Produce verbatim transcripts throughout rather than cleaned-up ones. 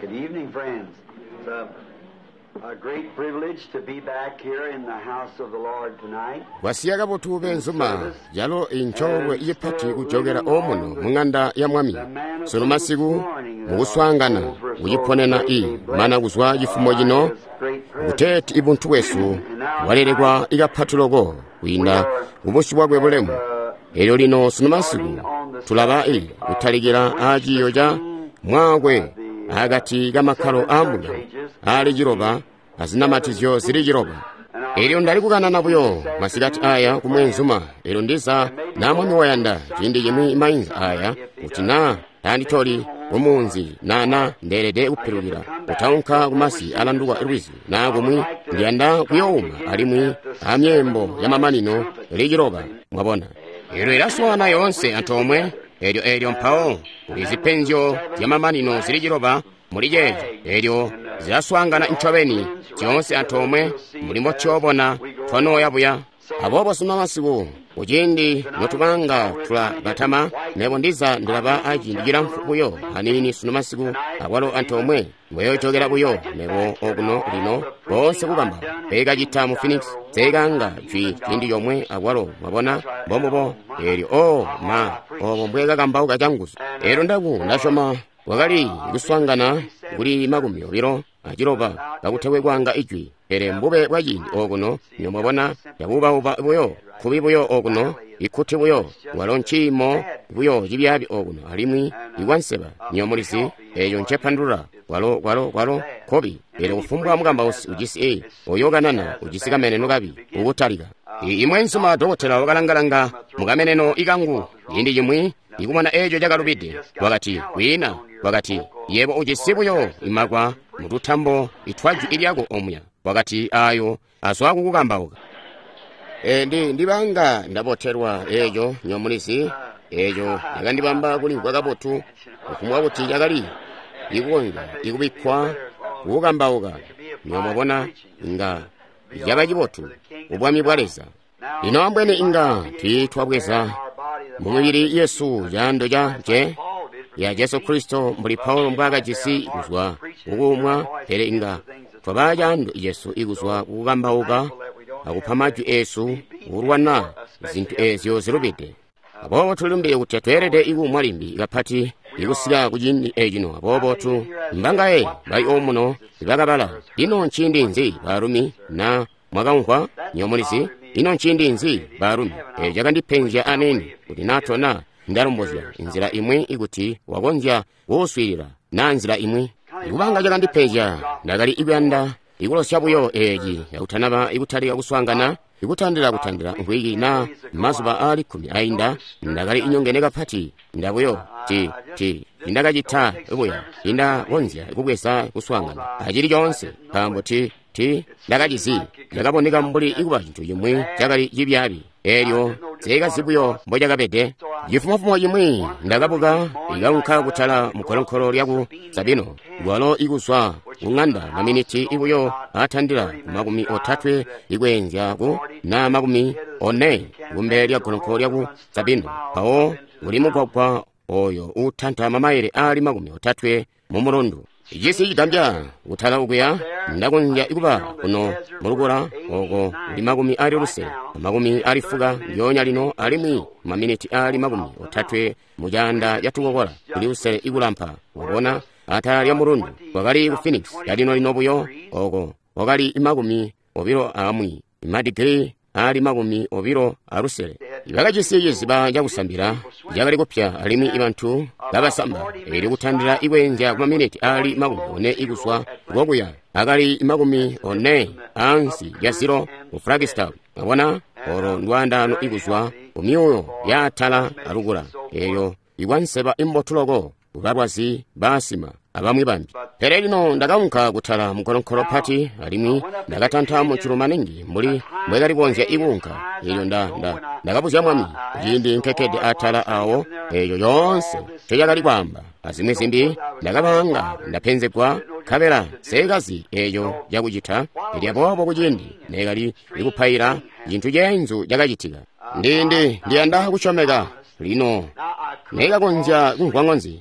Good evening, friends. It's a, a great privilege to be back here in the house of the Lord tonight. Kwasiya kabotu benzuma yalo incoolwe ipati kujokela omuno mung'anda ya mwami sunu masiku mukuswaangana kuciponena i mana kuzwa cifumo cino kuteeti ibuntu bwesu bwalelekwa ikapati loko kwiinda kubusyu bwakwe bulemu. Elyo lino sunu masiku tulaba i kutalikila aaciyo ca mwaakwe akati kamakkalo aambungano aali ciloba azinamatizyo zili ciloba. Elyo ndali kukanana buyo masikati aya kumwenzuma, elyo ndiza na mwami wayanda ciindi cimwi mainza aya kuti na tanditoli kumunzi nana ndeelede kupilukila kutaunka kumasi alanduka lwizi na kumwi ndiyanda kuyouma alimwi amyeembo ya mamanino ili ciloba. Mwabona, elyo ilaswaana yoonse antoomwe. Elyo elyo mpawo kuli zipenzyo zya mamanino zili ciloba muli ceeco, elyo zilaswaangana ncobeni zyoonse antoomwe mbuli mbotyobona twanooya buya. Aboobo sunu masiku kuciindi notubanga tulabatama, mebo ndiza ndilaba aciindi cilamfu buyo aniini sunu masiku akwalo antoomwe mbweyojokela buyo mebo okuno lino boonse kukamba peekacita mu Phoenix seekanga jwi ciindi comwe akwalo. Mwabona, mbombubo. Elyo o ma obo mbwekakambauka canguzu. Elyo ndaku ndasyoma kwakali kuswaangana kuli makumi obilo aciloba kakutekwe kwanga ijwi, pele mbube bwa ciindi okuno nyo mwabona yabuubauba buyo kubi buyo okuno ikkuti buyo walo nciimo buyo cibyaabi okuno alimwi ikwanseba nyo mulizi eyo ncepandulula kwalo kwalo kwalo kobi. Elyo kufumbwa mukambausi ujisi e oyo kanana ujisi kameneno kabi ukutalika. Imwenzuma dokotela wakalangalanga mukameneno ikangu ciindi cimwi ikumana eco cakalubide. Wakati kwiina, wakati yebo ujisi buyo imakwa mututambo itwajwi ilyako omuya. Wakati ayo azwa kukukambauka. E, ndi ndibanga ndabotelwa eco nyomulizi eco yakandibamba kulimvwa kabotu kufumbwa kuti cakali ikukonzya ikubikkwa kukukambauka. Nyomwabona inga caba cibotu ubwami bwa Leza. Lino ambweni inga tiitwabweza mumibili yesu caando ca nce ya Jesu Kristo mbuli Paulo mbwaakajisi kuzwa kukuumwa, pele inga twaba caando yesu ikuzwa kukukambauka akupa majwi esu kulwana zintu ezyo zilubide. Aboobo tulilumbile kuti tweelede ikuumwa limbi kapati ikusika kuciindi ecino. Aboobo tu mbangaye bali omuno ibakabala ino nciindi nzi baalumi na mwakamvwa nyomulizi ino nciindi nzi baalumi. Eco cakandipenzya aneni kuti natona ndalombozya inzila imwi ikuti wakonzya kuuswiilila na nzila imwi. Ikubanga cakandipenzya ndakali ikuyanda ikulosya buyo eeci yakutanaba ikutalika kuswaangana ikutandila kutandila mvwiki na mazuba aali kkumi ainda. Ndakali inyongene kapati ndabuyo ti ti indakacita buya indakonzya kubweza kuswaangana acili coonse nkaambo ti ti ndakacizi ndakaboneka mbuli ikuba cintu cimwi cakali cibyaabi. Elyo seekazi buyo mbocakabede. Cifumofumo cimwi ndakabuka ikaunka kutala mukolonkolo lyaku Sabino lwalo ikuzwa kung'anda maminiti ibuyo atandila ku makumi otatwe ikweenzya ku na makumi one kumbele lya golonkolo lyaku Sabino. Mpawo kuli mugwagwa oyo utanta mamaile aali makumi otatwe mu mulundu. Cisi cigambya kutala ukuya ndakonzya ikuba kuno mulukula oko kuli makumi ali lusele makumi ali fuka ndyonya lino alimwi maminiti ali makumi otatwe mucaanda catukokola kuli lusele ikulampa. Wabona atala lya mulundu kwakali ku Phoenix yalino lino buyo oko wakali makumi obilo amwi madigiri ali makumi obilo alusele. Bakajisi ciziba cakusambila cakali kupya alimwi ibantu babasamba. Elyo kutandila ikweenzya kumaminiti ali makumi one ikuzwa kokuya akali makumi one ansi ya ziro ku Flagstaff. Mwabona olo ndwaandano ikuzwa kumyuuyo yaatala alukula eyo ikwanseba imbotu loko kubalwazi baasima abamwi bambi. Pele lino ndakaunka kutala mukolonkolo pati alimwi ndakatanta mujulu maningi mbuli mbwekali kukonzya ikuunka. Elyo nda nda ndakabuzya mwami kuciindi nkekkede atala awo eyo yoonse ncecakali kwaamba azimwi zimbi. Ndakabanga ndapenzegwa nkabela seekazi eyo cakucita. Elyo aboobo kuciindi neekali ikupaila cintu ceenzu cakacitika. Ndi ndi ndiyanda kusyomeka lino neekakonzya kumvwa ŋonzi.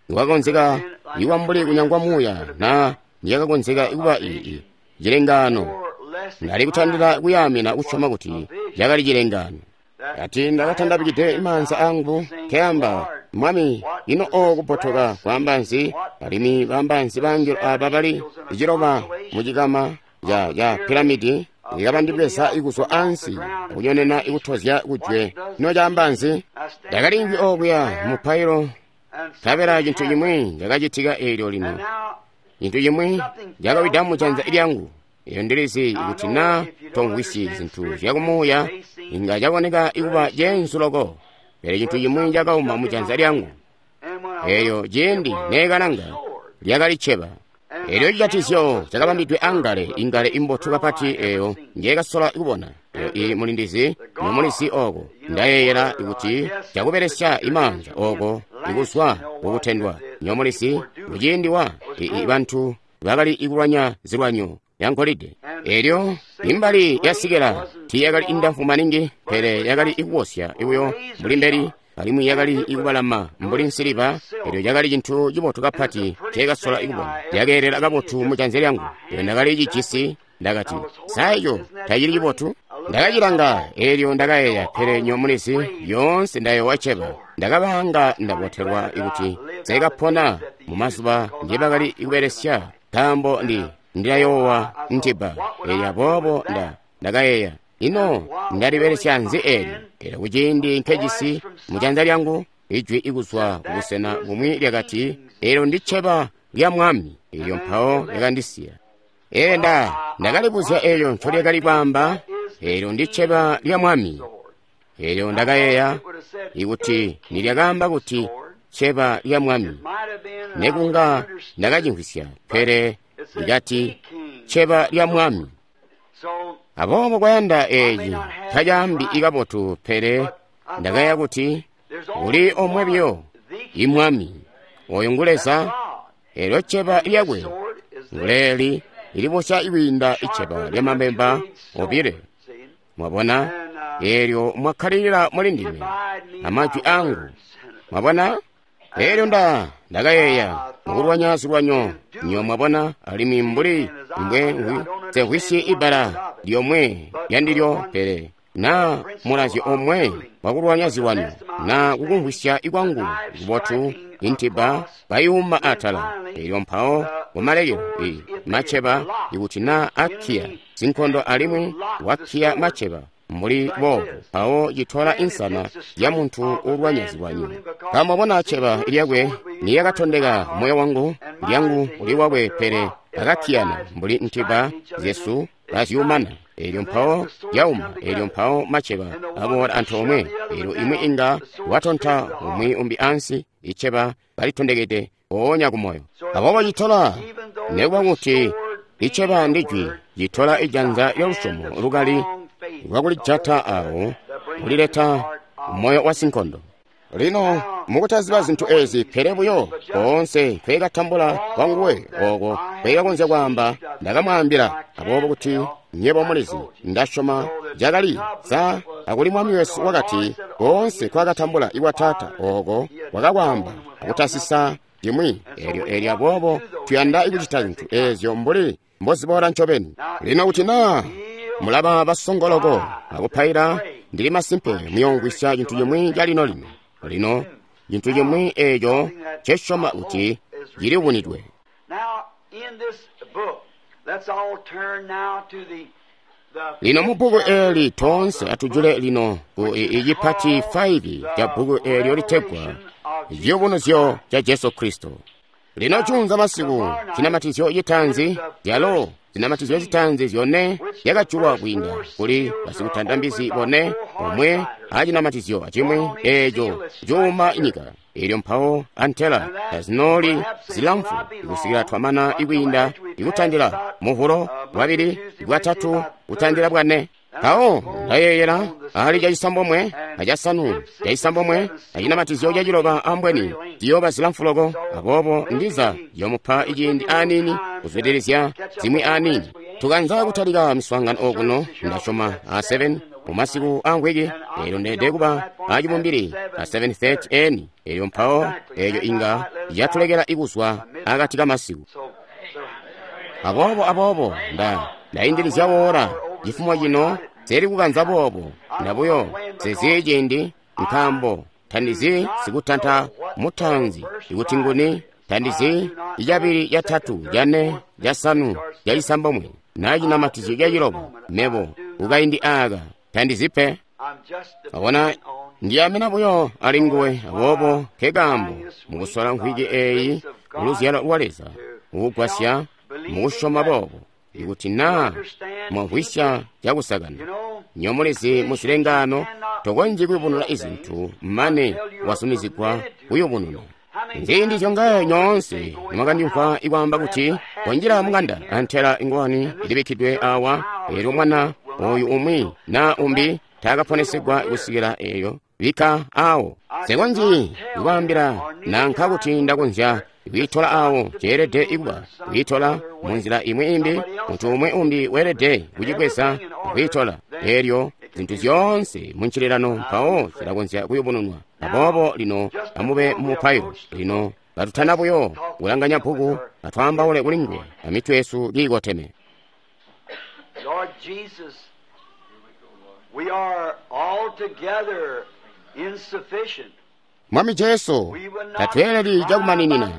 Nikwakakonzeka ikuba mbuli kunyangwa muuya na niyakakonzeka ikuba ii cilengaano. Ndali kutandila kuyaamina kusyoma kuti cakali cilengaano. Ati ndakatandabikide maanza angu nkeyamba, Mwami, ino oo kupotoka kwaamba nzi? Alimwi baamba nzi bangelo aba bali ciloba mucikama ca ca piramidi ikabandibweza ikuzwa ansi akunyonena ikutozya kujwe? Ino caamba nzi? Ndakalimvwi okuya mupailo, nkabela cintu cimwi cakacitika eelyo lino. Cintu cimwi cakawida mujanza lyangu. Eyo ndilizi kuti na tomvwisyi zintu zyakumuuya inga caboneka ikuba ceenzu loko, pele cintu cimwi cakauma mujanza lyangu. Eyo ciindi neekalanga lyakali cceba. Elyo cijatizyo cakabambidwe angale, ingale imbotu kapati eyo njeekasola kubona. Eyo i mulindizi nomulizi oko ndayeeyela kuti cakubelesya imaanza oko ikuzwa kukutendwa. Nomulizi kuciindi wa i bantu bakali ikulwanya zilwanyo yangolide. Elyo imbali yasikela tiiyakali indamfu maningi, pele yakali ikuwosya ibuyo mbuli mbeli, alimwi yakali ikubalama mbuli nsiliva. Elyo cakali cintu cibotu kapati nceekasola ikubona. Yakeelela kabotu mujanza lyangu. Elyo ndakali cijisi. Ndakati, sa eco tacili cibotu? Ndakacilanga, elyo ndakayeeya, pele nyomulizi yoonse ndayoowa cceba. Ndakabaanga ndabotelwa ikuti nseekapona mumazuba ngibakali kubelesya, nkaambo ndi ndilayoowa ntiba. Elyo aboobo nda ndakayeeya, ino ndalibelesya nzi eli? Elyo kuciindi nkejisi mujanza lyangu ijwi ikuzwa kubusena bumwi lyakati, elyo ndi cceba lya Mwami. Elyo mpawo lyakandisiya. Ee nda ndakalibuzya elyo ncolyakali kwaamba, elyo ndi cceba lya Mwami. Elyo ndakayeeya ikuti nilyakaamba kuti cceba lya Mwami, nekunga ndakacimvwisya, pele likati cceba lya Mwami. Aboobo kwayanda eeci tacaambi ikabotu, pele ndakayeeya kuti kuli omwe biyo, imwami, oyo ngu Leza. Elyo cceba lyakwe nguleeli ilibosya ikwiinda cceba lyamabemba obile. Mwabona? Eelyo mwakkalilila muli ndime amajwi angu. Mwabona? Elyo nda ndakayeeya mukulwanya zilwanyo nyo mwabona, alimwi mbuli mbwe nsemvwisyi ibbala lyomwe lyandilyo, pele na mulazyo omwe wakulwanya zilwanyo, na kukumvwisya ikwangu kubotu intiba bayuuma atala. Elyo mpawo kumalekelo i maceba ikuti na akkiya zinkondo alimwi wakkiya maceba mbuli boobo, mpawo citola insana ya muntu uulwanya zilwanyo. Nkaambo bona cceba lyakwe niyakatondeka moyo wangu, lyangu uli wakwe, pele akakkiyana mbuli ntiba zyesu kazyuumana. Elyo mpawo yauma, elyo mpawo maceba aboola antoomwe. Elyo imwi inga watonta umwi umbi ansi, iceba kalitondekede mpoonya kumoyo. Aboobo citola, nekuba kuti iceba ndijwi, citola ijanza lyalusyomo lukali lwakulijata awo kulileta moyo wa sinkondo. Lino mukutaziba zintu ezi, pele buyo koonse nkweekatambula kwanguwe oko nkweekakonzya kwaamba, ndakamwaambila. Aboobo kuti nyebo mulizi, ndasyoma cakali sa akuli Mwami wesu wakati, koonse kwakatambula ikwa Taata oko wakakwaamba akutasisa cimwi. Elyo elyo aboobo tuyanda ikucita zintu ezyo mbuli mboziboola ncobeni. Lino kuti naa mulaba basongoloko akupaila, ndili masimpe muyoomvwisya cintu cimwi calino lino. Lino cintu cimwi eeco ncesyoma kuti cilibunidwe. Lino mu bbuku eeli toonse atujule lino ku icipati faivi ca bbuku eelyo litegwa Ciyubunuzyo ca Jesu Kristo. Lino junza masiku cinamatizyo citaanzi, calo zinamatizyo zitaanzi zyone zyakajulwa kwiinda kuli basikutanda mbizi bone, omwe acinamatizyo acimwi eeco cuuma nyika. Elyo mpawo antela tazinooli zilamfu kusikila twamana ikwiinda ikutandila muvulo bwabili, bwatatu, kutandila bwane. Mpawo ndayeeyela ali cacisambomwe acasanu cacisambomwe acinamatizyo caciloba ambweni ziyooba zilamfu loko. Aboobo ndiza yomupa iciindi aniini kuzwidilizya zimwi aniini. Tukanza kutalika miswaangano okuno ndasyoma a seven mumasiku amvwiki eelyo ndeelede kuba acibumbili a seven thirty eni eelyo mpawo eeyo inga yatulekela ikuzwa akati kamasiku. Aboobo aboobo nda ndaindilizya woora cifumo cino seli kukanza boobo ndabuyo sezi ciindi nkaambo tandizi sikutanta mutanzi ikuti nguni tandizi icabili catatu cane casanu cacisambomwe na cinamatizyo caciloba mebo kukaindi aka tandizi pe. Abona ndiyamina buyo ali nguwe. Aboobo nkekaambo mukusola mvwiki eeyi muluzyalo lwa Leza mukugwasya mukusyoma boobo ikuti naa mwamvwisya cakusakana nyomulizi muzilengaano tokonzyi kuyubununa izintu mane wasumizigwa kuyubununa. Nziindi zyongaye nyoonse nimwakandimvwa ikwaamba kuti konjila mung'anda antela ingowani ilibikkidwe awa eelyo mwana oyu umwi naa umbi taakaponesegwa kusikila eeyo bikka awo. Nsekonzyi kukwaambila nanka kuti ndakonzya kwiitola awo ceelede ikuba kwiitola munzila imwi imbi muntu umwi umbi weelede kucibweza akwiitola eelyo zintu zyoonse muncililano mpawo zilakonzya kuyubununwa. Aboobo lino amube mumupailo. Lino katutana buyo kulanganya bbuku atwaambaule kuli nguwe amitwe yesu kiikoteme. Lord Jesus, we are altogether insufficient. Mwami Jesu, tatweeleli cakumaninina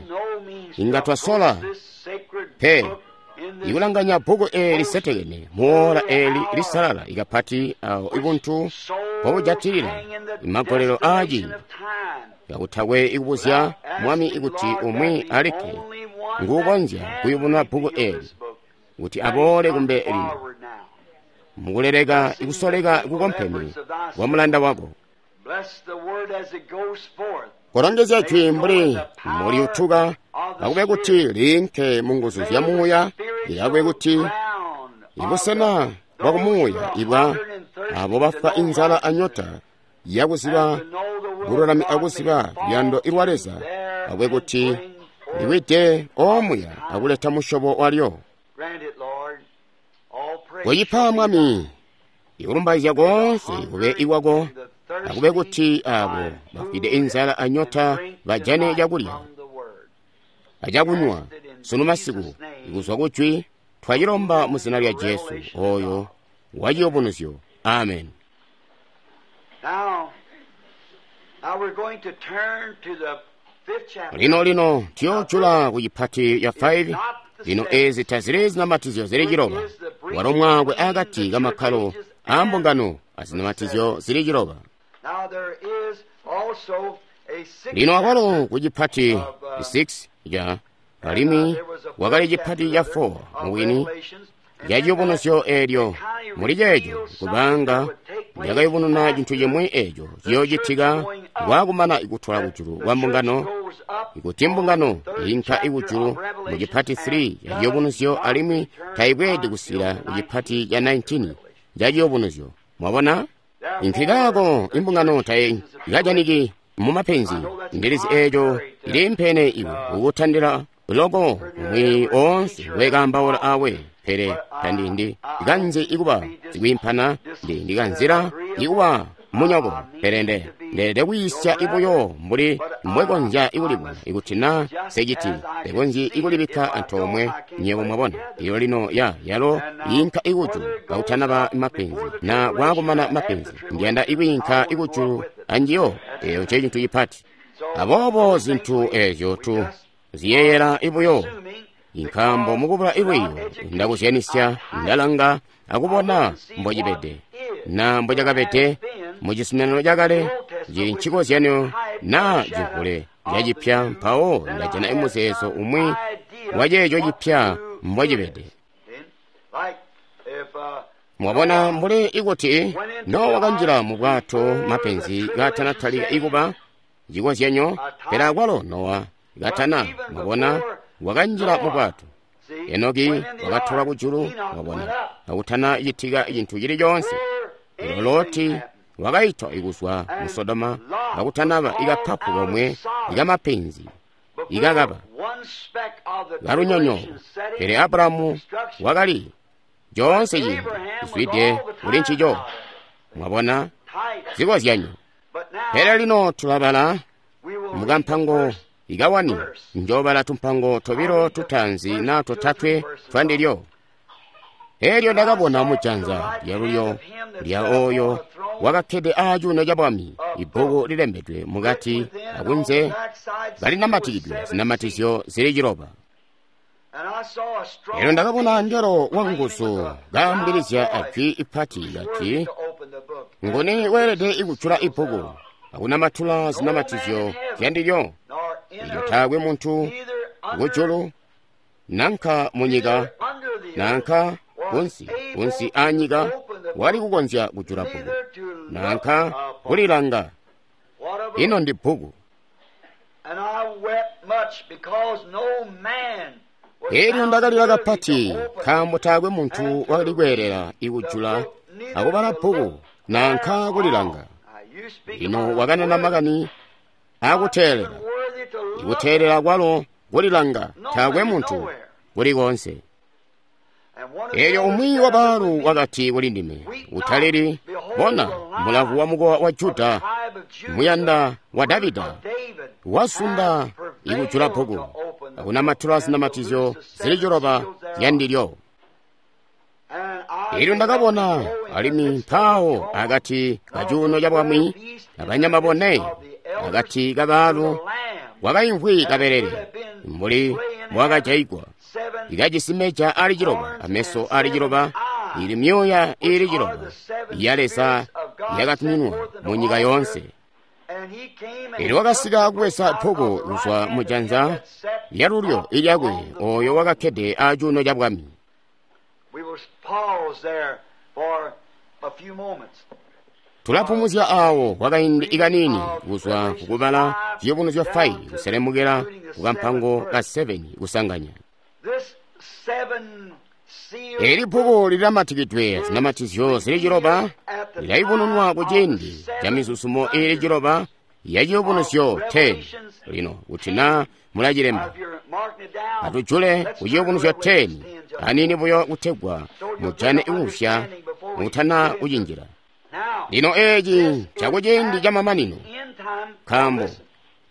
inga twasola pe ikulanganya bbuku eeli lisetekene muola eeli lisalala ikapati awo ibuntu mpobujatilila imagolelo aaciindi kakutakwe ikubuzya Mwami ikuti umwi alikke nguukonzya kuyubununa bbuku eeli kuti aboole kumbe lino mukuleleka ikusoleka kukompeme kwa mulanda wako. Kolongezya jwi mbuli muliutuka akube kuti liinke mu nguzu zya muuya lilakwe kuti ibusena bwa kumuuya ibwa abo bafwa inzala anyota yakuziba bululami akuziba luyando ilwa Leza akube kuti liwide omuya akuleta musyobo walyo. Koyipa Mwami ikulumbaizya koonse kube ikwako akube kuti abo bafwide inzala anyota bajane cakulya acakunywa sunu masiku ikuzwa kujwi twacilomba mu zina lya Jesu oyo waciyubunuzyo. Amen. Now, now we're going to turn to the fifth chapter. Lino lino tiyojula ku chipati ya five. Lino ezi tazili zinamatizyo zili chiloba walo mwakwe akati kamakhalo a mbungano azinamatizyo zili chiloba. Now there is also a sixth Lino akwalo ku chipati six ya alimwi wakali chipati cha four muwini ya chiyubunuzyo eelyo muli ceeco kubanga lyakayubununa chinthu chimwe echo chiyochitika kwakumana ikutwala kujulu kwa mbungano ikuti mbungano inka ikujulu mu chipati three ya chiyubunuzyo alimwi tayibweedi kusikila ku chipati cha nineteen cha chiyubunuzyo. Mwabona inkhikako imbungano tayi ikajaniki mumapenzi ndilizi eeco ilimpene iwe ukuthandira loko mwi onse wekambaula awe pele tandindi ikanzi ikuba zikwiimphana ndi ndikanzira ikuba munyoko pele nde ndeelede kuyisya ibuyo mbuli mbwekonzya ikulibona ikuti na seciti ndekonzyi ikulibikka antoomwe nywebo mwabona iyo lino ya yalo yinka ikujulu kakutanaba mapenzi na kwakumana mapenzi ndiyanda ikuyinka ikujulu anjiyo eyo nce cintu cipati. Aboobo zinthu ezyo tu ziyeyera ibuyo inkambo mukubula ibwiyo ndakuzyanisya ndalanga akubona mbocibede na mbocakabede mucizuminano cakale cili ncikozyanyo na civule cacipya mpawo ndajana imuzeezo umwi waceeco cipya mbocibede. Mwabona mbuli ikuti Nowa wakanjila mu bwato mapenzi katanatalika ikuba cikozyanyo pele akwalo Nowa katana mwabona wakanjila mu bwato. Enoki wakatolwa kujulu mwabona akutana citika cinthu chili chonse. Lero Loti wakaitwa ikuzwa mu Sodoma akutanaba ikaphapu komwe ikamapenzi ikakaba kalunyonyo. Pele Abrahamu wakali chonse chinthu chizwide kuli ncico. Mwabona? Zikozyanyo. Pele lino tulabala mukampango ikawani, njoobala tumpango tobilo tutaanzi na totatwe twandilyo. Elyo ndakabona mujanza lyalulyo lya oyo wakakkede aacuuno ca bwami ibbuku lilembedwe mukati akunze kalinamatikidwe zinamatizyo zili ciloba. Elyo ndakabona angelo wanguzu kaambilizya ajwi ipati kati, nguni weelede kujula ibbuku akunamatula zinamatizyo zyandilyo? Ilyo taakwe muntu kujulu nanka munyika nanka kunsi kunsi anyika wali kukonzya kujula bbuku nanka kulilanga. Ino ndi bbuku. Elyo ndakalila kapati nkaambo taakwe muntu wakali kweelela ikujula akubala bbuku nanka kulilanga. Lino wakanena makani akuteelela, ikuteelela kwalo kulilanga taakwe muntu kuli konse. Elyo umwi wa baalu wakati kuli ndime, utalili, bona mulavu wa mukowa wa Juda, muyanda wa Davida, wasunda ikujula bbuku akunamatula zinamatizyo zili ciloba zyandilyo. Elyo ndakabona alimwi mpaawo akati kacuuno ca bwami abanyama bone akati kabaalu wakaimvwi kabelele mbuli mbwakajaigwa, ikajisi meja ali ciloba ameso ali ciloba, ili myoya ili ciloba ya Leza yakatuminwa mu nyika yoonse. Elyo wakasika kubweza bbuku kuzwa mujanza lyalulyo ilyakwe oyo wakakkede acuuno ca bwami. Tulapumuzya awo kwakaindi ikanini kuzwa kukubala ciyubunuzyo five kuselemukela kukampango ka seven kusanganya. Eli bbuku lilamatikidwe zinamatizyo zili ciloba lilayubununwa ku ciindi ca mizuzumo ili ciloba ya ciyubunuzyo ten. Lino kuti na mulacilemba, atujule ku ciyubunuzyo ten anini buyo kutegwa mujane ikusya mutana kucinjila. Lino eci cakuciindi ca mamanino, nkaambo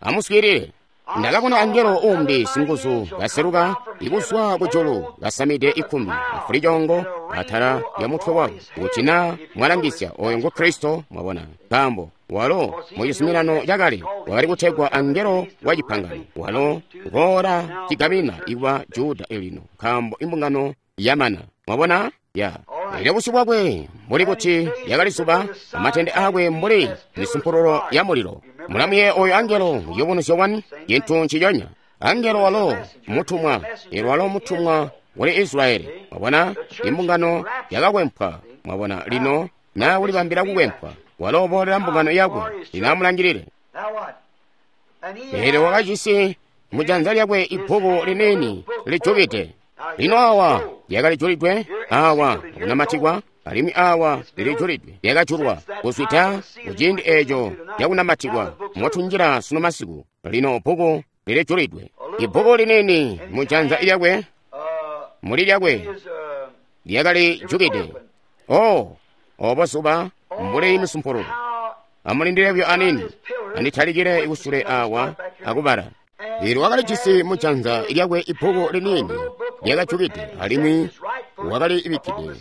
amuswiilile. Ndakabona angelo umbi singuzu kaseluka ikuzwa kujulu kasamide ikkumbi afulicoongo atala lya mutwe wakwe, kuti na mwalangisya oyo ngu Kristo. Mwabona, nkaambo walo mu cizuminano cakale wakali kutegwa angelo wa cipangano, walo ngoola cigamina ikwa Juda elino, nkaambo imbungano yamana. Mwabona ya elyo busyu bwakwe mbuli kuti lyakali zuba, amatende akwe mbuli misumpululo ya mulilo. Mulamuye oyo angelo ciyubunuzyo one, cintu nciconya. Angelo walo mutumwa, elyo walo mutumwa kuli Israyeli. Mwabona, imbungano yakakwempwa. Mwabona, lino na kulibambila kukwempwa, walo uboolela mbungano yakwe. Lino amulangilile. Elyo wakajisi mujanza lyakwe ibbuku liniini lijukide. Lino awa lyakali julidwe, awa akunamatikwa, alimwi awa lilijulidwe, lyakajulwa kuzwida kuciindi eeco lyakunamatikwa motunjila sunu masiku. Lino bbuku lilijulidwe, ibbuku liniini mujanza lyakwe, muli lyakwe lyakali jukide. Oh, obo zuba mbuli misumpululo. Amulindile buyo anini, anditalikile kusule awa akubala. Elyo wakalijisi mujanza lyakwe ibbuku liniini lyakajukide, alimwi wakali ibikkide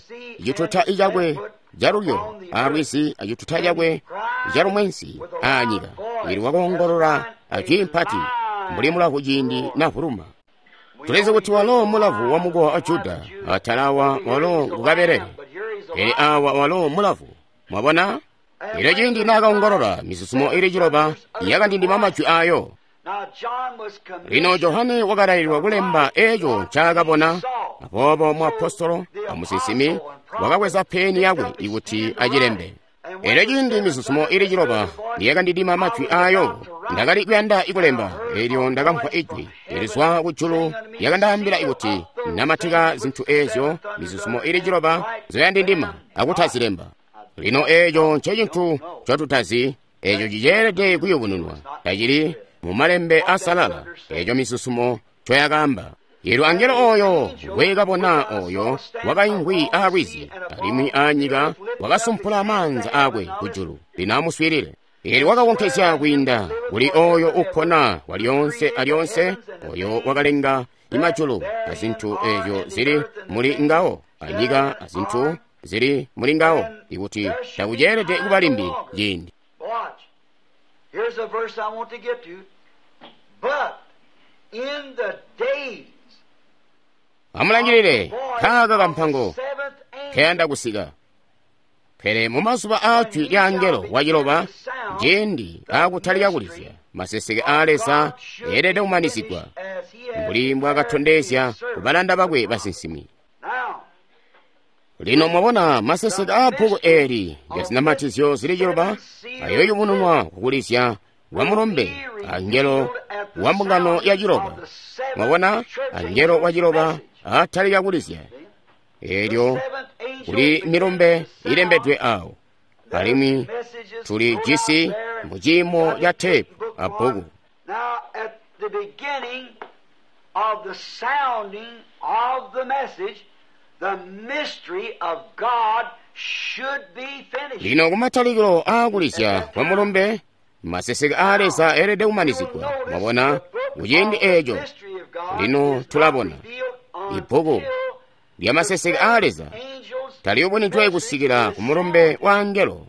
cituta cakwe calulyo alwizi acituta cakwe calumwensi aanyika. Elyo wakoongolola ajwi mpati mbuli mulavu ciindi navuluma. Tulizi kuti walo mulavu wa mukowa wa Juda, atala awa walo ngukabelele, pele awa walo mulavu. Mwabona? Elyo ciindi naakaongolola, mizuzumo ili ciloba yakandindima majwi ayo. Lino Johane wakalaililwa kulemba eco ncaakabona. Aboobo muapostolo amusinsimi wakabweza peni yakwe ikuti acilembe. Elyo ciindi mizuzumo ili ciloba niyakandidima majwi ayo, ndakali kuyanda ikulemba. Elyo ndakamvwa ijwi lizwa kujulu lyakandaambila ikuti namatika zintu eezyo mizuzumo ili ciloba nzoyandindima akutazilemba. Lino eeco ncecintu ncotutazi, eeco ciceelede kuyubununwa, tacili mu malembe asalala eeco mizuzumo ncoyakaamba. Eelyo angelo oyo ngwekabona oyo wakaimvwi aalwizi alimwi aanyika wakasumpula maanza aakwe kujulu. Lino amuswiilile. Eelyo wakakonkezya kwiinda kuli oyo upona walyoonse alyoonse, oyo wakalenga imajulu azintu eezyo zili muli ngawo, anyika azintu zili muli ngawo, ikuti takuceelede kuba limbi ciindi. Watch. Here's a verse I want to get to. But in the days Amulangilile kaaka kampango seventh angel, kayanda kusika. Pele mumazuba aa jwi lya angelo waciloba, ciindi aakutalika kulizya, maseseke aa Leza eelede kumanizigwa, as he has mbuli mbwaakatondezya kubalanda bakwe basinsimi. now Lino mwabona maseseke aa bbuku eeli lya zinamatizyo zili ciloba ayoyubununwa kukulizya kwa mulumbe angelo wa mbungano ya ciloba. Mwabona angelo wa ciloba atalika kulizya. Eelyo kuli milumbe ilembedwe awo, alimwi tuli jisi mu ciimo ca teepu a bbuku. Now, at the beginning of the sounding of the message, the mystery of God should be finished. Lino kumatalikilo aakulizya kwa mulumbe, maseseke aa Leza eelede kumanizigwa. Mwabona, kuciindi eeco lino tulabona ibbuku lya maseseke aa Leza taliyubunidwe kusikila ku mulumbe wa angelo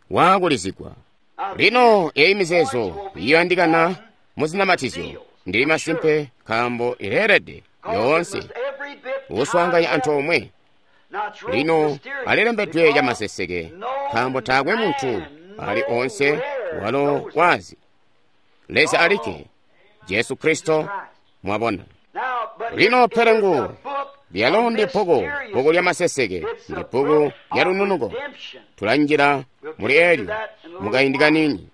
waakulizigwa. Lino eyi mizeezo iyandikana mu zinamatizyo ndili masimpe nkaambo ileelede yoonse kuswaanganya antoomwe. Lino alilembedwe camaseseke nkaambo taakwe muntu ali onse walo wazi Leza alikke, Jesu Kristo. Mwabona, lino pelengu lyalo ndi bbuku, bbuku lya maseseke ndi bbuku lya lununuko. Tulanjira muli elyo mukaindi kanini.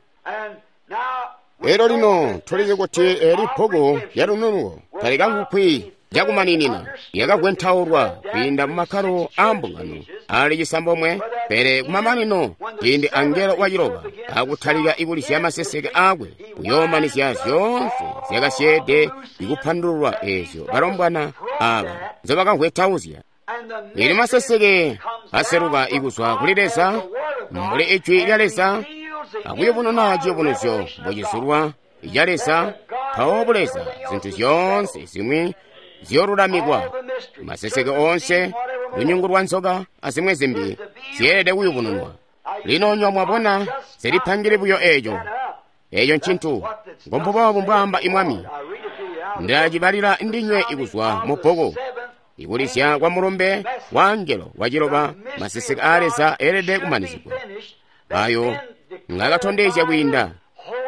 Elo lino tulizi kuti eli bbuku lya lununuko talikamvwikwi cakumaninina, lyakagwentaulwa kwiinda mu makkalo aa mbungano ali cisambomwe. Pele kumamanino ciindi angelo waciloba akutalika ikulizya maseseke aakwe, kuyoomanizya zyoonse zyakasyeede ikupandululwa eezyo balombwana aaba nzobakagwetauzya. Ili maseseke aseluka ikuzwa kuli Leza mbuli ijwi lya Leza akuyubununa ciyubunuzyo mbocizulwa ica Leza, mpawo buleza zintu zyoonse zimwi ziyolulamikwa. Maseseke oonse, lunyungu lwa nzoka azimwi zimbi zyeelede kuyubununwa. Lino nywa mwabona zilipangile buyo eeco. Eeco ncintu ngombuboobu mbwaamba imwami. Ndacibalila ndinywe ikuzwa mu bbuku. Ikulizya kwa mulumbe wa angelo waciloba, maseseke aa Leza eelede kumanizigwa. Ayo ngakatondezya kwiinda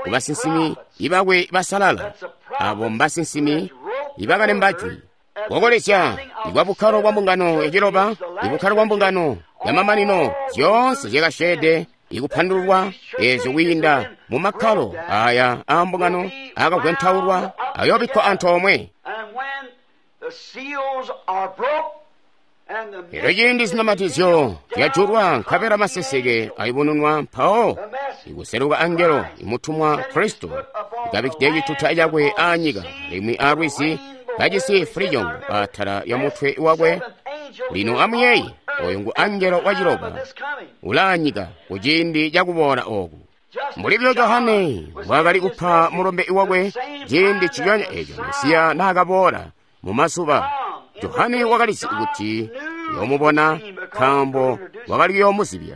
ku basinsimi ibakwe basalala, abo mbasinsimi ibakalemba jwi. Kukolezya ikwa bukkalo bwa mbungano yaciloba, ibukkalo bwa mbungano yamamanino, zyoonse zyakasyeede ikupandululwa eezyo kwiinda mu makkalo aya aa mbungano akagwentaulwa ayoobikkwa antoomwe. And when the seals are broke and the Elyo ciindi zinamatizyo zyajulwa nkabela maseseke ayubununwa, mpawo ikuseluka angelo imutumwa Kristo ikabikkide cituta cakwe aanyika alimwi aalwizi kajisi fulijongo atala lya mutwe wakwe. Lino amuyeeye, oyo ngu angelo waciloba ulaanyika kuciindi cakuboola ooku. Mbuli buyo Johane mbwaakali kupa mulumbe wakwe ciindi ciyonya eeco Mesiya naakaboola mu mazuba, Johane wakalizi kuti uyoomubona nkaambo wakali kuyoomuzibya.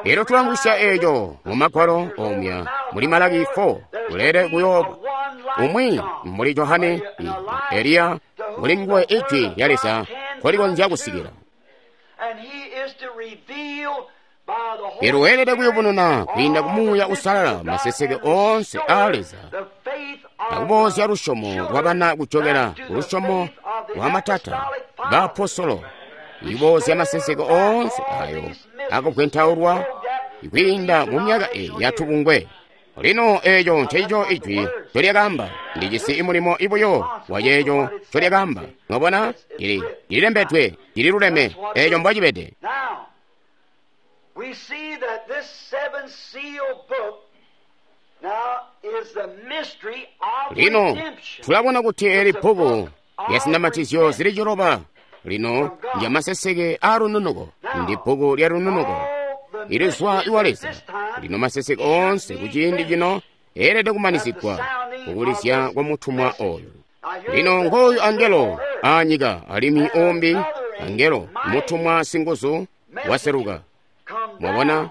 Elyo tulangwisya eeco mu Magwalo omya muli Malaki four kulele kuyooba umwi mbuli Johane, Eliya, muli nguwe ijwi lya Leza nkolikonzya kusikila. And he is to reveal by the Holy Elyo weelede kuyubununa kwiinda ku Spirit Muuya all the Uusalala mysteries of maseseke God and oonse aa restore Leza, the faith of akuboozya the lusyomo children lwabana kujokela back to ku the lusyomo faith of the lwa matata apostolic fathers. baapostolo, iboozya maseseke oonse ayo akugwentaulwa kwiinda mu myaka eyi yatubungwe. Lino eeco ncencico ijwi ncolyakaamba. Ndijisi mulimo ibuyo wa ceeco ncolyakaamba. Mwabona, lili lilembedwe, lililuleme, eeco mbocibede. Now, we see that this seven seal book now is the mystery of Lino redemption. tulabona kuti eli bbuku lya zinamatizyo zili ciloba lino ndya maseseke a lununuko ndi bbuku lya lununuko ilizwa iwa Leza. Lino maseseke oonse kuciindi cino eelede kumanizigwa kukulizya kwa mutumwa oyu. Lino ngooyu angelo aanyika, alimwi umbi angelo mutumwa singuzu waseluka. Mwabona,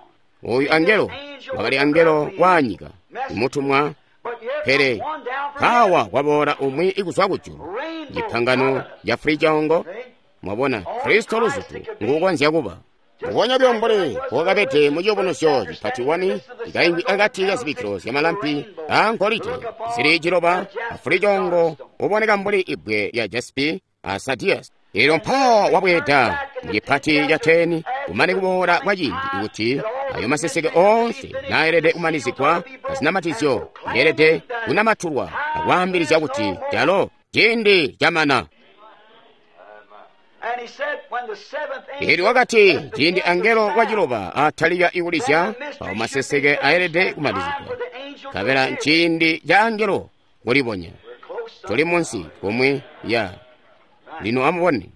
oyu angelo wakali angelo waanyika, mutumwa, pele kawa kwaboola umwi ikuzwa kujulu, cipangano ca fulicaongo. Mwabona, Kristo luzutu nguukonzya kuba mbubonya buyo mbuli mbokabede mu ciyubunuzyo cipati wani, cikaimbi akati ka zibikkilo zyamalampi a ngolide zili ciloba, a fulicoongo uboneka mbuli ibbwe lya jaspi a sadiyasi. Elyo mpawo wabweeda mu cipati ca teni, kumane kuboola kwa ciindi kuti ayo maseseke oonse naelede kumanizigwa azinamatizyo yeelede kunamatulwa akwaambilizya kuti calo ciindi camana. Elyo wakati ciindi angelo waciloba atalika ikulizya, awo maseseke aelede kumanizigwa, nkabela nciindi ca angelo kulibonya. Tuli munsi komwe ya lino amubone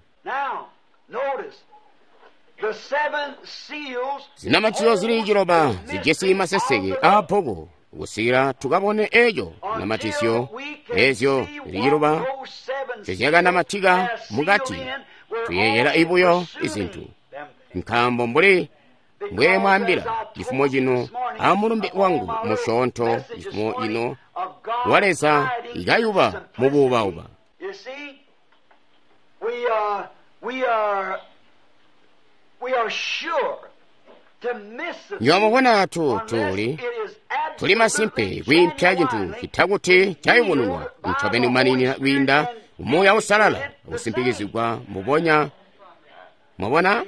zinamatizyo zili ciloba zijisi maseseke a bbuku kusikila tukabone eco namatizyo ezyo zili ciloba zezyakanamatika mukati. Tuyeeyela ibuyo izintu, nkaambo mbuli mbwe mwaambila cifumo cino amulumbe wangu musyoonto, cifumo cino wa Leza ikayuba mubuubauba. Nywamubona tu tuli tuli masimpe kwiimpya cintu citakuti cayubununwa ncobeni kumaninina kwiinda Umuuya Uusalala akusimpikizigwa mbubonya. Mwabona,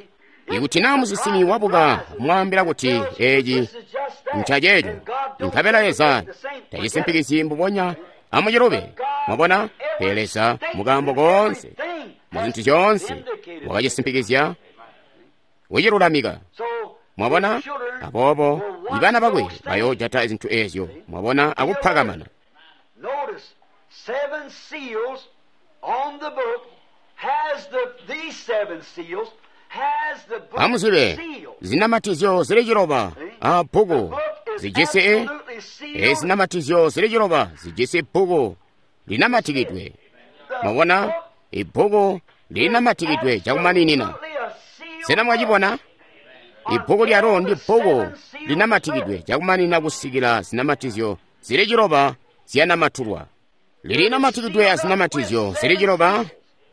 ikuti naa musinsimi wabuka mwaambila kuti eci ncaceeco, nkabela Leza tacisimpikizyi mbubonya, amucilobe. Mwabona, pele Leza mukaambo koonse mu zintu zyoonse wakacisimpikizya kucilulamika. Mwabona, aboobo ibana bakwe bayoojata zintu ezyo, mwabona, akuphakamana. Amuzibe, zinamatizyo zili ciloba a bbuku zijisi e zinamatizyo zili ciloba zijisi bbuku linamatikidwe. Mwabona, ibbuku linamatikidwe cakumaninina. Sena mwacibona? Ibbuku lyalo ndi bbuku linamatikidwe cakumaninina kusikila zinamatizyo zili ciloba zyanamatulwa. Lilinamatidwe azinamatizyo zili ciloba.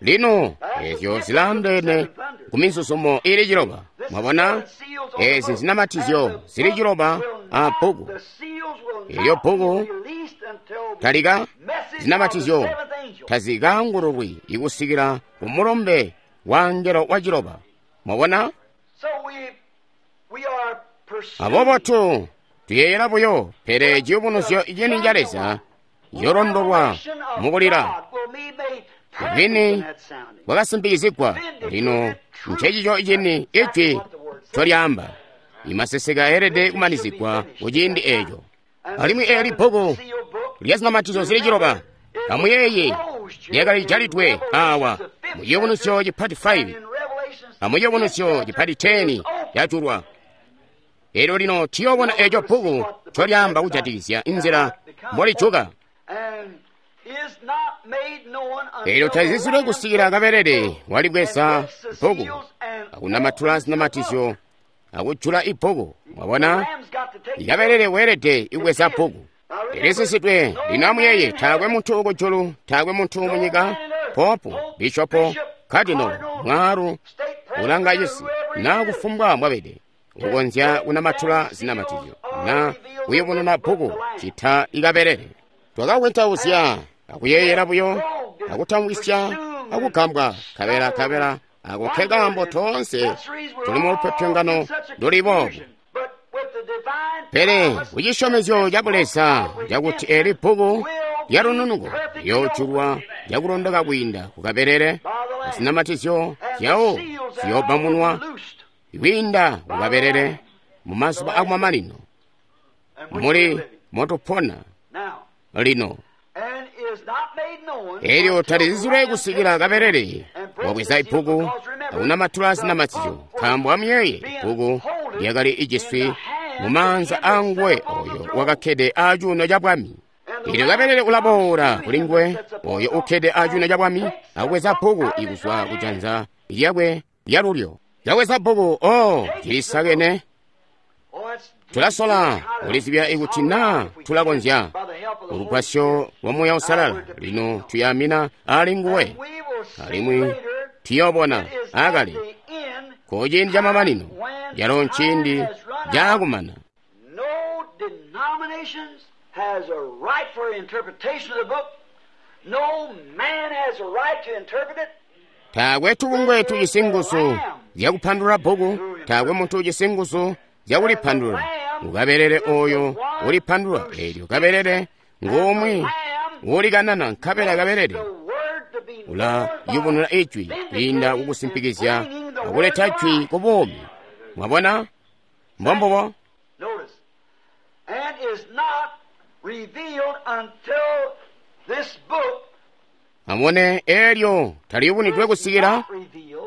Lino ezyo zilaandeene ku mizuzumo ili ciloba. Mwabona, ezi zinamatizyo zili ciloba a bbuku. Elyo bbuku talika zinamatizyo tazikaangululwi ikusikila ku mulumbe wa angelo wa ciloba. Mwabona, aboobo tu tuyeeyela buyo, pele ciyubunuzyo cini ca Leza yolondolwa mukulila bwini bwakasimpikizigwa. Lino ncecico cini ijwi ncolyaamba. Imaseseke aelede kumanizigwa kuciindi eco. Alimwi eeli bbuku lya zinamatizyo zili ciloba, amuyeeye, lyakali jalidwe awa mu ciyubunuzyo cipati five amu ciyubunuzyo cipati ten cajulwa. Elyo lino tuyoobona eco bbuku ncolyaamba kujatikizya inzila mbolijuka. Elyo tazizilwe kusikila kabelele walibweza bbuku akunamatula zinamatizyo akujula ibbuku. Mwabona, ikabelele weelede ibweza bbuku lilisisidwe. Lino amuyeeye, taakwe muntu kujulu, taakwe muntu munyika, popu, bishopo, kadinolo, mwaalu, ulanga cisi, naa kufumbwa mwabede ukonzya kunamatula zinamatizyo na kuyubununa bbuku cita ikabelele. Twakakwentauzya akuyeeyela buyo akutamwisya akugambwa, kabela kabela ako nke kaambo toonse tuli mu lupyopyongano luli boobu. Pele kucisyomezyo ca Buleza cakuti eli bbuku lya lununuko liyoojulwa lyakulondoka kwiinda kukabelele, zinamatizyo zyawo ziyoobamunwa kwiinda kukabelele mu mazuba akumamanino muli motupona lino. Elyo talizizilwe kusikila kabelele wabweza ibbuku akunamatula zinamatizyo, nkaambo amuyeeye ibbuku lyakali ijiswi mu maanza anguwe oyo wakakkede acuuno ca bwami. Elyo kabelele ulaboola kuli nguwe oyo ukkede acuuno ca bwami akubweza bbuku ikuzwa kujanza lyakwe lyalulyo. Kabweza bbuku, oh, cilisakene. Tulasola kulizibya ikuti naa tulakonzya ulugwasyo lwa Muuya Uusalala. Lino tuyamina ali nguwe, alimwi tuyoobona akale ku ciindi ca mamanino, calo nciindi cakumana. No denominations has a right for interpretation of the book. No man has a right to interpret it. Taakwe tubungwe tujisi nguzu zyakupandulula bbuku, taakwe muntu ujisi nguzu zyakulipandulula. Ukabelele oyo ulipandulula, eelyo kabelele ngumwi ulikanana, nkabela kabelele ulayubunula ijwi kwiinda kukusimpikizya akuleta jwi ku buumi. Mwabona? Mbombubo. Notice, and is not revealed until this book Amone elyo taliyubunidwe kusikila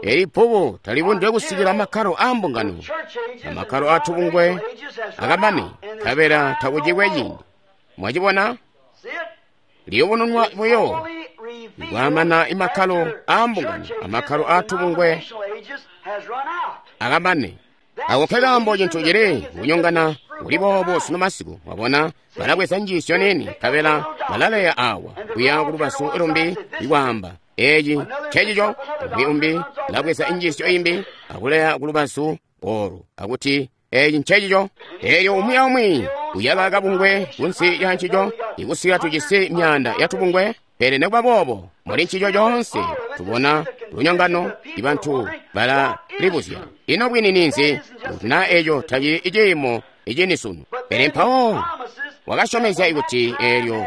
eli bbuku taliyubunidwe kusikila makkalo a mbungano amakkalo a tubungwe akamane, nkabela takucikwe ciindi. Mwacibona? Liyubununwa buyo kwamana imakkalo a mbungano amakkalo a tubungwe akamane. Ako nkekaambo cintu cili kunyongana kuli boobo sunu masiku. Mwabona, balabweza njiisyo nini nkabela balaleya awa kuya kulubazu lumbi ikwaamba eci ncecico. Umwi umbi ulabweza injiisyo imbi akuleya kulubazu olu akuti eci ncecico. Elyo umwi aumwi uyaka kabungwe kunsi ya ncico ikusika tujisi myaanda ya tubungwe. Pele nekuba boobo muli ncico coonse tubona lunyongano, ibantu balalibuzya ino bwini ninzi kuti naa eco tacili iciimo icini sunu. Pele mpawo wakasyomezya ikuti eelyo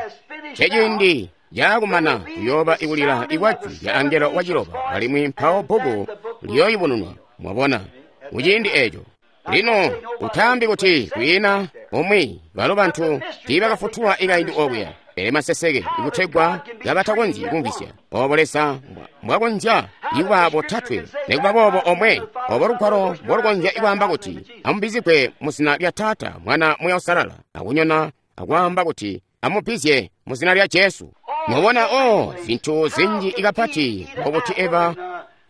ceciindi caakumana kuyooba ikulila ikwajwi lya angelo waciloba, alimwi mpawo bbuku liyooyubununwa. Mwabona, kuciindi eco. Lino utaambi kuti kwiina umwi balo bantu tiibakafutulwa ikaindi okuya, pele maseseke ikutegwa kabatakonzyi kumvwisya obo Leza mbwakonzya ikuba botatwe nekuba boobo omwe, obo lugwalo mbolukonzya ikwaamba kuti amubbizigwe mu zina lya Taata, Mwana, Muuya Uusalala, akunyona akwaamba kuti amubbizye mu zina lya Jesu. Mwabona, o zintu zinji ikapati mbobuti Eva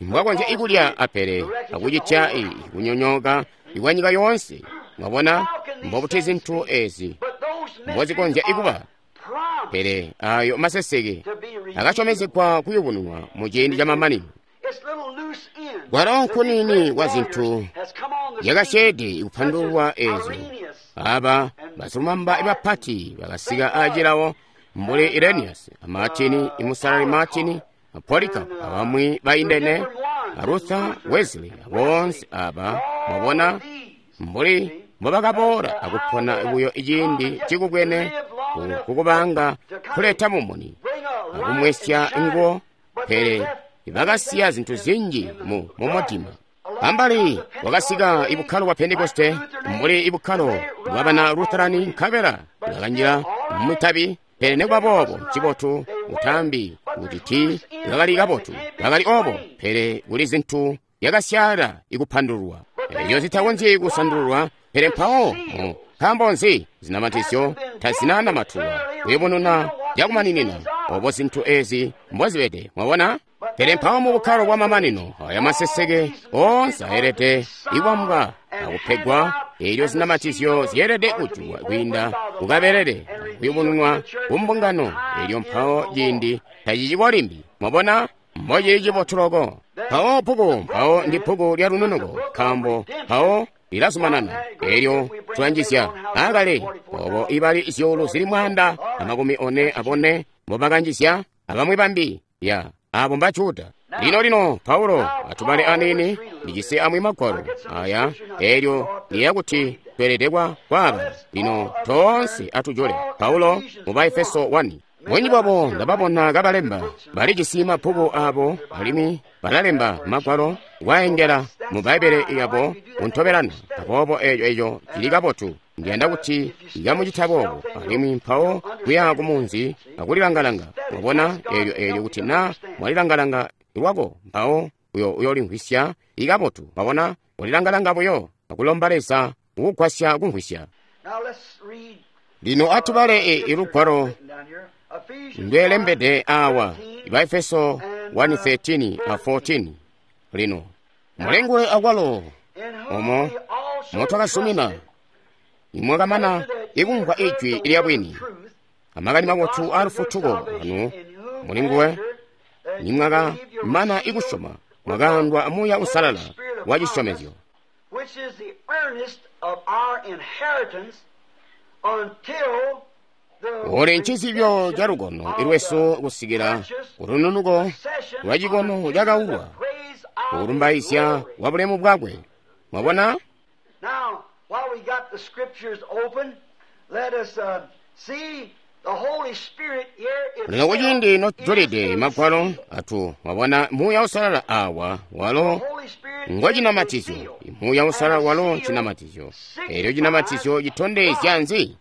mbwakonzya ikulya apele akucitya kunyonyoka ikwanyika yoonse. Mwabona mbobuti zintu ezi mbozikonzya ikuba. Pele ayo maseseke akasyomezegwa kuyubununwa mu ciindi ca mamanino. Kwalo nkunini kwa zintu yakasyeede ikupandululwa ezo. Aba basilumamba bapati bakasika acilawo mbuli Irenaeus, Martin, imusalali Martin, Polycarp, abamwi baindene, Luther, Wesley, boonse aba. Mwabona mbuli mbobakaboola akupona buyo iciindi cikubwene kukubanga kuleta mumuni akumwesya nguwo, pele bakasiya zintu zinji mu mumutima. Ambali wakasika ibukkalo bwa Pentekoste mbuli ibukkalo bwa bana Lutherani, nkabela bakanjila mumitabi. Pele nekuba boobo ncibotu utambi kuti tii bakali kabotu, bakali obo, pele kuli zintu yakasyaala ikupandululwa eyo zitakonzyi kusandululwa. Pele mpawo mu nkaambo nzi zinamatizyo tazinanamatulwa kuyubununa cakumaninina obo zintu ezi mbozibede. Mwabona? Pele mpawo mu bukkalo bwa mamanino aya maseseke oonse ayelede ikwambwa akupegwa, eelyo zinamatizyo zyeelede kujulwa kwiinda kukabelele kuyubununwa kumbungano. Eelyo mpawo ciindi taciciko limbi. Mwabona mbocili cibotu loko. Mpawo bbuku mpawo ndi bbuku lya lununuko, nkaambo mpawo lilazumanana. Eelyo tulanjizya akale obo ibali zyuulu zili mwaanda amakumi one abone mbobakanjizya abamwi bambi ya abo mba Juda. Lino lino Paulo atubale aniini ndijisi amwi magwalo aya, eelyo liya kuti tweelede kwaaba. Lino toonse atujule Paulo mu Baefeso one. Bunji bwabo ndababona kabalemba, balijisi mabbuku abo alimwi balalemba magwalo kwaengela mu Bbaibbele yabo kuntobelana. Aboobo eco eco cili kabotu. Ndiyanda kuti ikamucita boobo, alimwi mpawo kuya kumunzi akulilangalanga. Mwabona, eelyo eelyo kuti na mwalilangalanga lwako, mpawo uyo uyolimvwisya ikabotu. Mwabona, ulilangalanga buyo akulomba Leza kukugwasya kumvwisya. Lino atubale ilugwalo ndwelembede awa, Baefeso one thirteen a fourteen. Lino mulengwe akwalo omo motwakasumina, imwakamana ikumvwa ijwi lya bwini, amakani mabotu a lufutuko anu mulinguwe, nimwakamana ikusyoma, mwakaandwa Muuya Uusalala wa cisyomezyo, uli ncizibyo ca lukono lwesu kusikila kulununuko lwa cikono cakaulwa, kulumbaizya kwa bulemu bwakwe. Mwabona? Now, while we got the scriptures open, let us uh, see the Holy Spirit here. Lino kuciindi notujulide magwalo atu, mwabona Muuya Uusalala awa walo ngo cinamatizyo. Muuya Uusalala walo cinamatizyo. Eelyo cinamatizyo citondezya nzi?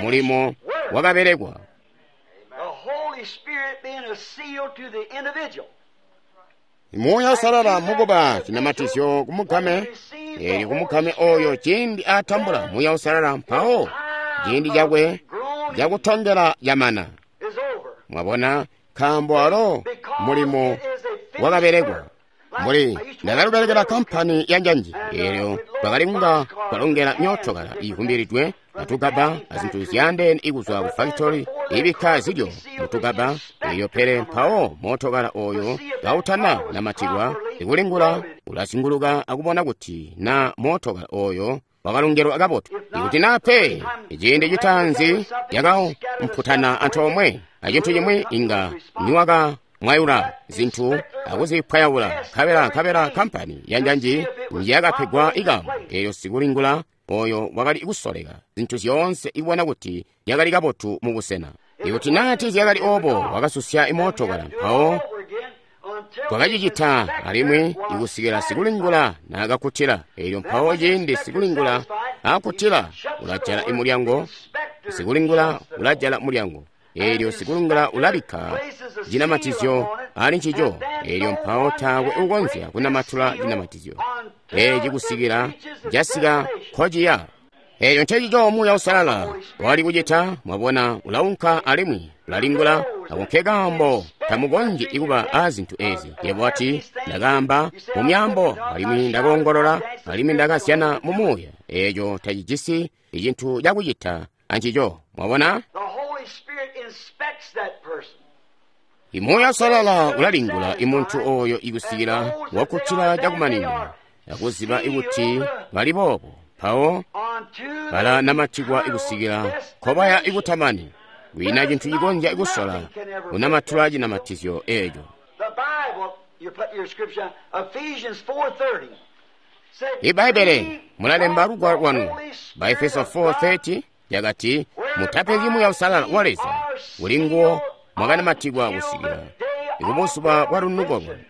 Mulimo wakabelekwa. The Holy Spirit being a seal to the individual. Muuya Uusalala mukuba cinamatizyo kumugame, eelyo kumugame oyo ciindi atambula Muuya Uusalala, mpawo ciindi cakwe cakutongela camana. Mwabona, nkaambo alo mulimo wakabelekwa. Mbuli ndakalubelekela kampani ya njanji, eelyo twakali kunga twalongela myootokala iivumbilidwe atugaba azintu zyaandeene ikuzwa ku factory ibikka zilyo mutugaba eyo, pele mpawo mootokala oyo kautana namatikwa ikulingula ulazinguluka akubona kuti na mootokala oyo wakalongelwa kabotu. Ikuti na pe ciindi citaanzi yakaumputana antoomwe acintu cimwi, inga niwaka mwayula zinthu akuzipwayaula nkabela nkabela kampani ya njanji yakapegwa ikamu. Eyo sikulingula oyo wakali kusoleka zinthu zyoonse ibona kuti yakali kabotu mu busena. Ikuti nati zyakali obo, wakasusya imootokala mpawo twakacicita alimwi ikusikila sikulingula naakakkutila. Eelyo mpawo ciindi sikulingula aakkutila, ulajala imulyango. Sikulingula ulajala mulyango. Eelyo sikulingula ulabikka cinamatizyo ali ncico. Eelyo mpawo taakwe ukonzya kunamatula cinamatizyo eeci kusikila casika nkociya. Eeyo ncecico Muuya Uusalala wali kucita. Mwabona, ulaunka alimwi ulalingula. Ako nke kaambo tamukonzyi kuba a zintu ezi. Yebo wati, ndakaamba mu myaambo, alimwi ndakoongolola, alimwi ndakazyana mu muuya. Eeco tacijisi icintu cakucita ancico. Mwabona? The Holy Spirit inspects that person. Muuya Uusalala ulalingula imuntu oyo ikusikila wakuttila cakumaninina, akuziba ikuti bali boobo. Mpawo bala namatikwa ikusikila nkobaya ikutamani. Kwiina cintu cikonzya ikusola kunamatula cinamatizyo eeco. The Bible, you put your scripture, Ephesians four thirty. Ibbaibele mulalemba lugwalo lwanu, Baefeso four thirty yakati, mutapenzyi Muuya Uusalala wa Leza, uli nguwo mwakanamatikwa kusikila ikubuzuba bwa lununuko lwanu.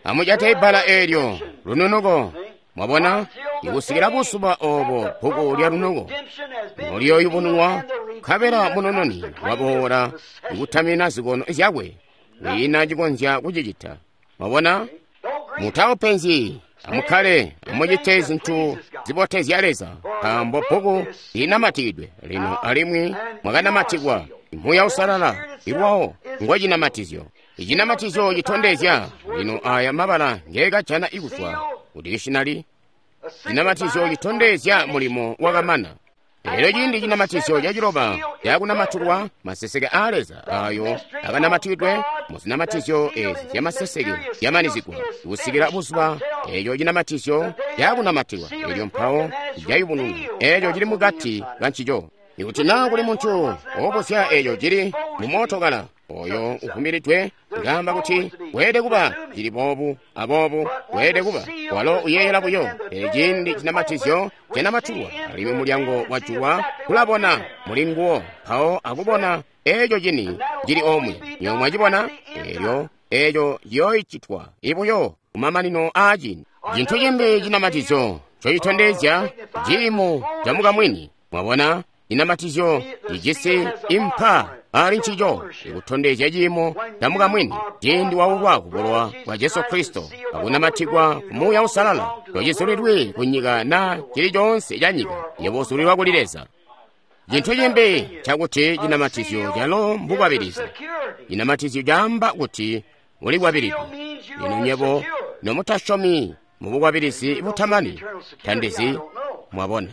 Amujate ibbala eelyo, lununuko. Mwabona, ikusikila buzuba obo bbuku lya lununuko noliyooyubununwa, nkabela munununi waboola ikutamina zikono zyakwe. Kwiina cikonzya kucicita. Mwabona, mutawupenzyi, amukkale amucite zintu zibotezya Leza, nkaambo bbuku linamatikidwe lino alimwi mwakanamatikwa. Muuya Uusalala ilwawo ngo cinamatizyo. Icinamatizyo citondezya lino aya mabala ngeekajana ikuzwa ku dictionary. Cinamatizyo citondezya mulimo wakamana. Elyo ciindi cinamatizyo caciloba cakunamatulwa, maseseke a Leza ayo akanamatikidwe mu zinamatizyo ezi zyamaseseke zyamanizigwa kusikila buzuba eco cinamatizyo cakunamatilwa. Elyo mpawo cayubununwa eco cili mukati kancico. Ikuti naa kuli muntu wobuzya eco cili mu mootokala oyo uvumiridwe, ngamba kuti weelede kuba cili boobu aboobu, weelede kuba walo uyeeyela buyo. Pele ciindi cinamatizyo canamatulwa alimwi mulyango wajulwa, kulabona muli nguwo, mpawo akubona eco cini cili omwe. Nywebo mwacibona elyo eco ciyooicitwa ibuyo kumamanino aa ciindi. Cintu cimbi cinamatizyo ncocitondezya ciimo ca mukamwini. Mwabona, cinamatizyo cijisi impa ali ncico ikutondezya ciimo ca mukamwini ciindi waulwa kubulowa bwa Jesu Kristo akunamatikwa ku Muuya Uusalala. Tocizulilwi ku nyika na cili coonse ca nyika, yebo uzulilwa kuli Leza. Cintu cimbi cakuti cinamatizyo calo mbukwabilizi. Cinamatizyo caamba kuti ulikwabilidwe. Lino nyebo nomutasyomi mu bukwabilizi butamani tandizi, mwabona.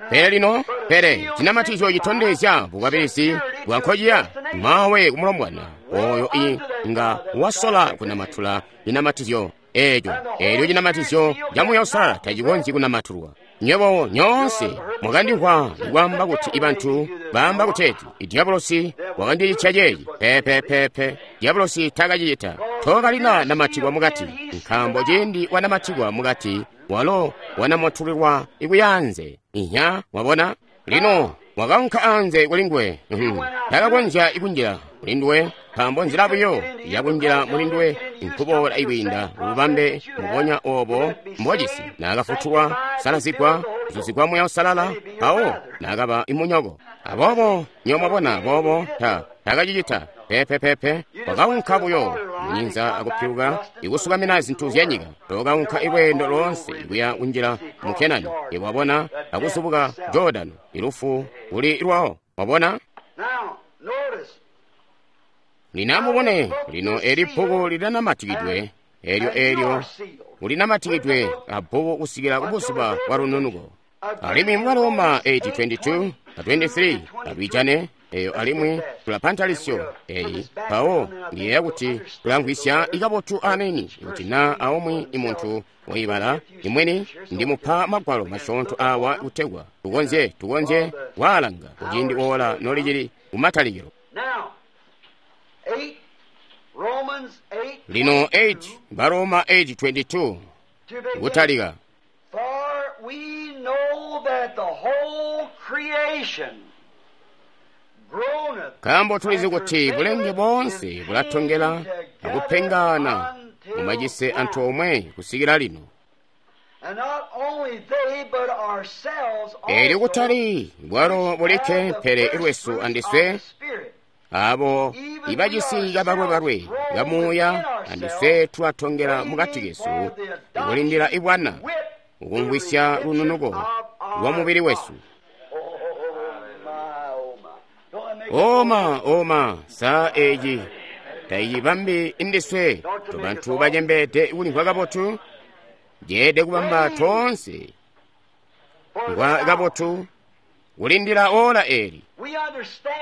Pele lino, pele cinamatizyo citondezya bukwabilizi bwa nkociya mawe kumulombwana oyo i nga wasola kunamatula cinamatizyo eeco. Eelyo cinamatizyo ca Muuya Uusalala tacikonzyi kunamatulwa. Nywebo nyoonse mwakandimvwa kwaamba kuti ibantu baamba kuteeti idiabolosi wakandicitya ceeci. Pepepepe, diabolosi takacicita. Tokalina namatikwa mukati, nkaambo ciindi wanamatikwa mukati walo wanamatulilwa ikuyaanze. Inya, wabona? Lino wakaunka anze kulinguwe. Takakonzya ikunjila mulinduwe, nkaambo nzila buyo yakunjila mulinduwe nkuboola ikwiinda ububambe mubonya obo mbojisi. Naakafutulwa, salazigwa, kuzuzigwa Muuya Uusalala, mpawo naakaba imunyoko. Aboobo nywebo mwabona boobo ta takacicita. Pepepepe, wakaunka buyo munyinza akupiluka ikusukamina zintu zya nyika. Tokaunka ilweendo loonse ikuya kunjila mu Kenani, wabona, akuzubuka Jordano, ilufu kuli lwawo, wabona. Lino amubone, lino eli bbuku lilanamatikidwe, elyo elyo ulinamatikidwe abbuku kusikila kubuzuba bwa lununuko. Alimwi mu Roma eight twenty-two na twenty-three atwijane eyo, alimwi tulapantalisyo eyi mpawo ndiyeeya kuti tulamvwisya ikabotu ameni. Kuti na aumwi imuntu woibala imweni ndimupa magwalo masyoonto awa kutegwa tukonzye tukonzye kwaalanga kuciindi ola nolicili kumatalikilo. Lino eight Baroma eight twenty-two kutalika. For we know that the whole creation groaneth Nkaambo tulizi kuti bulenge boonse bulatongela akupengana mumacise anthu omwe kusikira lino. And not only they, but ourselves Elyo also, kutali bwalo bulikke pele ilwesu andiswe abo ibacisi kabalwebalwe kamuuya andiswe tulatongela mukati kesu ikulindila ibwana ukumvwisya lununuko lwa mubili wesu. Oma oma saa eeci tayibambi indiswe tobantu bacembeede kulimvwa kabotu jeede kubamba toonse ngwa kabotu kulindila ola eli.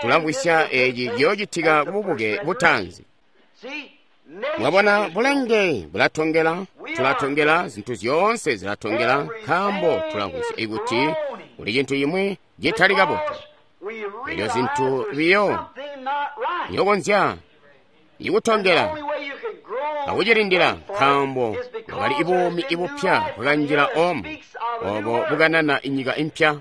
Tulamvwisya eeci ciyoocitika kububuke butanzi. Mwabona, bulenge bulatongela, tulatongela, zintu zyoonse zilatongela, nkaambo tulamvwisya ikuti kuli cintu cimwi citali kabotu. Elyo zintu biyo yokonzya ikutongela akucilindila, nkaambo bwakali ibuumi ibupya bwakanjila omu obo bukanana inyika impya.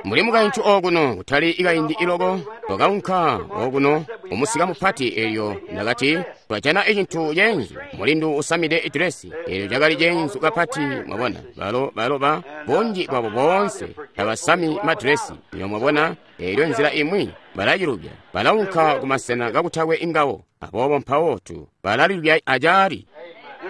Muli mukaintu okuno kutali ikaindi iloko twakaunka okuno umusika mupati, elyo ndakati twajana icintu ceenzu, mulindu usamide idresi, elyo cakali ceenzu kapati. Mwabona, balo balo ba bunji bwabo boonse tabasami madresi, iyo mwabona, elyo nzila imwi balacilubya, balaunka kumasena kakutakwe ingawo, aboobo mpawo tu balalilubya acaali.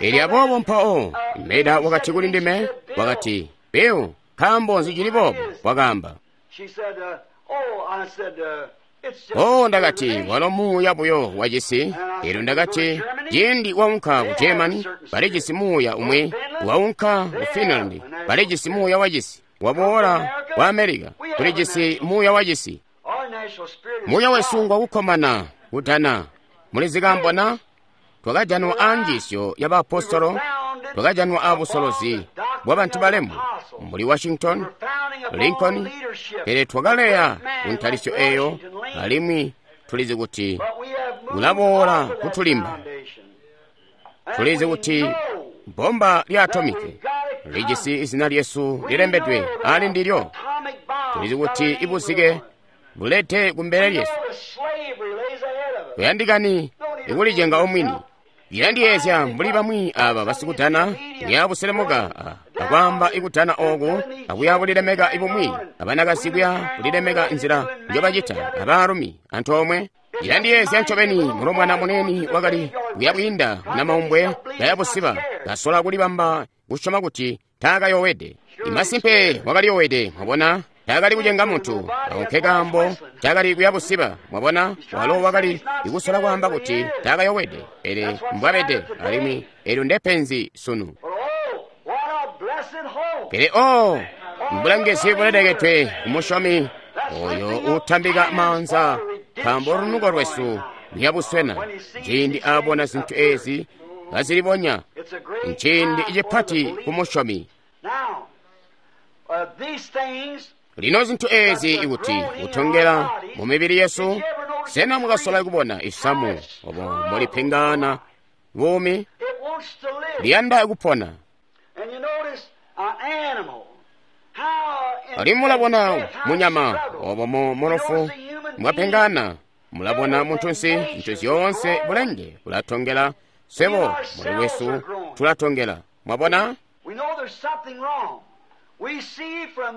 Elyo aboobo mpawo Meda wakati kuli ndime, wakati, Bill, nkaambo nzi cili boobo? Wakaamba. She said, uh, oh, I said, uh, it's just O ndakati walo muuya buyo wacisi. Elyo ndakati ciindi waunka ku Germany balijisi muuya umwi, waunka ku Finland balijisi muuya wacisi, waboola ku America tulijisi muuya wacisi. Our national spirit is Muuya wesu God. ngwakukkomana kudana. Mulizikambona twakajanwa anjiisyo ya baapostolo, twakajanwa abusolozi bwa bantu balemu mbuli Washington, Lincoln, pele twakaleya kuntalisyo eyo, alimwi tulizi kuti kulaboola kutulimba. Tulizi kuti bomba lya atomiki lijisi izina lyesu lilembedwe ali ndilyo. Tulizi kuti ibuzike bulete kumbele lyesu. Kuyandikani ikulijenga omwini. Ilandiyeezya mbuli bamwi aba basikudana kuyabuselemuka akwaamba ikudana ooku akuya bulilemeka ibumwi abanakazi kuya bulilemeka nzila njobacita abaalumi antoomwe. Ilandiyeezya ncobeni mulombwana munene wakali kuyabwiinda munamaumbwe kayabusiba kasola kulibamba kusyoma kuti taakayowede. Imasimpe wakaliyowede, mwabona, taakali kucenga muntu, ako nke kaambo cakali kuyabusiba, mwabona, walo wakali kusola kwaamba kuti taakayowede, pele mbwabede, alimwi eelyo ndepenzi sunu. Pele oh, mbulangizi bulelekedwe kumusyomi oyo uutambika maanza, nkaambo lunuko lwesu luyabuswena ciindi aabona zintu eezi kazilibonya. Nciindi cipati kumusyomi. Lino zintu eezi ikuti kutongela mu mibili yesu, sena mukasola kubona isamu obo mbolipengana buumi liyanda kupona? Alimwi mulabona munyama obo mu mulofu mwapengana, mulabona muntunsi, zintu zyoonse bulenge bulatongela, swebo muli wesu tulatongela. Mwabona?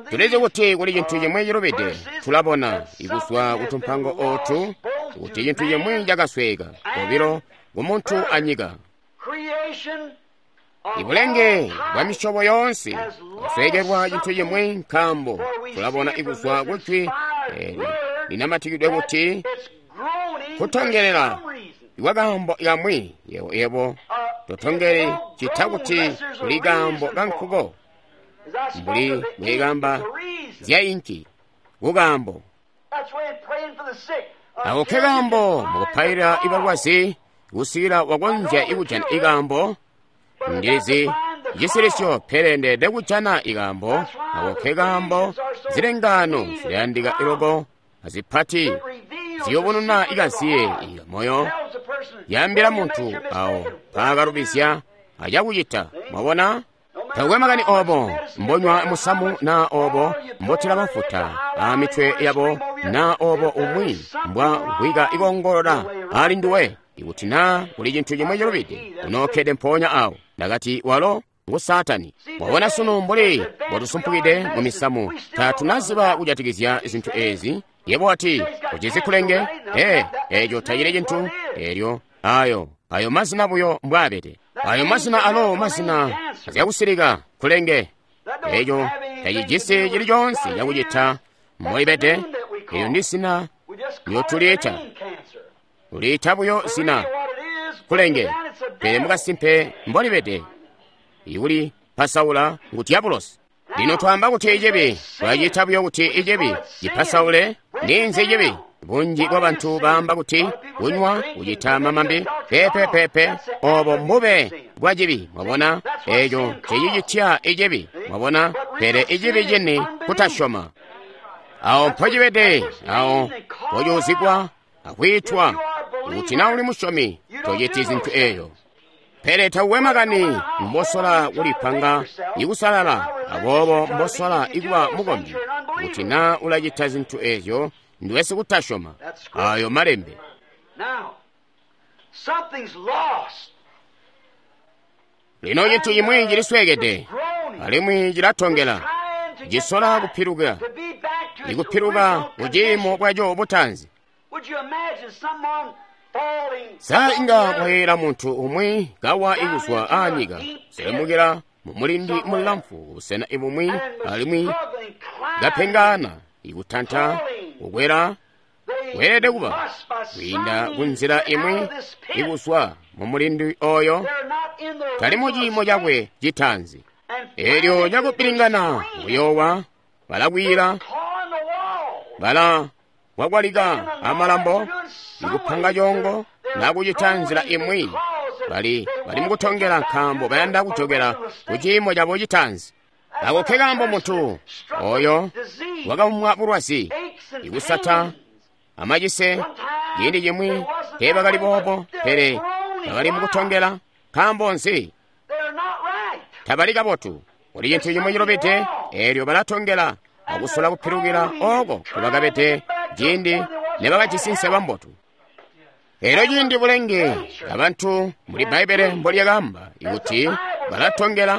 Tulizi kuti kuli cintu cimwi cilubide. Tulabona ikuzwa kutumpango ootu kuti cintu cimwi cakasweeka kobilo kumuntu anyika. Ibulenge bwa misyobo yoonse bwasweekelwa cintu cimwi, nkaambo tulabona ikuzwa kujwi eli linamatikidwe kuti kutongelela ikwakaambo kamwi yebo yebo totongele cita kuti kuli kaambo kankuko mbuli bwekamba zya inki kukaambo. Ako ke kaambo mukupailila ibalwazi kusikila wakonzya ikujana ikaambo. Ndilizi cisilisyo pele ndeede kujana ikaambo. Ako ke kaambo zilengano zilayandika iloko azipati ziyobonona ikaziye ikamoyo yaambila muntu awo paakalubizya acakucita. Mwabona? Takwe makani obo mbonywa musamu na obo mbotila mafuta a mitwe yabo na obo umwi mbwa gwika ikongolola ali nduwe, ikuti na kuli cintu cimwe cilubide unokkede mpoonya awo. Ndakati walo ngu Saatani. Mwabona sunu mbuli mbotusumpukide mu misamu tatunaziba kujatikizya zintu ezi. Yebo wati ucizi kulenge, ee, eco tacili cintu. Elyo ayo ayo mazina buyo mbwaabede. Ayo mazina alo mazina azyakusilika kulenge. Eco tacijisi cili coonse cakucita mbolibede. Elyo ndi zina lyotuliita, uliita buyo zina kulenge, pele mukasimpe mbolibede ikuli pasaula ngu diabulosi. Lino twaamba kuti icibi, twacita buyo kuti icibi cipasaule. Ninzi icibi? Bunji bwa bantu baamba kuti kunywa kucita mamambi pepepepe, obo mbube bwa cibi. Mwabona, eco cecicitya icibi. Mwabona, pele icibi cini kutasyoma. Awo mpocibede, awo mpocuuzigwa akwiitwa. Kuti na uli musyomi tociti zintu eyo. Pele tauwe makani mbosola kulipanga ikusalala, aboobo mbosola ikuba mukombi. Kuti na ulacita zintu ezyo ndiwe sikutasyoma. Ayo malembe. Lino cintu cimwi cilisweekede alimwi cilatongela, cisola kupiluka, ikupiluka kuciimo bwaco butaanzi. Sa inga kwayeela muntu umwi kawa ikuzwa aanyika selemukila mumulindi mulamfu kubusena ibumwi alimwi kapengana ikutanta kukwela weelede kuba kwiinda kunzila imwi ikuzwa mumulindi oyo tali mu ciimo cakwe citaanzi. Elyo cakupilingana kuyoowa balakwiila bala wakwalika amalambo ikupanga congo nakucita nzila imwi bali bali mukutongela nkaambo bayanda kujokela ku ciimo cabo citaanzi. Ako ke kaambo muntu oyo wakaumwa bulwazi ikusata amacise ciindi cimwi teebakali boobo, pele bakali mukutongela. Nkaambo nzi? Tabali kabotu. Kuli cintu cimwi cilubide, eelyo balatongela akusola kupilukila oko kubakabede ciindi nebakajisi nseba mbotu. Elyo ciindi bulenge abantu muli Bbaibbele mbolyakaamba ikuti balatongela,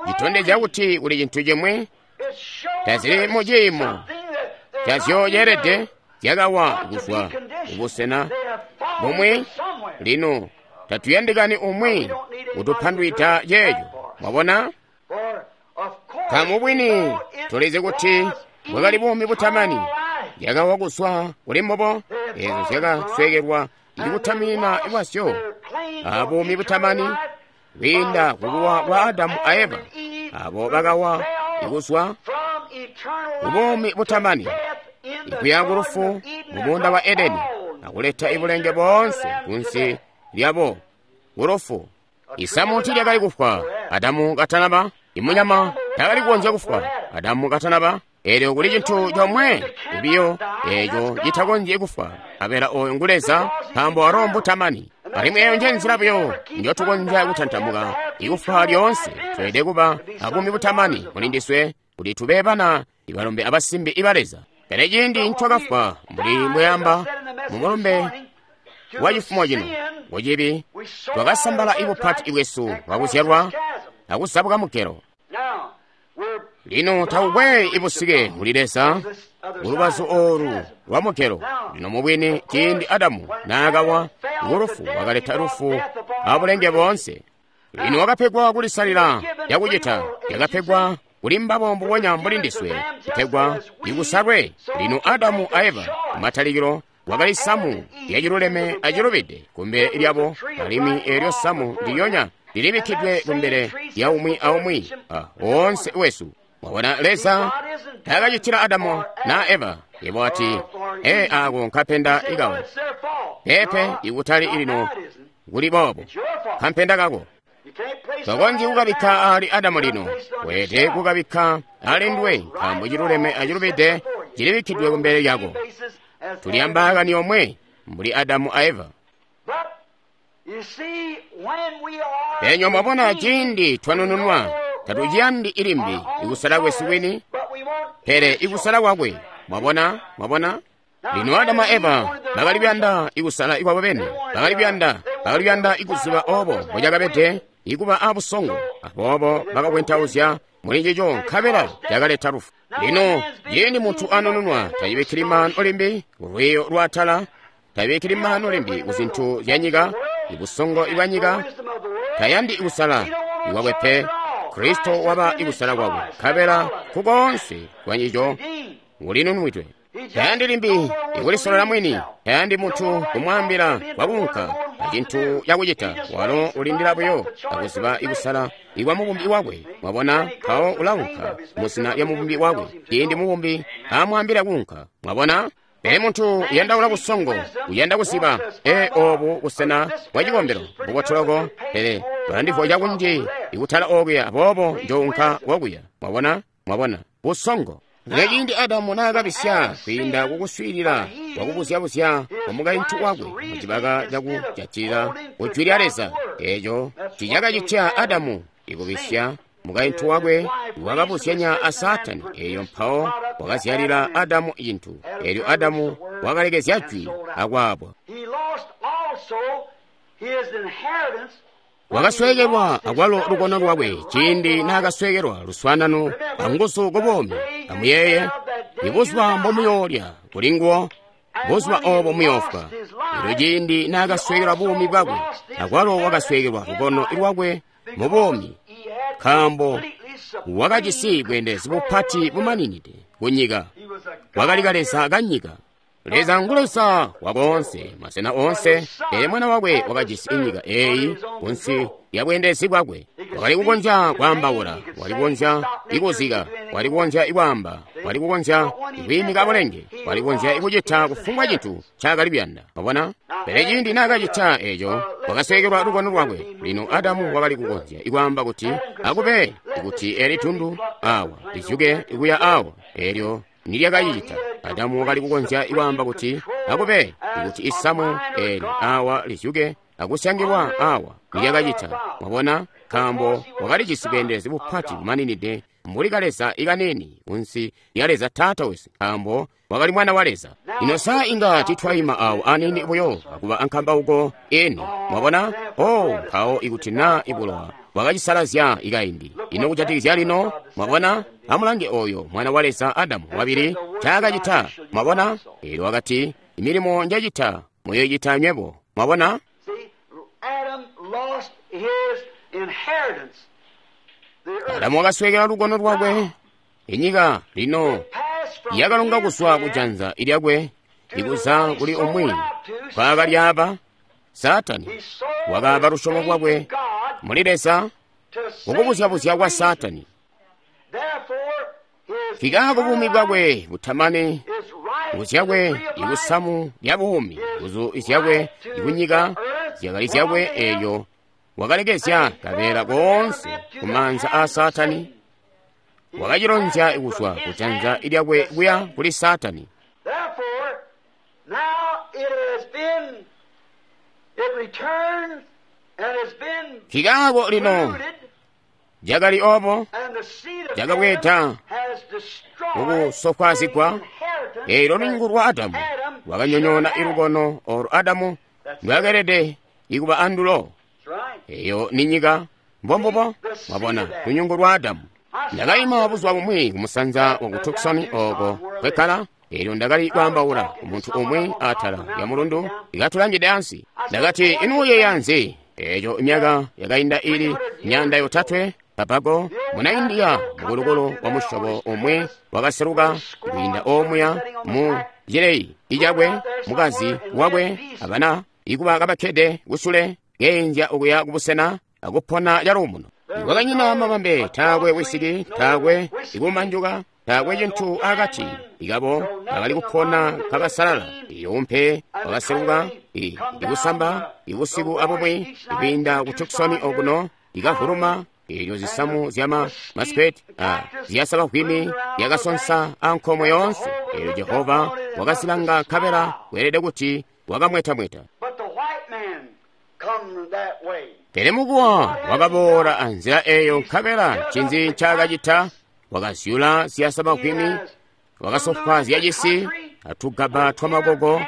citondezya kuti kuli cintu cimwi tazili mu ciimo cazyoceelede, zyakawa kuzwa kubusena bumwi. Lino tatuyandikani umwi kutupandwida ceeco. Mwabona? Kamubwini tulizi kuti bwakali buumi butamani, zyakawa kuzwa kuli mbubo, eezo zyakaswekelwa ikutamina kwazyo abuumi butamani kwiinda kukuwa kwa Adamu a Eva, abo bakawa ikuzwa kubuumi butamani ikuya kulufu mu muunda wa Edeni, akuleta ibulenge boonse kunsi lyabo kulufu. Isamu tiilyakali kufwa Adamu katanaba, imunyama takali kukonzya kufwa Adamu katanaba. Elyo kuli cintu comwe biyo eco citakonzyi kufwa, abela oyo ngu Leza, nkaambo walo mbutamani. Alimwi eyo nje nzila buyo njotukonzya kutantamuka ikufwa lyoonse. Tweelede kuba abuumi butamani muli ndiswe kuti tube bana ibalombe abasimbi iba Leza. Pele ciindi ncokafwa mbuli mbweyamba mu mulumbe wa cifumo cino kucibi, twakasambala ibupati bwesu bwakuzyalwa akuzabuka mugelo. Lino takukwe ibusike kuli Leza kulubazu oolu lwa mugelo. Lino mubwini ciindi Adamu naakawa kulufu, wakaleta lufu abulenge boonse. Lino wakapegwa kulisalila yakucita, yakapegwa kuli mbabo mbubonya mbuli ndiswe kutegwa ikusalwe. Lino Adamu a Eva kumatalikilo wakali samu lyaciluleme acilubide kumbele lyabo, alimwi eelyo samu ndilyonya lilibikkidwe kumbele lya umwi aumwi woonse wesu. Mwabona, Leza taakacitila Adamu na Eva. Yebo ati, ee, ako nkapenda ikawo. Pepe, ikutali ilino kuli boobo, kampenda kako tokonzyi kukabikka ali Adamu lino, weelede kukabikka ali nduwe, nkaambo ciluleme acilubide cilibikkidwe kumbele lyako. Tuli ambaakani yomwe mbuli Adamu a Eva. Penyo mwabona, ciindi twanununwa tatuciyandi ilimbi ikusala kwesu kwini, pele ikusala kwakwe. Mwabona, mwabona? Lino Adamu a Eva bakali kuyanda ikusala ikwabo bene, bakali kuyanda, bakali kuyanda ikuziba obo mbocakabede ikuba abusongo, aboobo bakakwentauzya muli ncico nkabela cakaleta lufu. Lino ciindi muntu anununwa tacibikkili maanu limbi kulwiiyo lwaatala, tabikkili maanu limbi ku zintu zya nyika, ibusongo ibwa nyika, tayandi ikusala ikwakwe pe. Kristo waba ikusala kwakwe, nkabela kukoonse kwa ncico ulinunwidwe. Tayandi limbi ikulisolela mwini, tayandi muntu kumwaambila kwakunka acintu cakucita. Walo ulindila buyo akuziba ikusala ikwa mubumbi wakwe. Mwabona, mpawo ulaunka muzina lya mubumbi wakwe ciindi mubumbi amwaambila kuunka. Mwabona? Pele muntu uyandaula busongo, uyanda kuziba, ee, obu busena bwa cikombelo mbubotoloko, pele balandivwa cakunji ikutala okuya, aboobo njounka kokuya. Mwabona? Mwabona? Busongo. Lino ciindi Adamu naakabisya kwiinda kukuswiilila kwakubuzyabuzya kwa mukaintu wakwe mucibaka cakujatilila kujwi lya Leza, eeco ticakacitya Adamu ikubisya. Mukaintu wakwe wakabuzyanya a Saatani, eeyo mpawo wakazyalila Adamu cintu. Eelyo Adamu wakalekezya jwi akwaabwa. Wakasweekelwa akwalo lukono lwakwe ciindi naakasweekelwa luswaanano anguzu kubuumi. Amuyeeye, ibuzuba mbomuyoolya kulinguwo, buzuba oobo muyoofwa. Elyo ciindi naakasweekelwa buumi bwakwe, akwalo wakasweekelwa lukono lwakwe mu buumi, nkaambo wakajisi bweendelezi bupati bumaninide kunyika. Wakali kaleza kanyika. Leza ngu Leza wakoonse, masena oonse, pele mwana wakwe wakajisi inyika eeyi kunsi lya bweendelezi bwakwe. Wakali kukonzya kwaambaula, wakali kukonzya ikuzika, wakali kukonzya ikwaamba, wakali kukonzya ikwiimika bulenge, wakali kukonzya ikucita kufumbwa cintu ncaakali kuyanda. Mwabona? Pele ciindi naakacita eeco, wakasweekelwa lukono lwakwe. Lino Adamu wakali kukonzya ikwaamba kuti, akube kuti eli tundu awa lizyuke ikuya awa, eelyo nilyakacicita. Adamu wakali kukonzya ikwaamba kuti, akube kuti isamu eli awa lizyuke akusyangilwa awa, nilyakacita. Mwabona? Nkaambo wakalijisi bweendelezi bupati bumaninide mbuli kaleza ikanini kunsi lya Leza Taata wesu, nkaambo wakali mwana wa Leza. Ino sa inga titwaima awo anini buyo akuba ankambauko eni, mwabona? Oh, mpawo ikuti na ibulowa bwakacisalazya ikaindi. Ino kujatikizya lino, mwabona? Amulange oyo mwana wa Leza Adamu wabili ncaakacita, mwabona? Eelyo wakati, imilimo njacita muyoicita nywebo, mwabona? Adamu wakaswekela lukono lwakwe, inyika lino yakalonga kuzwa kujanza lyakwe ikuza kuli umwi nkwaakalyaba. Saatani wakaaba lusyomo lwakwe muli Leza mukubuzyabuzya kwa Saatani. Nkikaako buumi bwakwe butamani, nguzu zyakwe ikusamu lya buumi, nguzu zyakwe ikunyika zyakali zyakwe, eelyo wakalekezya kabeela koonse kumaanza aa Saatani, wakacilonzya kuzwa kujanza lyakwe kuya kuli Saatani. Nkikaako lino cakali obo, cakabweeda mukusofwaazigwa. Eelyo lunyungu lwa Adamu lwakanyonyoona ilukono olo Adamu ndwakelede ikuba andulo. Eyo ni nyika, mbombubo, mwabona, lunyungu lwa Adamu. Ndakaima buzuba bumwi kumusanza wa ku Tucson oko kwekkala, eelyo ndakali kwaambaula kumuntu umwi atala lya mulundu ikatulangide ansi. Ndakati, inu uyeeya nzi? Eeco imyaka yakainda ili myanda yotatwe papago muna India mukulukulu wa musyobo umwi wakaseluka kwiinda omuya mu cileyi icakwe, mukazi wakwe abana ikuba kabakkede kusule keenzya okuya kubusena akupona caluumuno. Kwakanyina mabambe, taakwe wisiki, taakwe ikumanjuka, taakwe cintu akati ikabo bakali kupona kabasalala. Iumpe wakaseluka ikusamba ibusiku abumwi ikwiinda ku Tucson okuno ikavuluma. Eelyo zisamu zyama masipeti ziyasabavwimi yakasonsa ankomwe yoonse. Eelyo Jehova wakazilanga nkabela kweelede kuti wakamwetamweta. Pele mukuwa wakaboola anzila eyo nkabela ncinzi ncaakacita? Wakazyula ziyasabavwimi, wakasofwaazya cisi atugaba twamakoko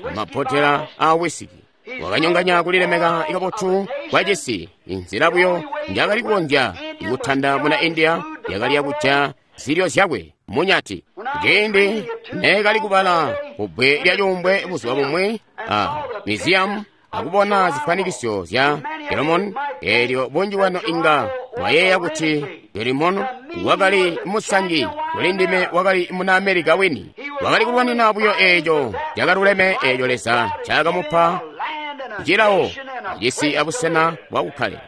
amabotela a wisiki. Wakanyonganya kulilemeka kabotu kwa cisi. Inzila buyo njakali kukonzya ikutanda muna India yakali yakujaya zilyo zyakwe munyati. Ciindi neekali kubala kubbwe lya cuumbwe buzuba bumwi a museum akubona zifanikisyo zya Solomon, eelyo bunji bwanu inga mwayeeya kuti Solomon wakali musangi, kuli ndime wakali muna Amerika wini. Wakali kulwanina buyo eeco cakaluleme eeco Leza ncaakamupa cilawo cisi abusena bwakukkale.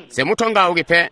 Semutongauki pe.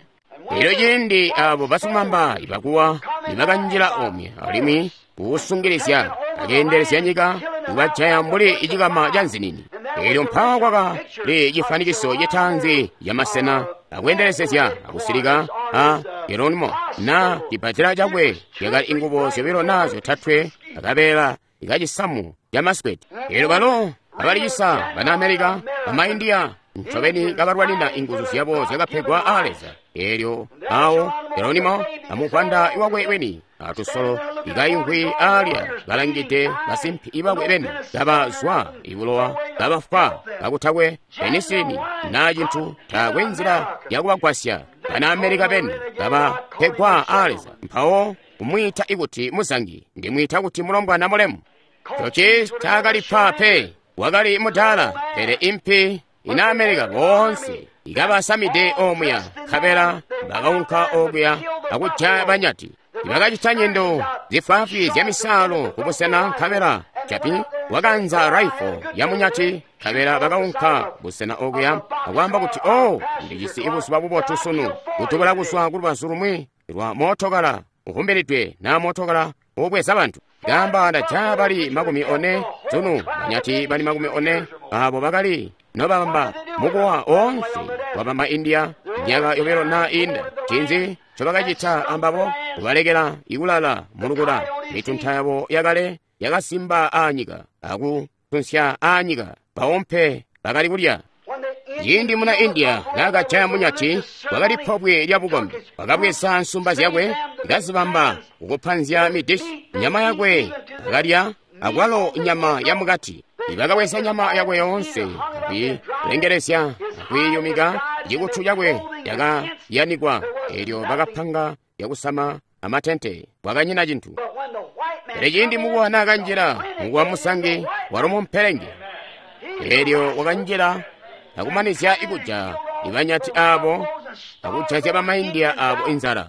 Eelyo ciindi abo basimamba ibakuwa nibakanjila omwe alimwi kuusungilizya akeendelezya nyika kubajaya mbuli icikama ca nzinini. Eelyo mpawo kwakali cifanikiso citaanzi camasena akweendelezezya akusilika a Geronimo na cibbadela cakwe yakali ingubo zyobilo na zyotatwe akabeela ikacisamu ca masipeti. Eelyo balo abalicisa bana Amerika bama India ncobeni kabalwanina inguzu zyabo zyakapegwa a Leza. Eelyo awo Geronimo amuvwanda wakwe weni atusolo ikayimvwi alya balangide basimpi ibakwe beni kabazwa ibulowa kabafwa kakutakwe penisini na cintu, taakwe nzila yakubagwasya bana Amerika beni kabapegwa a Leza. Mpawo kumwiita ikuti muzangi, ndimwiita kuti mulombwana mulemu. Coci taakalipa pe, wakali mudaala, pele impi ina Amerika boonse ikabasamide omuya nkabela bakaunka okuya akujaya banyati. Bakacita nyendo zifwaafwi zya misaalo kubusena nkabela capi wakanza raifo ya munyati nkabela bakaunka busena okuya akwaamba kuti, oh, ndijisi ibuzuba bubotu sunu, kutubula kuzwa kulubazu lumwi lwa mootokala uhumbilidwe na mootokala ubweza bantu. Gamba ndajaya bali makumi one sunu, banyati bali makumi one abo bakali nobamba mukuwa onse wabama India myaka yobilo na inda. Cinzi ncobakacita ambabo? Kubalekela ikulala mulukula. Mitunta yabo yakale yakasimba anyika akutunsya anyika bawompe bakali kulya. Ciindi muna India naakajaya munyati, kwakali pobwe lya bukombi. Wakabweza nsumba zyakwe, kazibamba kukupanzya midishi, nyama yakwe akalya, akwalo nyama yamukati. Bakabweza nyama yakwe yoonse, akwiilengelezya, akwiiyumika, cikutu cakwe cakayanikwa, eelyo bakapanga yakusama amatente. Kwakanyina cintu. Pele ciindi mukuwa naakanjila, mukuwa musangi walo mumpelenge. Eelyo wakanjila akumanizya ikuja ibanyati aabo akujazya bamaindiya aabo inzala.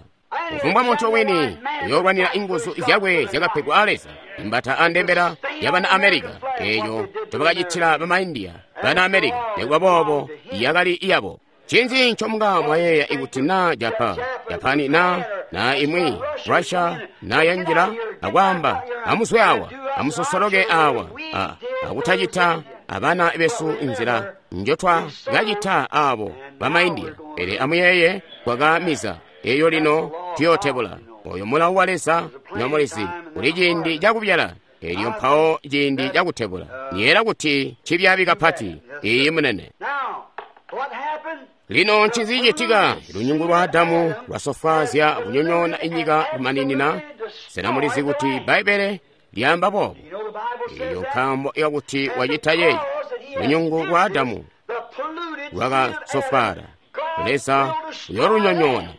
Kufumbwa muntu wini uyoolwanira inguzu zyakwe zyakapegwa a Leza, imbata andembela yabana Amerika, eeyo ncobakacitila bamaindiya bana Amerika, nikuba boobo yakali iyabo. Ncinzi ncomunga mwayeeya ikuti naa Japa, Japani na na imwi Russia na yanjila akwaamba amuzwe awa, amusosoloke awa, a, akutacita abana besu inzila njotwa kacita aabo bamaindiya. Pele amuyeeye kwakamiza eyo lino tuyootebula. Oyo mulawu wa Leza nyomulizi kuli ciindi cakubyala elyo mpawo ciindi cakutebula. Niyeera kuti cibyaabi kapati. Iyi munene. Lino ncinzi cicitika? Lunyungu lwa Adamu lwasofwaazya kunyonyoona inyika kumaninina. Sena mulizi kuti Bbaibbele lyaamba boobo? Eyo nkaambo yakuti wacita yeeyi. Lunyungu lwa Adamu lwakasofwaala. Leza uyoolunyonyoona.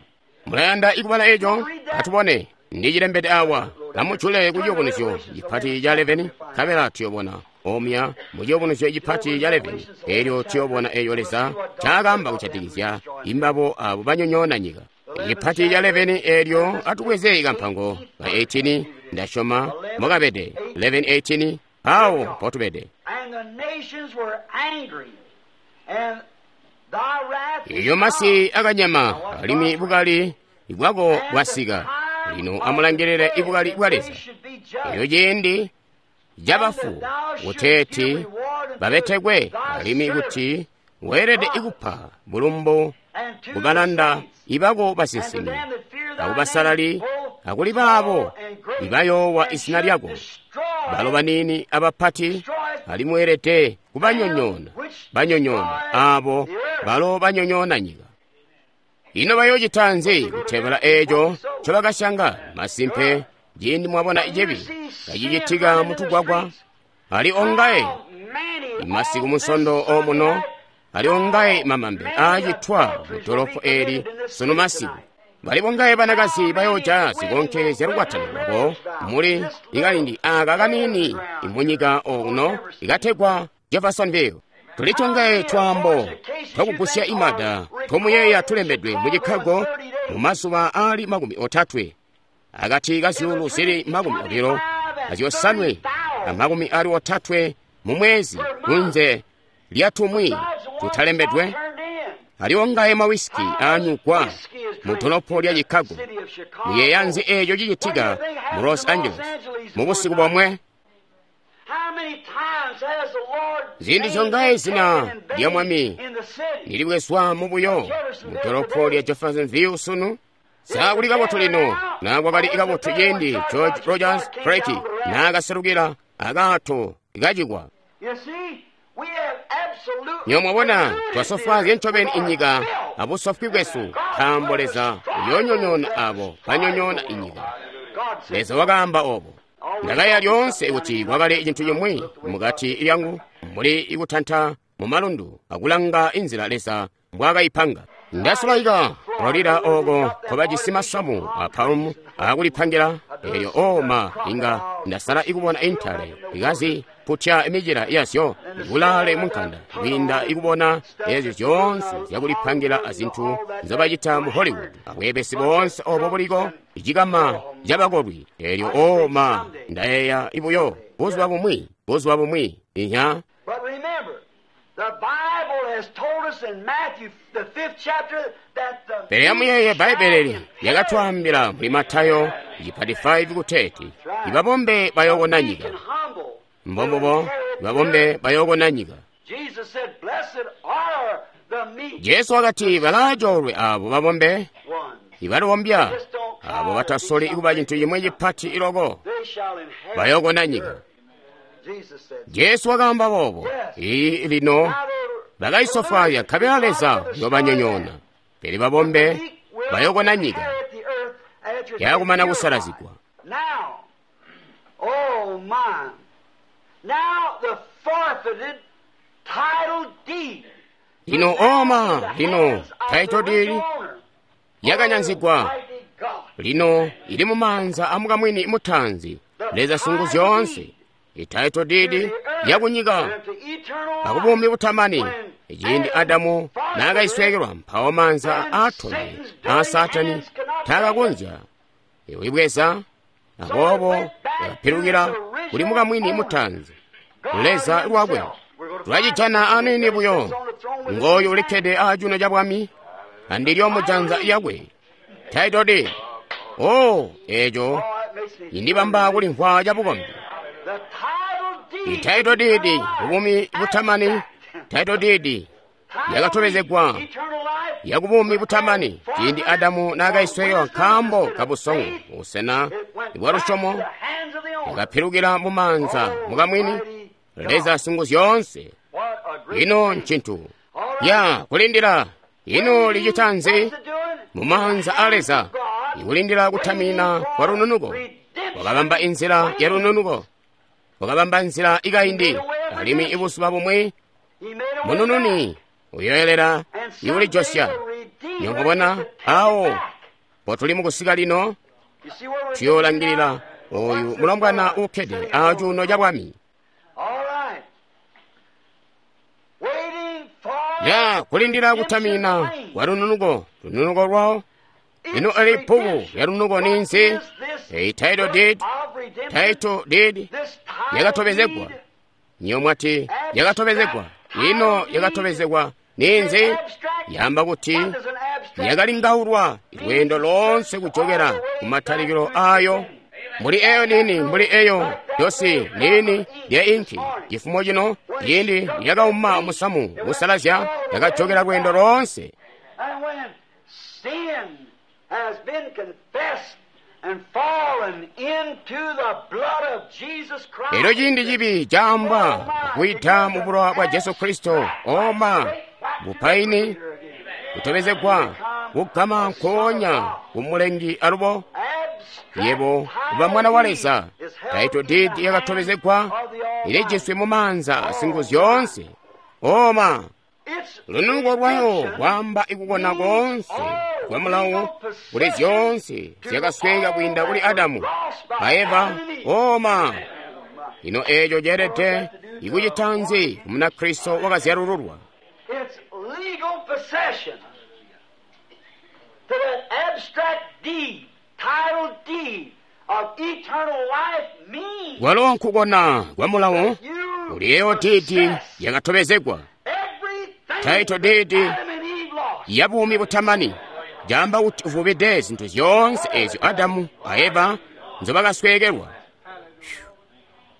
Mulayanda ikubala eco? Atubone. Ndicilembede awa. Amujule ku ciyubunuzyo cipati ca eleveni, nkabela tuyobona omya mu ciyubunuzyo cipati ca eleveni. Elyo tuyobona eyo Leza ncaakaamba kujatikizya imbabo abo banyonyoona nyika. Cipati ca eleveni elyo atubweze kampango ka eighteen, ndasyoma mukabede eleven eighteen awo mpotubede. Iyo masi akanyama alimwi bukali bwako bwasika. Lino amulangilile ibukali bwa Leza. Eyo ciindi cabafu kuteeti babetekwe alimwi kuti weelede ikupa bulumbu kubalanda ibako basinsimi akubasalali akuli baabo ibayoowa izina lyako, balo baniini abapati, alimwi weelede kubanyonyoona banyonyoona aabo balo banyonyoona nyika. Ino bayoocita nzi kutebula eeco ncobakasyanga? Masimpe, ciindi mwabona cibi kacicitika mutugwagwa, ali ongaye masiku musondo omuno, ali ongaye mamambe aacitwa mudolopo eli sunu masiku. Bali bongaye banakazi bayooja zikonke zyalukwatano lwabo muli ikalindi aka kaniini imunyika okuno ikategwa Jeffersonville. Tulitongaye twaambo twakugusya imada tomuyeeya tulembedwe mu Chicago mu mazuba aali makumi otatwe akati ka zyuulu zili makumi obilo azyosanwe amakumi aali otatwe mu mwezi kunze lyatumwi tutalembedwe. Aliwongaye mawisiki aanyugwa mu dolopo lya Chicago. Muyeeya nzi eeco cicitika mu Los Angeles mu busiku bomwe? Ziindi zongaye zina lya Mwami nilibwezwa mubuyo mu dolopo lya Jeffersonville sunu? Saakuli kabotu lino, na kwakali kabotu ciindi George Rogers Freki naakaselukila akaato kacikwa. Nyo mwabona twasofwaazya ncobeni inyika abusofwi bwesu, nkaambo Leza uyoonyonyoona abo banyonyoona inyika. Leza wakaamba obo. Ndakaya lyoonse kuti kwakali cintu cimwi mukati lyangu mbuli ikutanta mu malundu akulanga inzila Leza mbwaakayipanga. Ndasulaika Florida oko nkobajisi masamu a palmu akulipangila, elyo oma inga ndasala ikubona intale ikaziputya imicila yazyo kulaale munkanda kwiinda ikubona ezyo zyoonse zyakulipangila azintu nzobacita mu Hollywood abweebesi boonse obo buliko icikama cabakolwi. Elyo oma ndayeeya ibuyo buzuba bumwi buzuba bumwi inya. Pele amuyeeye Bbaibbele lyakatwaambila muli Matayo cipati five kuteeti ibabombe bayookona nyika. Mbombubo, ibabombe bayookona nyika. Jesu wakati balaacoolwe aabo babombe ibalombya, aabo batasoli kuba cintu cimwi cipati iloko, bayookona nyika. Jesu wakaamba boobo. Ii lino Bakaisofwaazya nkabela Leza uyobanyonyoona. Pele babombe bayokona nyika yakumana kusalazigwa. Now, oh my, now the forfeited title deed. Lino oma, lino title deed yakanyanzigwa, lino ili mumaanza amukamwini mutanzi Leza sungu zyoonse. Ititle deed yakunyika akubumi butamani. Ciindi Adamu naakaisweekelwa, mpawo maanza aatome a Saatani taakakonzya iwibweza, aboobo yakapilukila kuli mukamwini mutanzi Leza lwakwe. Tulacijana aniini buyo. Ngooyu ulikkede aacuuno ca bwami andilyo mujanza yakwe. Title deed. Oh, eeco indibamba kulimvwa cabukombi. Ititle deed kubumi butamani. Title deed yakatobezegwa yakubumi butamani ciindi Adamu naakaisweekelwa nkaambo kabusongo busena bwa lusyomo, yakapilukila mumaanza mukamwini Leza sungu zyoonse. Ino ncintu ya kulindila. Ino licita nzi mumaanza a Leza? Ikulindila kutamina kwa lununuko. Wakabamba inzila ya lununuko, wakabamba nzila ikaindi, alimwi ibuzuba bumwi munununi uyoelela iulijosya. Nyongobona awo potuli mukusika lino, tuyoolangilila oyu mulombwana uukkede acuuno ca bwami. Ya kulindila kutamina kwa lununuko, lununuko lwawo. Lino eli bbuku lya lununuko ninzi? Eyi title deed, title deed yakatobezegwa. Nyo mwati yakatobezegwa. Ino yakatobezegwa ninzi? Yamba kuti yakalingaulwa lweendo lonse kujokera kumatalikilo ayo. Mbuli eyo nini, mbuli eyo yosi nini lya inki. Chifumo chino yindi yakauma musamu kusalazya yakajokera lweendo lonse. And when sin has been confessed and fallen into the blood of Jesus Christ, Lero chindi chibi chamba kuita mu bulowa bwa Jesu Kristo oma bupaini kutobezegwa kugama nkoonya kumulengi alubo yebo kuba mwana wa Leza. Title deed yakatobezegwa ilijiswe mu maanza asingu zyoonse. Oma lununuko lwayo lwamba ikukona konse kwa mulawo kuli zyoonse zyakasweka kwiinda kuli Adamu a Eva. Oma ino eeco ceelede ikucita nzi ku Munakristo wakazyalululwa? It's legal possession to that abstract deed, title deed of eternal life means Kwalo nkukona kwa mulawo you kuli eyo deed possess yakatobezegwa everything Title deed Adam and Eve lost. ya bumi butamani. Jamba kuti uvubide zinthu zyoonse ezyo Adamu a Eva nzobakasweekelwa.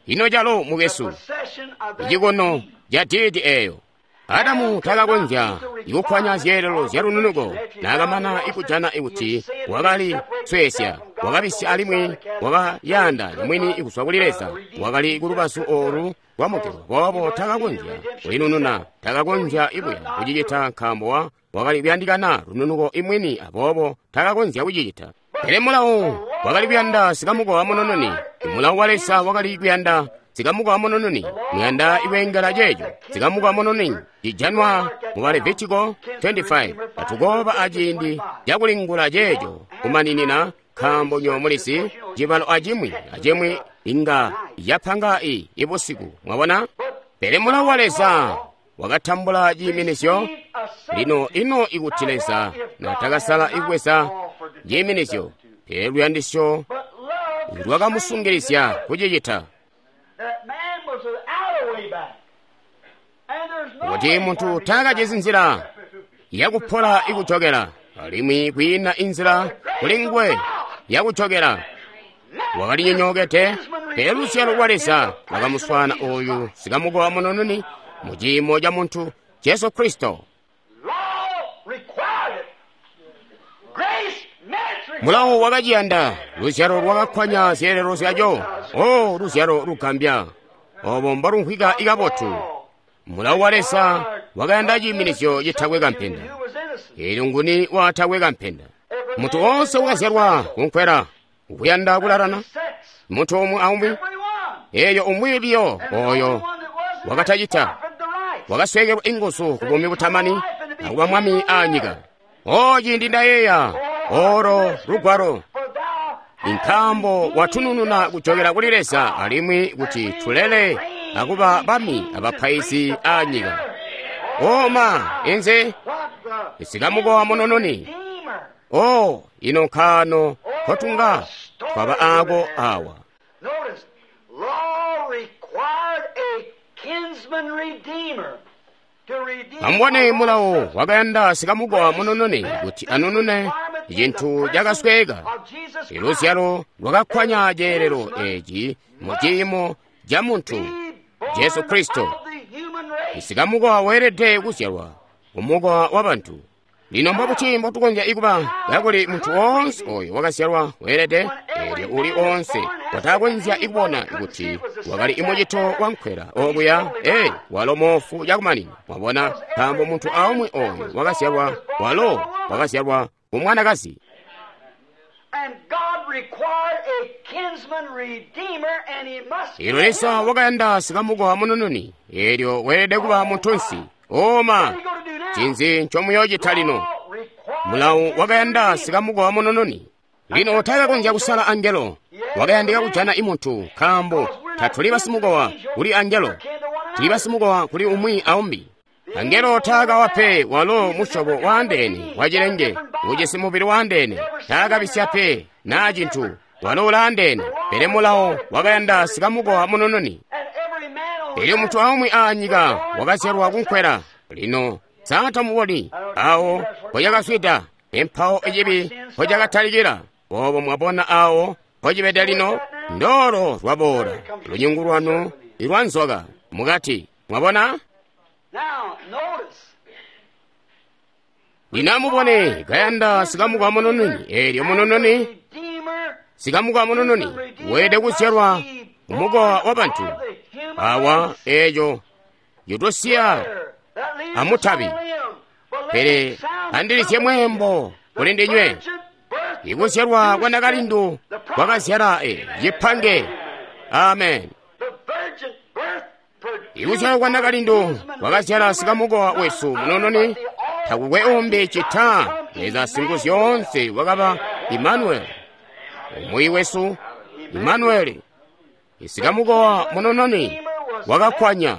Ino calo mukesu Possession of that icikono ca deed eyo. Adamu takakonzya ikuphwanya zyeelelo zya lununuko naakamana ikujana ikuti wakali sweesya, wakabisya alimwi wakayanda mwini ikuswa kuli Leza. Wakali kulubazu olu lwa mugelo, boobo takakonzya kulinununa, takakonzya ibuya kucicita nkaambo wa wakali kuyandikana lununuko imwini, aboobo takakonzya kucicita. Pele mulawo wakali kuyanda sikamukowa munununi. Mulawo wa Leza wakali kuyanda sikamukowa munununi. Muyanda iwengela ceeco sikamukowa munununi cijanwa mu Levitiko twenty-five. Atukoba aciindi cakulingula ceeco kumaninina, nkaambo nyo mulisi cibalo acimwi acimwi inga yapanga i ibusiku. Mwabona? Pele mulawo wa Leza wakatambula ciiminizyo. Lino ino ikuti Leza natakasala ikuweza ciiminizyo, pele luyandisyo But love lwakamusungilizya kucicita. that man was without a way back. And there's no Kuti way munthu for him to takachizi nzira yakuphola ikuchokera, alimwi kwina inzira kuli nguwe yakuchokera. Wakalinyonyokete, pele luzyalo lwa Leza lwakamuswana oyu sikamukowa munununi mu ciimo ca munthu Jesu Kristo. Law required it. Grace met required Mulawo wakaciyanda, luzyalo lwakakkwanya zyeelelo zyaco. O luzyalo lugambya, obo mbolumvwika ikabotu. Mulawo wa Leza wakayanda ciiminizyo citakwe kampenda. Eelyo nguni waatakwe kampenda? Muntu woonse wakazyalwa kunkwela ukuyanda kulalana, muntu umwi aumwi. Eeyo umwi biyo oyo wakatacita wakasweekelwa inguzu ku buumi butamani akuba mwami aanyika. O ciindi ndayeeya olo lugwalo, nkaambo watunununa kujokela kuli Leza alimwi kuti tulele akuba bami abapaizi aanyika. Oma inze isikamukowa munununi. O ino nkaano kotunga twaba aako awa. Notice, law required a kinsman redeemer to redeem. Amubone mulawo wakayanda sikamukowa munununi kuti anunune cintu cakasweeka. Iluzyalo lwakakkwanya ceelelo eeci mu ciimo ca muntu Jesu Kristo. Sikamukowa weelede kuzyalwa kumukowa wa bantu. Lino mbobuti mbotukonzya ikuba kakuli muntu woonse oyo wakazyalwa weelede, eelyo uli oonse watakonzya ikubona kuti wakali imucito wankwela okuya, ee walo moofu cakumanina. Mwabona, nkaambo muntu aumwi oyo wakazyalwa walo wakazyalwa kumwanakazi. And God required a kinsman redeemer, and he must be Ilo Leza wakayanda sikamukowa munununi, eelyo weelede kuba muntunsi. Oma, What are you going to do now? cinzi ncomuyoocita lino? Law required Mulawo wakayanda a kinsman sikamukowa munununi. Lino taakakonzya kusala angelo, wakayandika kujana imuntu, nkaambo tatuli basimukowa kuli angelo, tuli basimukowa kuli umwi aumbi. Angelo taakawa pe walo musyobo waandeene wacilenge ujisi mubili waandeene, taakabisya pe naa cintu, walo ulaandeene. Pele mulawo wakayanda sikamukowa munununi. And every man on Elyo muntu aumwi aanyika wakazyalwa kunkwela. Lino saatamuboni awo mpocakaswida, empawo ecibi mpocakatalikila. Boobo mwabona awo mpocibede lino, ndolo lwaboola lunyungu lwanu ilwa nzoka mukati. Mwabona? Now, notice. Lino amubone kayanda sikamukowa munununi. Eelyo munununi, Redeemer, sikamukowa munununi weelede kuzyalwa kumukowa wa bantu. Awa eeco yutosiya amutabi. Pele andilizye mweembo kuli ndinywe. Ikuzyalwa kwa nakalindu kwakazyala e cipange. Amen. Ikuzyalwa kwa nakalindu kwakazyala sikamukowa wesu munununi, takukwe umbi cita Leza Singuzyoonse wakaba Imanueli, umwi wesu Imanueli. Isikamukowa munununi wakakkwanya.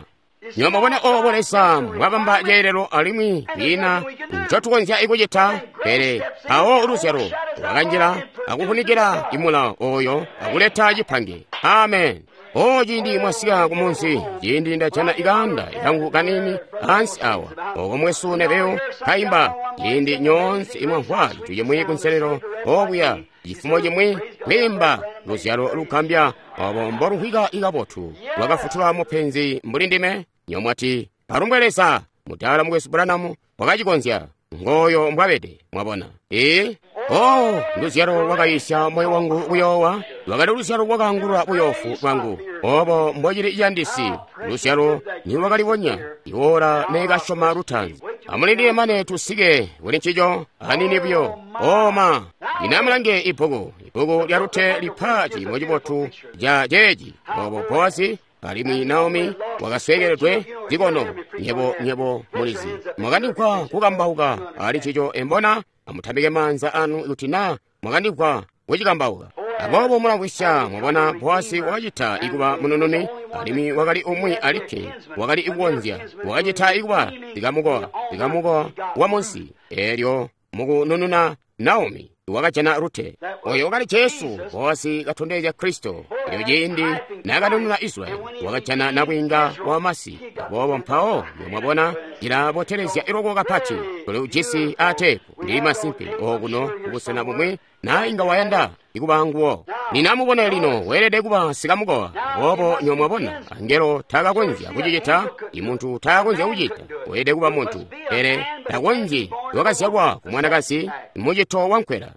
Nyuma mwabona obo Leza mwabamba ceelelo alimwi kwiina ncotukonzya ikucita, pele awo luzyalo lwakanjila akufunikila imulawo oyo akuleta cipange. Amen. O ciindi mwasika kumunzi, ciindi ndajana ikanda ikangu kanini ansi awa, oko mwesu nebeyo kayimba, ciindi nyoonse imwamvwa cintu cimwi kunselelo okuya, cifumo cimwi kwiimba luzyalo lugambya obo mboluvwika ikabotu lwakafutula mupenzi mbuli ndime. Nyomwati alumbwe Leza, mudala mukwesu Branham wakacikonzya. Ngoyo mbwabede, mwabona. Ee, oh, luzyalo lwakayisya moyo wangu kuyoowa, lwakali luzyalo lwakaangulula buyofu bwangu. Obo mbocili ciyandisi, luzyalo nilwakalibonya, iwola neekasyoma lutaanzi. Amulindile mane tusike kuli ncico anini buyo. Oma, lino amulange ibbuku, ibbuku lya Rute lipa ciimo cibotu ca ceeci. Obo Bowazi alimwi Naomi wakasweekeledwe zikono. Nyebo nyebo mulizi mwakandimvwa kukambauka ali ncico embona. Amutambike maanza anu kuti na mwakandimvwa kucikambauka. Aboobo mulamvwisya, mwabona Bowazi wakacita ikuba munununi, alimwi wakali umwi alikke wakali ikukonzya, wakacita ikuba sikamukowa, sikamukowa wa munsi. Eelyo mukunununa Naomi wakajana Rute. Oyo wakali Jesu, Bowazi katondezya Kristo. Elyo ciindi naakanununa Israyeli, wakajana nabwiinga wa masi. Aboobo mpawo mwabona cilabotelezya iloko kapati kuli ujisi aateepu. Ndili masimpe okuno kubusena bumwi naa inga wayanda ikuba nguwo. Ninamubone lino weelede kuba sikamukowa. Aboobo nyo mwabona angelo taakakonzya kucicita, imuntu taakonzya kucita, weelede kuba muntu. Pele takonzyi wakazyalwa ku mwanakazi mucito wankwela.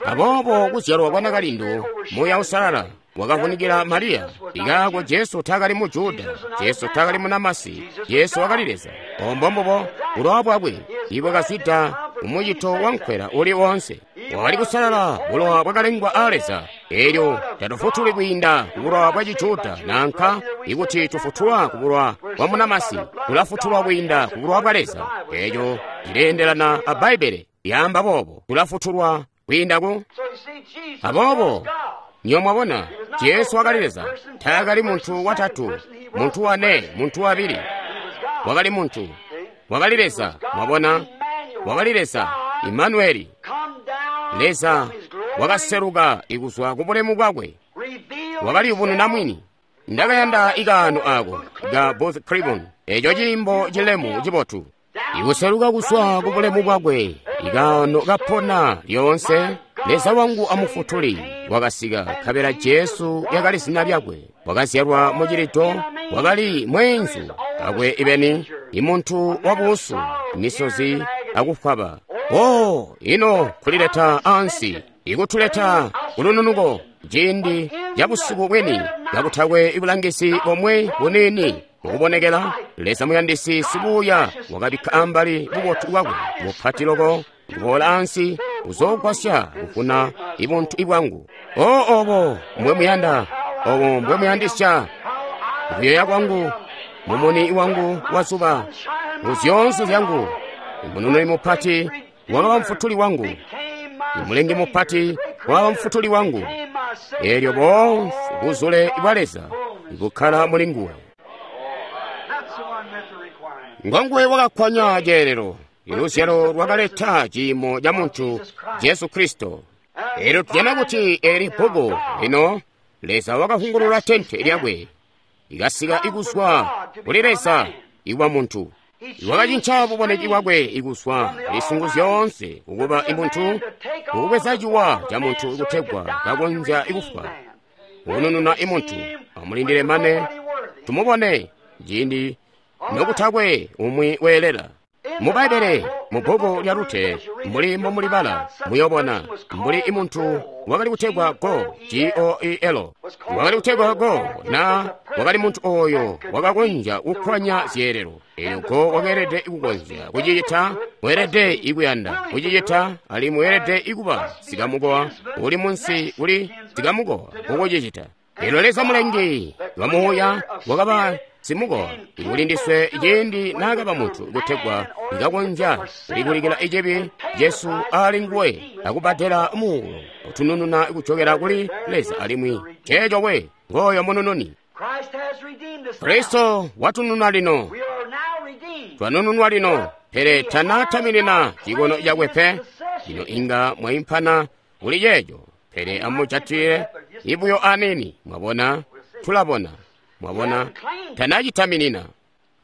Aboobo kuzyalwa kwa nakalindu Muuya Uusalala wakavunikila Mariya. Ikaako Jesu taakali mu Juda, Jesu taakali munamasi, Jesu wakali Leza. Ombo mbubo bulowa bwakwe ibwakazwida mumucito wankwela uli wonse. Wakali kusalala, bulowa bwakalengwa a Leza. Elyo tatufutuli kwiinda ku bulowa bwa Cijuda nanka ikuti tufutulwa ku bulowa bwa munamasi, tulafutulwa kwiinda ku bulowa bwa Leza. Eco cileendelana a Bbaibbele lyaamba boobo, tulafutulwa kwiinda ku. Aboobo nyo mwabona, Jesu wakali Leza, taakali muntu watatu, muntu wane, muntu wabili. Wakali muntu, wakali Leza, mwabona, wakali Leza, Imanueli. Leza wakaseluka ikuzwa ku bulemu bwakwe, wakaliyubununa mwini. Ndakayanda ikaano ako ka Booth Clibborn, eco ciimbo cilemu cibotu. Ikuseluka kuzwa ku bulemu bwakwe, ikaano kapona lyoonse. Leza wangu amufutuli wakasika, nkabela Jesu lyakali zina lyakwe. Wakazyalwa mucilito, wakali mweenzu akwe ibeni, imuntu wabuusu, misozi akufwaba. Oh, ino kulileta ansi, ikutuleta kulununuko ciindi ca busiku bweni, kakutakwe ibulangisi bomwe buniini mukubonekela. Leza muyandisi sibuuya wakabikka ambali bubotu bwakwe bupati loko, kuboola ansi kuzoogwasya kuvuna ibuntu ibwangu. O obo mbwe muyanda, obo mbwe muyandisya, kuyoya kwangu, mumuni wangu wa zuba, muzyoonse zyangu. Imunununi mupati wakaba mfutuli wangu, imulengi mupati wakaba mfutuli wangu. Elyo boonse buzule bwa Leza bukkala muli nguwe. Ngonguwe wakakkwanya ceelelo, iluzyalo lwakaleta ciimo ca muntu Jesu Kristo. Elyo tujana kuti eli bbuku lino, Leza wakahungulula tente lyakwe, ikasika ikuzwa kuli Leza ikuba muntu. Wakacinca buboneki bwakwe ikuzwa lisungu zyoonse kukuba imuntu, kukubweza ciwa ca muntu kutegwa kakonzya ikufwa, kunununa imuntu. Amulindile mane tumubone ciindi nokutakwe umwi weelela. Mu Bbaibbele, mu bbuku lya Rute, mbuli mbomulibala, muyobona mbuli imuntu wakali kutegwa Go, G O E L, wakali kutegwa Go, na wakali muntu oyo wakakonzya kukkwanya zyeelelo. Elyo Go wakeelede kukonzya kucicita, weelede ikuyanda kucicita, alimwi weelede ikuba sikamukowa uli munsi kuli sikamukowa kukucicita. Elyo Leza mulengi wa muuya wakaba simukowa ikuli ndiswe ciindi naakaba muntu kutegwa ikakonzya kulikulikila icibi Jesu ali nguwe akubbadela muulo utunununa kuchokera kuli Leza, alimwi ceeco we ngoyo munununi. Kristo watununa lino, twanununwa lino, pele tanataminina cikono cakwe pe. Lino inga mwaimpana kuli ceeco, pele amujatile ibuyo anini. Mwabona, tulabona. Mwabona, tanacitaminina.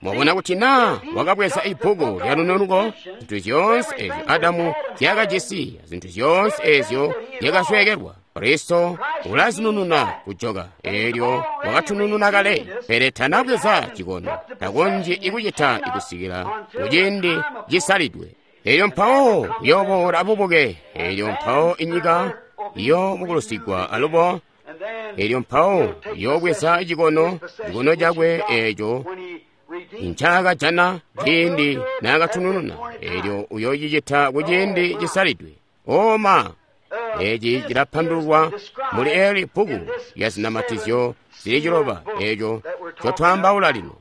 Mwabona kuti naa wakabweza ibbuku lya lununuko, zintu zyoonse ezyo Adamu zyakajisi, zintu zyoonse ezyo zyakasweekelwa, Kristo ulazinununa kujoka. Elyo wakatunununa kale, pele tanabweza cikono, takonzyi ikucita ikusikila kuciindi cisalidwe. Elyo mpawo uyoboola abubuke, elyo mpawo inyika iyobukulusigwa alubo. Elyo mpawo uyobweza cikono, cikono cakwe eco ncaakajana ciindi naakatunununa. Elyo uyocicita kuciindi cisalidwe. Oma, eci cilapandululwa muli eli bbuku lya zinamatizyo zili ciloba eco ncotwaambaula lino.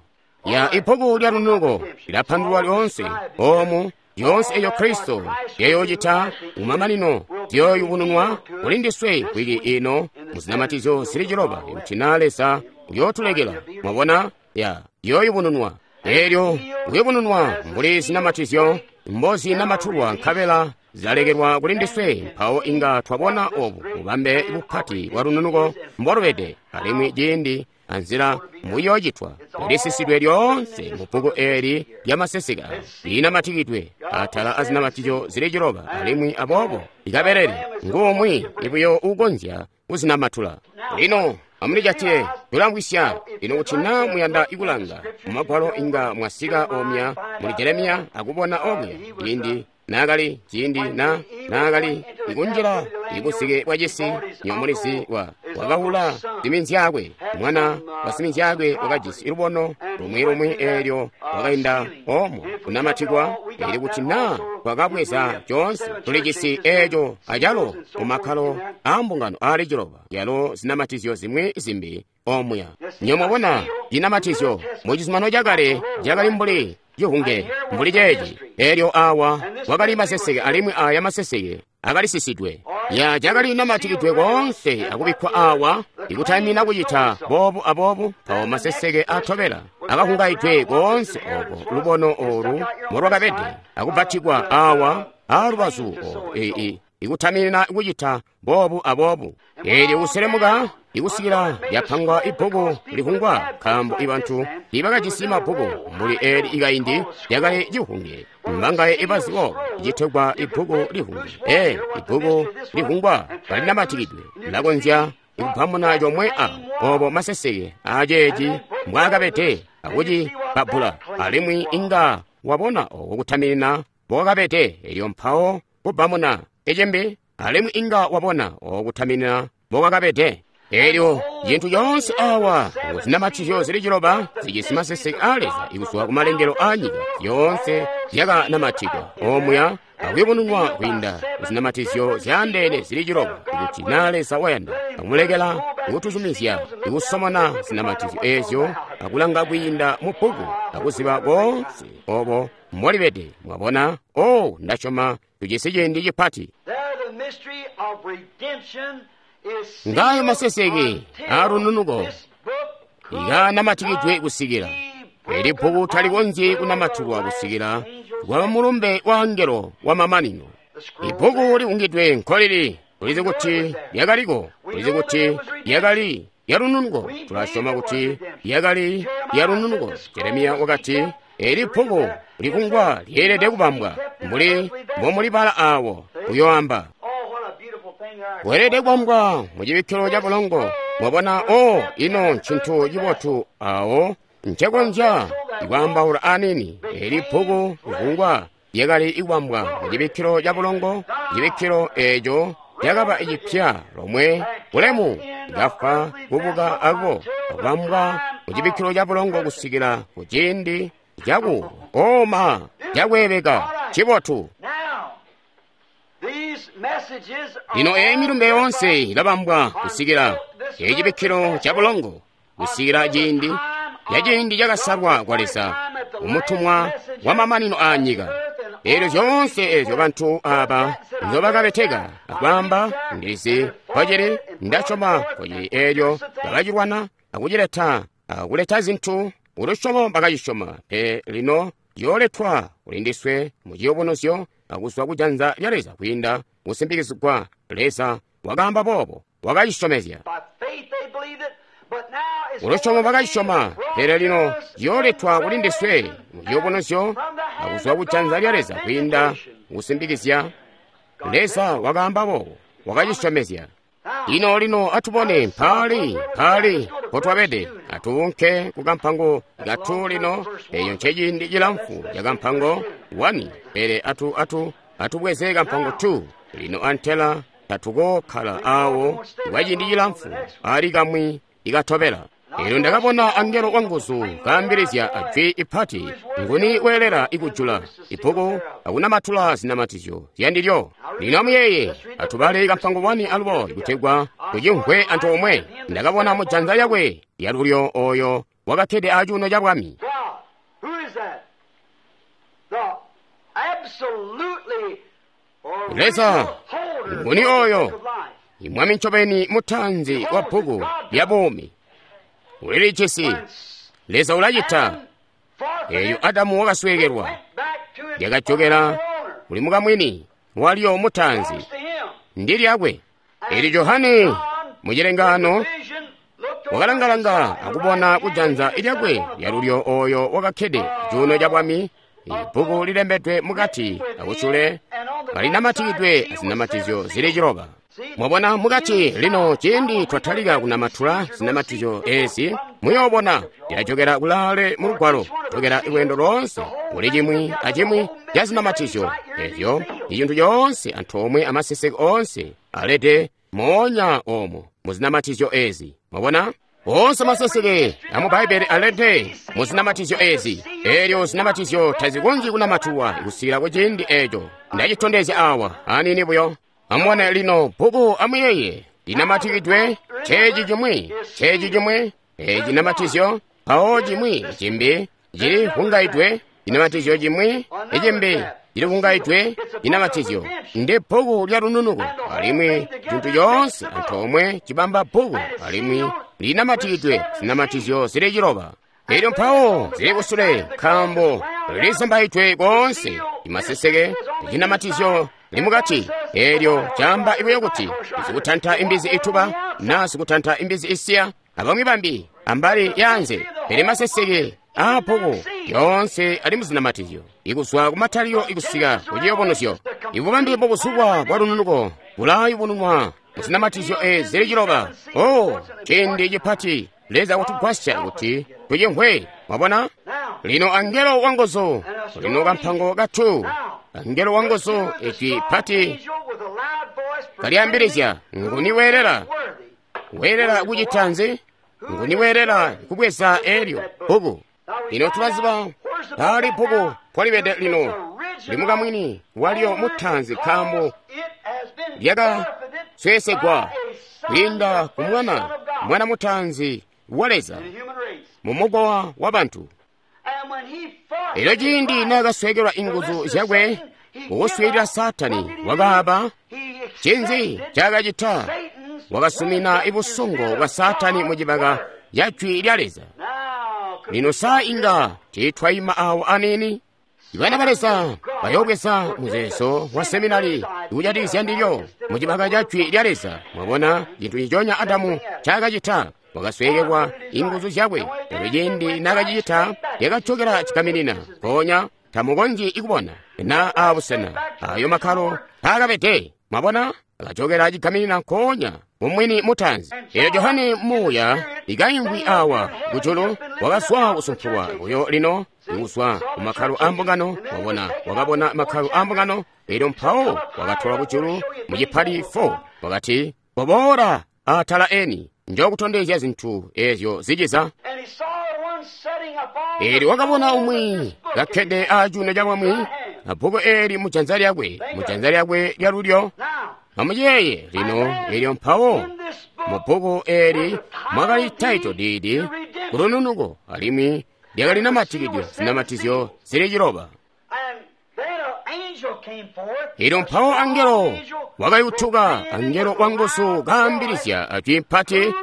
Ya ibbuku lya lunuko lilapandululwa lyoonse omu. Zyoonse eco Kristo zyayoocita kumamanino ziyooyubununwa kuli ndiswe wiki ino muzinamatizyo zili ciloba, kuti naa Leza uyootulekela. Mwabona, ya ziyooyubununwa. Elyo kuyubununwa mbuli zinamatizyo mbozinamatulwa, nkabela zilalekelwa kuli ndiswe. Mpawo inga twabona obu bubambe bupati bwa lununuko mbolubede, alimwi ciindi anzila muyoocitwa lisisidwe lyoonse mu bbuku eli lyamaseseka linamatikidwe atala azinamatizyo zili ciloba, alimwi aboobo ikabelele ngumwi ibuyo uukonzya kuzinamatula. Lino amulijatile, tulamvwisya lino kuti naa muyanda ikulanga mumagwalo inga mwasika omya muli Jeremiya akubona okuya ciindi naakali ciindi na naakali ikunjila ibusike bwa cisi nyomulizi wa Wakahula siminzyaakwe, mwana wa siminzyaakwe wakajisi lubono lumwi lumwi eelyo wakainda omo kunamatikwa. Eli kuti naa twakabweza coonse tulijisi eeco acalo mumakkalo aambungano aali ciloba, yalo zinamatizyo zimwi zimbi omuya. Nyomwabona cinamatizyo mu Cizuminano Cakale cakali mbuli cihunge mbuli ceeci. Eelyo awa wakali maseseke, alimwi aya maseseke akalisisidwe. Ya cakali namatikidwe koonse akubikkwa awa ikutaimina kucita boobu aboobu. Mpawo maseseke atobela akahungaidwe koonse oko lubono olu molwakabede akubbatikwa awa aalubazu olu ii ikutaminina kucita boobu aboobu. Eelyo kuselemuka ikusikila lyapangwa ibbuku lihungwa, nkaambo ibantu ibakajisi mabbuku mbuli eli ikaindi lyakali cihunge. Mbangaye ibazi boobo citegwa ibbuku lihunge. E ibbuku lihungwa kalinamatikidwe lilakonzya ikubamuna comwe a obo maseseke aceeci mbwaakabede akucibabbula, alimwi inga wabona oko kutaminina mbokakabede. Elyo mpawo kubamuna ecembe, alimwi inga wabona oko kutaminina mbokakabede. Elyo cintu coonse awa zinamatizyo zili ciloba zijisi maseseke a Leza ikuzwa kumalengelo a nyika yoonse zyakanamatikwa omuya akuyubununwa kwiinda zinamatizyo zyaandeene zili ciloba. Ikuti na Leza wayanda akumulekela ikutuzumizya ikusomona zinamatizyo eezyo akulanga kwiinda mu bbuku akuziba koonse obo mbolibede. Mwabona? O, ndasyoma tujisi ciindi cipati. Ngayo maseseke alununuko ikanamatikidwe kusikila eli bbuku talikonzyi kunamatikwa kusikila kwa mulumbe wa angelo wa mamanino. Ibbuku liungidwe nkolili, tulizi kuti lyakaliko, tulizi kuti lyakali lyalununuko, tulasyoma kuti lyakali lyalununuko. Jeremiya wakati eli bbuku likungwa lyeelede kubambwa mbuli mbomulibala awo uyoamba weelede kubambwa mu cibikkilo ca bulongo. Mwabona? O, ino ncintu cibotu awo ncekonzya ikwaambaula anini. Eli bbuku likungwa lyakali ikubambwa mu cibikkilo ca bulongo. Cibikkilo eeco lyakaba cipya lomwe bulemu likafa kubuka ako kubambwa mu cibikkilo ca bulongo kusikila ku ciindi caku oma cakweebeka cibotu. Lino eyi milumbe yoonse ilabambwa kusikila ecibikkilo ca bulongo, kusikila ciindi ya ciindi cakasalwa kwa Leza umutumwa wa mamanino a nyika. Eelyo zyoonse eezyo bantu aba nzobakabeteka akwaamba, ndilizi kocili, ndasyoma kocili. Eelyo bakacilwana akucileta akuleta zintu ulusyomo bakacisyoma, pe lino ciyooletwa kuli ndiswe mu ciyubunuzyo akuzwa kujanza lya Leza kwiinda kusimbikizigwa. Leza wakaamba boobo, wakacisyomezya. Ulusyomo bakacisyoma, pele lino ciyooletwa kuli ndiswe mu ciyubunuzyo akuzwa kujanza lya Leza kwiinda kusimbikizya. Leza wakaamba boobo, wakacisyomezya. Lino lino atubone mpaali mpaali mpotwabede. Atuunke ku kampango katu lino. Eyo nceciindi cilamfu ca kampango wani, pele atu atu atubweze kampango two lino. Antela tatukokhala awo kwa ciindi cilamfu ali kamwi ikatobela. Elyo ndakabona angelo wanguzu kaambilizya ajwi ipati, nguni weelela ikujula ibbuku akunamatula zinamatizyo zyandilyo. Lino amuyeeye, atubale kampango wani alubo kutegwa tucimvwe antoomwe. Ndakabona mujanza lyakwe lyalulyo oyo wakakkede acuuno ca bwami. Leza nguni oyo? Imwami ncobeni mutanzi wa bbuku lya buumi. Ulilijisi. Leza ulacita. Eyo Adamu wakasweekelwa, lyakajokela kuli mukamwini walyo mutanzi, ndi lyakwe. Eli Johane mu cilengaano wakalangalanga akubona kujanza lyakwe lyalulyo oyo wakakkede cuuno ca bwami, ibbuku lilembedwe mukati akusyule kalinamatikidwe azinamatizyo zili ciloba. Mwabona mukati lino, ciindi twatalika kunamatula zinamatizyo ezi, muyoobona lilajokera kulaale mu lugwalo, jokera lweendo loonse kuli cimwi acimwi ca zinamatizyo ezyo. Icintu coonse antoomwe amaseseke oonse alede Moonya omo muzinamatizyo ezi. Mwabona? Onse maseseke amu Bbaibele alede muzinamatizyo ezi. Elyo zinamatizyo tazikonzyi kunamatuwa kusikila ku ciindi eco. Ndacitondezya awa anini buyo. Amubone lino bbuku amuyeye linamatikidwe ceeci cimwi, ceeci cimwi, eci cinamatizyo, mpawo cimwi cimbi cili vungaidwe cinamatizyo cimwi icimbi cili vungaidwe cinamatizyo. Ndi bbuku lya lununuko, alimwi cintu coonse antoomwe cibamba bbuku, alimwi linamatikidwe zinamatizyo zili ciloba. Elyo mpawo zili kusule nkaambo lizambaidwe koonse imaseseke cinamatizyo limukati. Elyo camba ibuyo kuti sikutanta imbizi ituba na sikutanta imbizi isiya abamwi bambi ambali yanze, pele maseseke a bbuku yoonse ali muzinamatizyo ikuzwa kumatalio ikusika kuciyobonozyo. Ibubambe bobuzubwa bwa lununuko bulayubununwa muzinamatizyo ezi zili ciloba. Oh, ciindi cipati Leza kutugwasya kuti tucimvwe. Mwabona? Lino angelo wanguzu, lino kampango katu, angelo wanguzu ijwi pati kalyambilizya, nguni weelela? Weelela kucita nzi? Nguni weelela kubweza elyo bbuku? Lino tulaziba pali bbuku polibede lino limukamwini walyo mutanzi, nkaambo lyakasweesegwa kwiinda ku mwana, mwana mutanzi wa Leza mu mukowa wa bantu. Elyo ciindi naakasweekelwa inguzu zyakwe kukuswiilila Saatani, wakaaba cinzi cakacita? Wakasumina ibusongo bwa Saatani mu cibaka ca jwi lya Leza. Lino saa inga tiitwayima awo anini. Bana ba Leza bayobweza muzeezo wa seminari ikujatikizya ndilyo mu cibaka ca jwi lya Leza. Mwabona cintu ciconya Adamu cakacita? Wakasweekelwa inguzu zyakwe. Elyo ciindi naakacicita, lyakajokela cikaminina. Mpoonya tamukonzyi ikubona na abusena ayo makkalo paakabede. Mwabona, akajokela cigaminina nkoonya mumwini mutanzi. Elyo Johane muuya ikaimvwi awa kujulu wakazwa kusumpulwa buyo lino ikuzwa ku makkalo a mbungano. Mwabona, wakabona makkalo a mbungano. Elyo mpawo wakatolwa kujulu mu cipali four. Wakati, "Koboola atala eni, njokutondezya zintu ezyo ziciza." Elyo wakabona umwi kakkede acuuno ca bwami, abbuku eli mujanza lyakwe, mujanza lyakwe lyalulyo. Amuyeeye lino, elyo mpawo mu bbuku eli mwakali title deed kulununuko, alimwi lyakali namatikidwe zinamatizyo zili ciloba. Elyo mpawo angelo wakayutuka, angelo wanguzu kaambilizya ajwi mpati,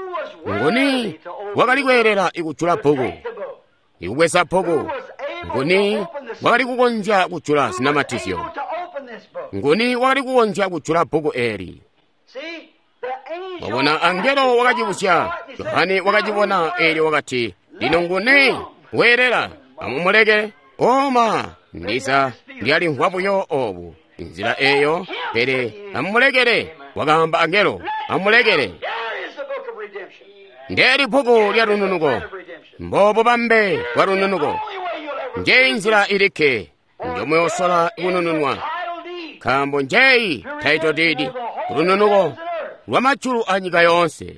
nguni wakali kweelela ikujula bbuku, ikubweza bbuku? Nguni wakali kukonzya kujula zinamatizyo? Nguni wakali kukonzya kujula bbuku eli? Wabona, angelo wakacibusya. Johane wakacibona. Elyo wakati, "Lino nguni weelela? Amumuleke." Oma ndiza ndyalimvwa buyo obu inzila eyo, pele amumulekele, wakaamba angelo, amumulekele. Ndeli bbuku lya lununuko, mbobu bambe bwa lununuko. Njeyi nzila ilikke njomuyosola kunununwa, nkaambo njeyi title deed lununuko lwa majulu a nyika yoonse.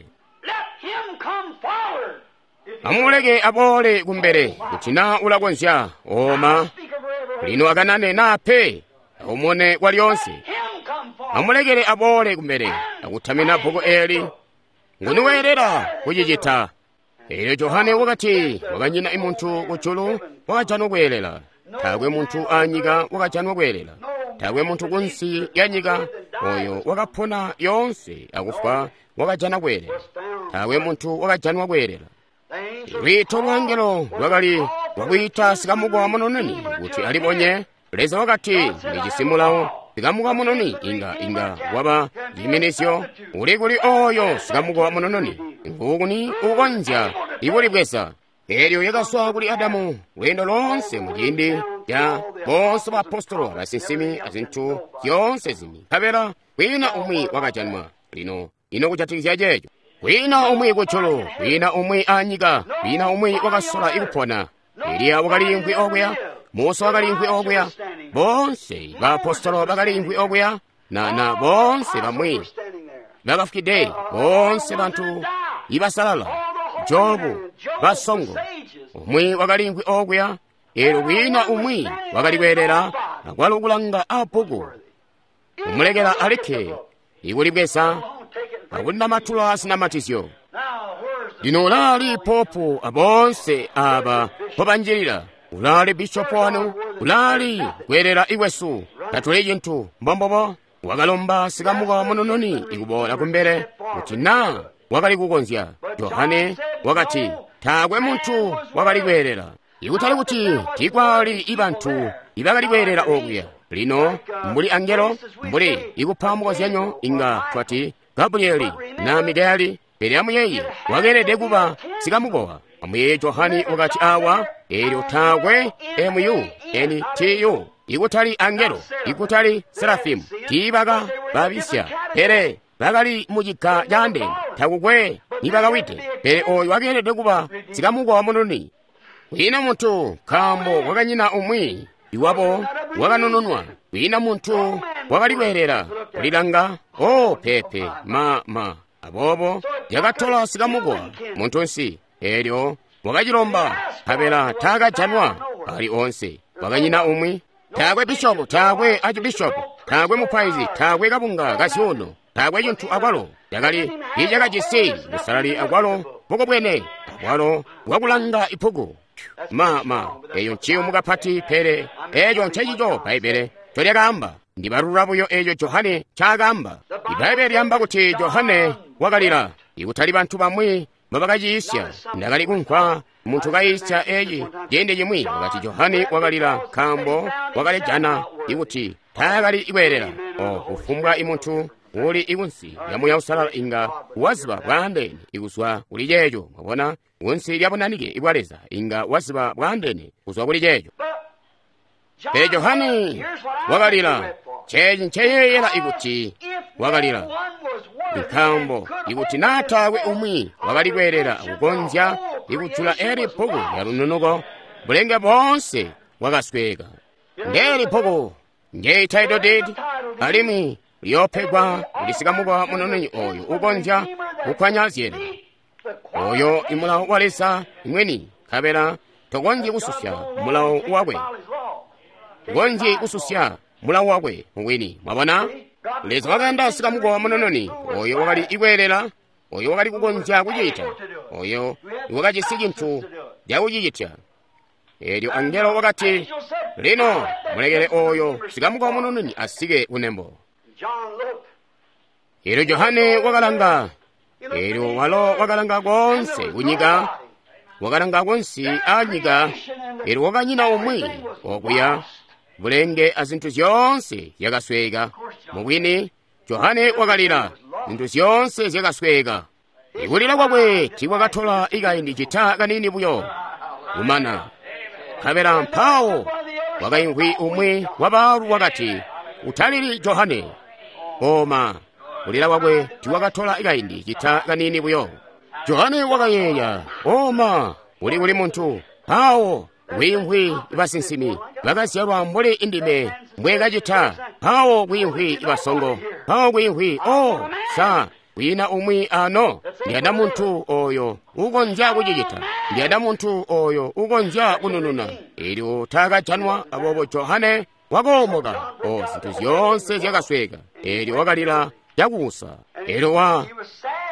Amumuleke aboole kumbele kuti na ulakonzya. Oma lino akanane nape aumone kwa lyonse. Amulekele aboole kumbele akutamina bbuku eli. Nguni weelela kucicita? Elyo Johane wakati, wakanyina imuntu kujulu wakajanwa kweelela. Taakwe muntu anyika wakajanwa kweelela. Taakwe muntu kunsi ya nyika oyo wakapona yoonse akufwa wakajana kweelela. Taakwe muntu wakajanwa kweelela. Lwiito lwa angelo lwakali lwakwiita sikamukowa munoneni kuti alibonye. Leza wakati, ndijisi mulawo. Sikamukowa munoni inga inga waba ciminizyo. Uli kuli oyo sikamukowa munononi? Ngukuni ukonzya ikulibweza? Elyo yakaswa kuli Adamu lweendo lonse mu ciindi ca bonse baapostolo, abasinsimi, azintu zyoonse zimbi, nkabela kwiina umwi wakajanwa. Lino ino kujatikizya ceeco, kwiina umwi kujulu, kwiina umwi anyika, kwiina umwi wakasola ikupona. Eliya wakaliimvwi okuya, Musa wakaliimvwi okuya, bonse baapostolo bakaliimvwi okuya, na na bonse bamwi bakafwide, boonse bantu ibasalala, Jobu, basongo, umwi wakaliimvwi okuya, eelyo kwiina umwi wakali kweelela akwalo kulanga abbuku, kumulekela alikke ikulibweza akunamatula zinamatizyo. Lino ulaali popu aboonse aba mpobanjilila, ulaali bishopu wanu, ulaali kweelela ikwesu, tatuli cintu mbombobo. Wakalomba sikamuka munununi ikuboola kumbele kuti naa wakali kukonzya. Johane wakati taakwe muntu wakali kweelela, ikutali kuti tiikwali ibantu ibakali kweelela okuya. Lino mbuli angelo, mbuli ikupa mukozyanyo, inga twati Gabrieli na Mikaeli, pele amuyeeye wakeelede kuba sikamukowa. Amuyeeye Johane wakati awa, eelyo taakwe mu n t u, ikutali angelo, ikutali serafimu, tiibaka babisya, pele bakali muciga caandeene, takukwe nibakawide. Pele oyu wakeelede kuba sikamukowa mununi. Kwiina muntu, nkaambo kwakanyina umwi iwabo wakanununwa, kwiina muntu wakali kweelela kulilanga. O pepe ma ma aboobo yakatola sikamukowa muntunsi, eelyo wakacilomba, nkabela taakajanwa ali onse. Kwakanyina umwi, taakwe bishopu, taakwe archibishopu, taakwe mupaizi, taakwe kabunga kazyuuno, taakwe cintu akwalo cakali icakajisi busalali akwalo bukubwene akwalo bwakulanga ipuku. Ma ma eyo nciyumu kapati, pele eco ncecico Bbaibbele ncolyakaamba. Ndibalula buyo eco Johane ncaakaamba. Ibbaibbele lyaamba kuti Johane wakalila, ikutali bantu bamwi mbabakaciisya. Ndakali kumvwa muntu kayiisya eci ciindi cimwi, wakati Johane wakalila nkaambo wakalijana ikuti taakali kweelela. O kufumbwa imuntu uli ikunsi lya Muuya Uusalala inga waziba bwaandeene ikuzwa kuli ceeco. Mwabona, kunsi lya bunanike bwa Leza inga waziba bwaandeene kuzwa kuli ceeco. Pele Johane wakalila. Ceeci nceyeeyela ikuti wakalila, nkaambo ikuti naa taakwe umwi wakali kweelela akukonzya ikujula eli bbuku lya lununuko, bulenge boonse bwakasweeka. Ndeeli bbuku njeyi title deed, alimwi liyoopegwa kuli sikamukowa munununi oyu ukonzya kukwanya zyeelelo. Oyo imulawo wa Leza mwini, nkabela tokonzyi kususya mulawo wakwe, tokonzyi kususya mulawo wakwe wini. Mwabona, Leza wakayanda sikamukowa munununi oyo wakali ikweelela, oyo wakali kukonzya kucita, oyo wakajisi cintu cakucicitya. Eelyo angelo wakati, lino mulekele oyo sikamukowa munununi asike kunembo. Eelyo Johane wakalanga, eelyo walo wakalanga koonse kunyika, wakalanga kunsi anyika, eelyo wakanyina umwi okuya, bulenge azintu zyoonse zyakasweeka. Mubwini, Johane wakalila, zintu zyoonse zyakasweeka. Ikulila kwakwe tiikwakatola ikaindi cita kanini buyo kumana. Nkabela mpawo wakaimvwi umwi wabaalu wakati, utalili Johane. Oma, kulila kwakwe tiikwakatola ikaindi cita kanini buyo. Johane wakayeeya, oma, uli kuli muntu. Mpawo kwiimvwi basinsimi bakazyalwa mbuli indime mbwekacita. Mpawo kwiimvwi basongo. Mpawo kwiimvwi, o sa kwiina umwi ano. Ndiyanda muntu oyo ukonzya kucicita. Ndiyanda muntu oyo ukonzya kunununa. Eelyo taakajanwa, aboobo Johane wakoomoka. O zintu zyoonse zyakasweeka. Eelyo wakalila cakuusa. Eelyo wa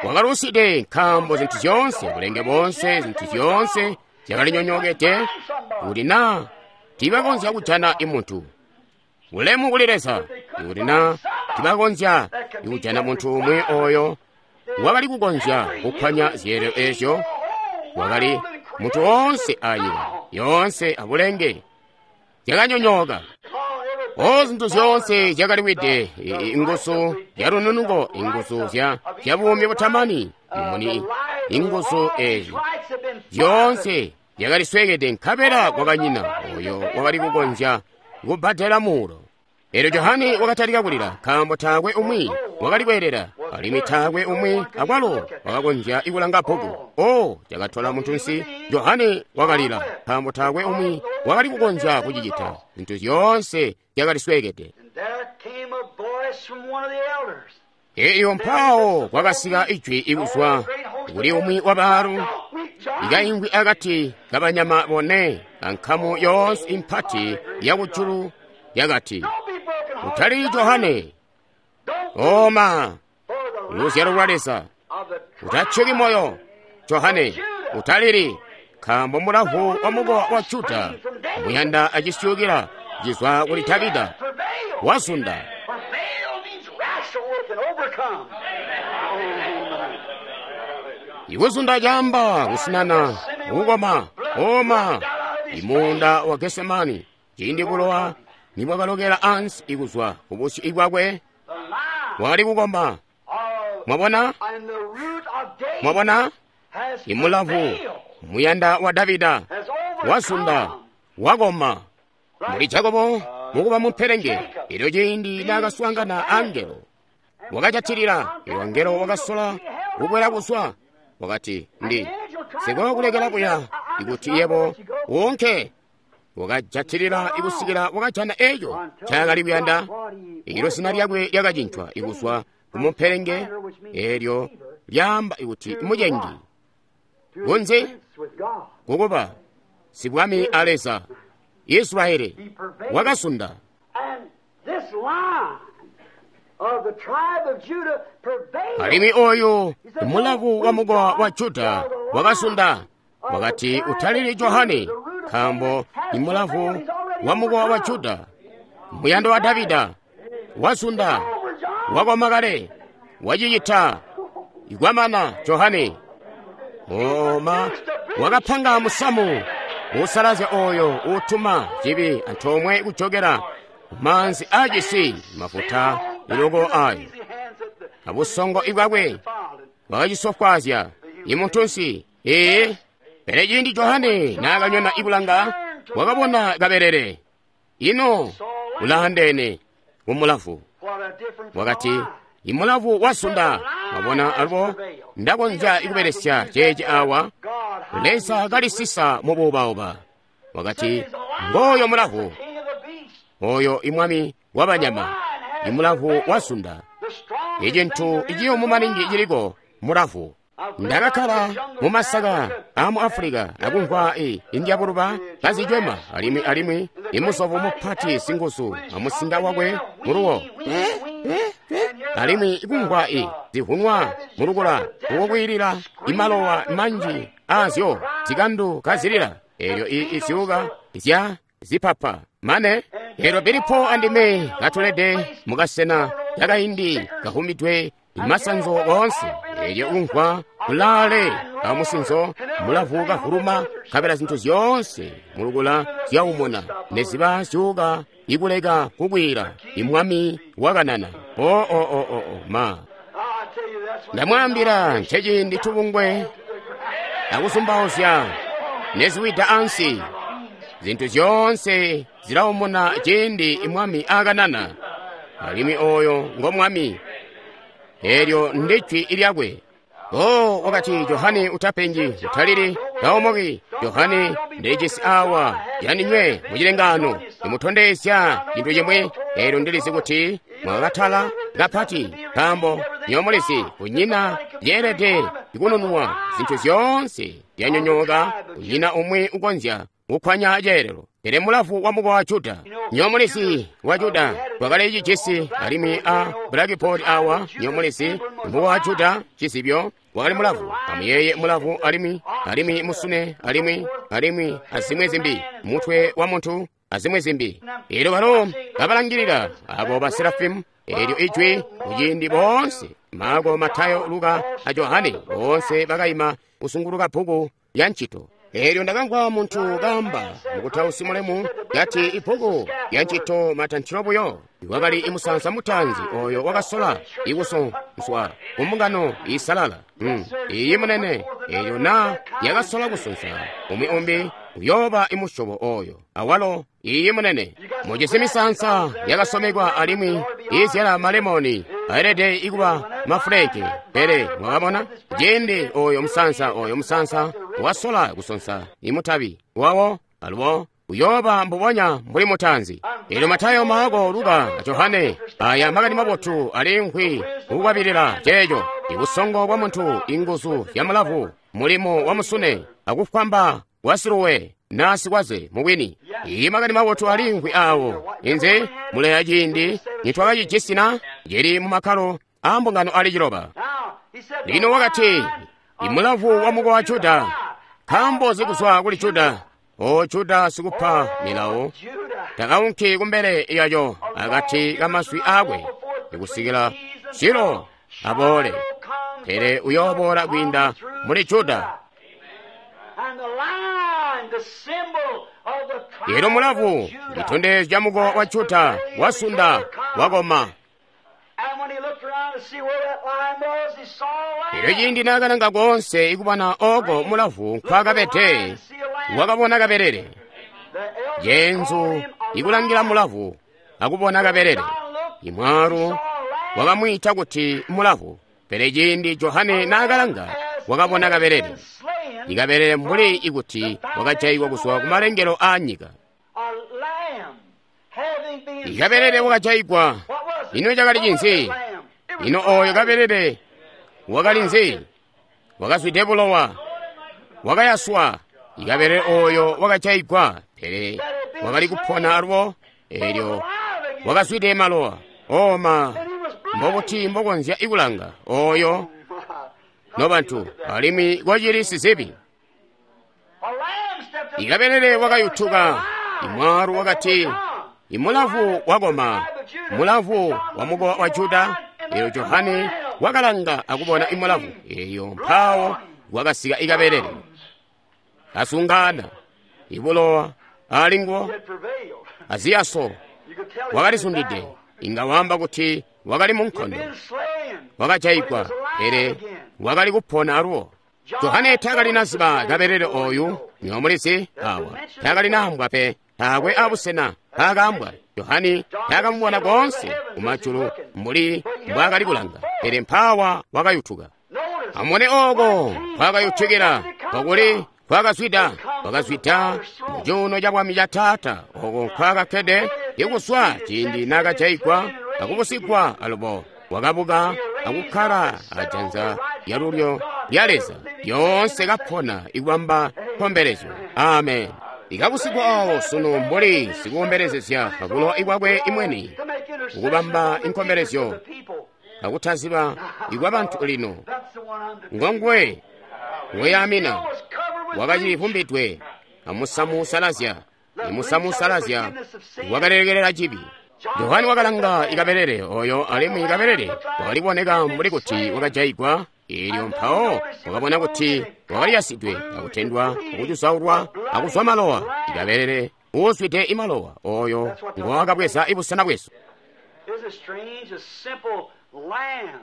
wakaluside nkaambo zintu zyoonse, bulenge boonse, zintu zyoonse zyakalinyonyookede, kuti naa tiibakonzya kujana imuntu. Ulemu kuli Leza, kuti naa tiibakonzya kujana muntu umwi oyo wakali kukonzya kukwanya zyeelelo eezyo, wakali muntu woonse anyika yoonse abulenge zyakanyonyooka. O zintu zyoonse zyakaliwide, inguzu zyalununuko, inguzu zya buumi butamani, mumuni, inguzu eezi zyoonse zyakalisweekede, nkabela kwakanyina oyo wakali kukonzya kubbadela muulo. Eelyo Johane wakatalika kulila, nkaambo taakwe umwi wakali kweelela, alimwi taakwe umwi akwalo wakakonzya ikulanga bbuku. O cakatola muntunsi. Johane wakalila, nkaambo taakwe umwi wakali kukonzya kucicita. Zintu zyoonse zyakalisweekede. Elyo mpaawo kwakasika ijwi ikuzwa kuli umwi wa baalu, ikaingwi akati kabanyama bone ankamu yoonse impati yakujulu yakati, "Utali Johane, oma luzyalo lwa Leza, utatyeki moyo Johane, utalili, nkaambo mulavu wa mukowa wa Juda muyanda acisyukila cizwa kuli Davida wazunda." Ikuzunda caamba kusinana, kukoma, oma imunda wa Gesemani, ciindi bulowa nibwakalokela ansi ikuzwa kubusyu bwakwe, wakali kukoma. Mwabona? Mwabona? Imulavu muyanda wa Davida wazunda, wakoma. Muli Jakobo mukuba mumperenge, elyo ciindi naakaswaangana angelo wakajatilila, elyo angelo wakasola kukwela kuzwa, wakati, "Ndi sikokulekela kuya ikuti yebo wonke." Wakajatilila ikusikila wakajana eco ncaakali kuyanda. Ilo zina lyakwe lyakacincwa ikuzwa kumumperenge, elyo lyaamba ikuti mucengi, kunze kukuba sibwami a Leza. Israeli wakasunda. Alimwi oyu mulavu wa mukowa wa Juda wakasunda. Wakati, "Utalili Johane, nkaambo imulavu wa mukowa wa Juda, muyando wa Davida, wasunda, wakoma kale, wacicita ikwamana Johane." Oma wakapanga musamu usalazya oyo utuma cibi antoomwe kujokera kumaanzi aacisi mafuta iloko ayo. Abusongo ibwakwe wakacisofwaazya imuntunsi. Ee, pele ciindi Johane naakanyona ibulanga, wakabona kabelele ino ulaandeene kumulavu. Wakati, "Imulavu wasunda." Wabona, alubo ndakonzya ikubelesya ceeci awa. Leza kalisisa mubuubauba. Wakati, "Ngooyo mulavu, oyo imwami wabanyama, imulavu wasunda." Icintu iciyumu maningi ciliko mulavu. Ndakakkala mumasaka amu Afulika akumvwa i indyabuluba kazicwema, alimwi alimwi imusovu mupati singuzu amusinga wakwe muluwo, alimwi ikumvwa i zivunwa mulukula ukukwiilila imalowa manji aazyo zikandu kazilila, elyo i izyuka zya zipapa mane. Elyo Bilipo andime katulede mukasena kakaindi kahumidwe imasanzo woonse, elyo umvwa kulaale amusinzo mulavu kavuluma, kabela zinthu zyoonse mulukula zyaumuna neziba zyuka ikuleka kukwira. Imwami wakanana. O o o o o ma ndamwaambila, nceciindi tubungwe akusumbauzya neziwida ansi, zinthu zyoonse zilaumuna ciindi imwami akanana, alimwi oyo ngo mwami, elyo ndijwi lyakwe. O wakati, "Johane, utapenji, utalili, taomoki. Johane, ndijisi awa yaninywe mucilengano imutondezya cintu cimwe. Elyo ndilizi kuti mwakatala kapati, nkaambo nyomulizi kunyina yeelede ikununwa, zinthu zyoonse zyanyonyooka, kunyina umwi ukonzya kukwanya ceelelo. Pele mulavu wa mukowa wa Juda, nyomulizi wa Juda twakali cijisi, alimwi a blackboard awa, nyomulizi mukowa wa Juda cizibyo wakali mulavu. Amuyeye mulavu, alimwi alimwi musune, alimwi alimwi azimwe zimbi, mutwe wa muntu azimwe zimbi. Elyo balo kabalangilila abo ba Serafimu, elyo ijwi kuciindi boonse Marko, Matayo, Luka a Johane boonse bakayima kusunguluka bbuku lya ncito. Elyo ndakamvwa muntu kaamba mukutausi mulemu kati ibbuku lya ncito matanthilo buyo wakali imusansa mutaanzi oyo wakasola ikusonswa kumbungano isalala. Mm. Iyi munene, elyo na yakasola kusonsa umwi umbi uyooba imusyobo oyo awalo. Iyi munene, mujisi misansa yakasomekwa alimwi izyala malemoni aelede ikuba mafuleke. Pele mwakabona ciindi oyo musansa oyo musansa wasola kusonsa imutabi wawo alubo Uyooba mbubonya mbuli mutaanzi. Elyo Matayo, Maako, Luka a Johane, aya makani mabotu aliimvwi kukwabilila ceeco. Ibusongo bwa muntu, inguzu zya mulavu, mulimo wa musune, akufwamba kwa siluwe na sikwaze mubwini. Iyi makani mabotu aliimvwi awo. Inze muleya ciindi nitwakacijisi na cili mu makkalo a mbungano ali ciloba. Lino wakati, imulavu wa mukowa wa Juda, nkaambo zikuzwa kuli Juda. O Juda sikupa milawo, takaunki kumbele yayo akati kamaswi aakwe ikusikila Silo aboole, pele uyooboola kwiinda muli Juda. Lero mulavu chitondezyo cha mukowa wa Juda wasunda wakoma. Lero ciindi naakalanga konse ikubona oko mulavu nkwakabede, wakabona kaberere. Jenzu ikulangira mulavu akubona kaberere. Imwaru wakamwita kuti mulavu, pele ciindi Johane naakalanga wakabona kaberere. Ikaberere mbuli ikuti wakajayigwa kuzwa kumalengelo a nyika. Ikaberere wakajayigwa. Ino cakali cinzi? Ino oyo kaberere wakali nzi? Wakazwide bulowa, wakayaswa. Ikaberere oyo wakajayigwa, pele wakali kupona alubo, elyo wakazwide malowa. Oma, mbobuti mbokonzya ikulanga oyo nobantu, alimwi kwacili sizibi. Ikaberere wakayutuka. Imwaru wakati, imulavu wakoma, mulavu wa mukowa wa Juda. Elyo Johane wakalanga akubona imulavu eyo, mpawo wakasika ikaberere kasungana ibulowa alinguwo aziyaso wakalisundide. Inga wamba kuti wakali munkondo, wakajayigwa, pele wakali kupona aluwo. Johane taakali naziba kaberere oyu niwamulizi awa, taakali naambwa pe, taakwe abusena paakambwa. Johane taakamubona konse kumajulu mbuli mbwaakali kulanga, pele mpawa wakayutuka. Amubone oko nkwakayutukila, kokuli nkwakazwida. Wakazwida mucuuno ca bwami ca Taata, oko nkwakakkede ikuswa ciindi naakajayigwa akubusigwa alubo. Wakabuka akukkala ajanza lyalulyo lya Leza, lyoonse kapona ikubamba nkombelezyo. Amen. Ikabusigwa awo sunu mbuli sikukombelezezya pabulowa ikwakwe imweni, ukubamba inkombelezyo akutaziba ikwa bantu lino. Ngongwe ngoyamina wakacilivumbidwe amusamu usalazya, imusamu usalazya wakalekelela cibi. Johane wakalanga ikaberere oyo, alimwi ikaberere wakaliboneka mbuli kuti wakajayigwa. Elyo mpawo wakabona kuti wakaliyasidwe akutendwa akucusaulwa akuzwa malowa. Ikaberere uuzwide imalowa oyo ngowakabweza ibusena bwesu.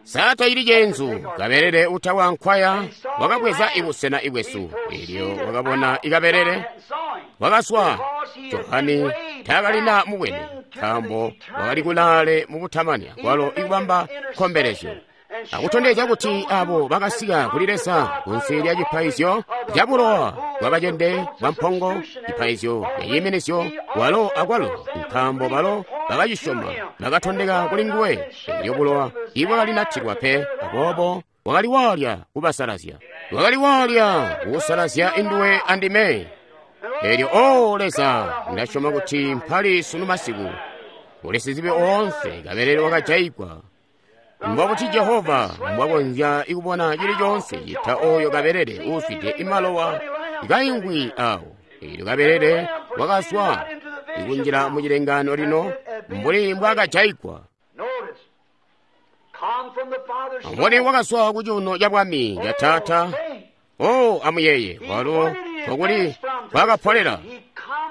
Sata ili cenzu kaberere utawa nkwaya wakabweza ibusena ibwesu. Elyo wakabona ikaberere wakaswa. Johane taakalina mubwene, nkaambo wakali kulaale mubutamani akwalo ikubamba nkombelezyo akutondezya kuti abo bakasika kuli Leza kunsi lya cipaizyo ca bulowa bwa bacende bwa mpongo, cipaizyo ca ciiminizyo, walo akwalo nkaambo balo bakacisyoma bakatondeka kuli nguwe. Elyo bulowa ibwakalinatilwa pe, aboobo wakali walya kubasalazya, wakali walya kusalazya induwe andime. Elyo o Leza, ndasyoma kuti mpali sunu masiku uli sizibi oonse kaberere wakajayigwa. Mbobuti Jehova mbwakonzya ikubona cili conse cita oyo kaberere uuzwide imalowa kaingwi awo. Elyo kaberere wakaswa ikunjila mu cilengano lino mbuli mbwaakajayigwa. Amubone wakaswa ku cuuno ca bwami ca Taata. O amuyeye walo kokuli kwakapolera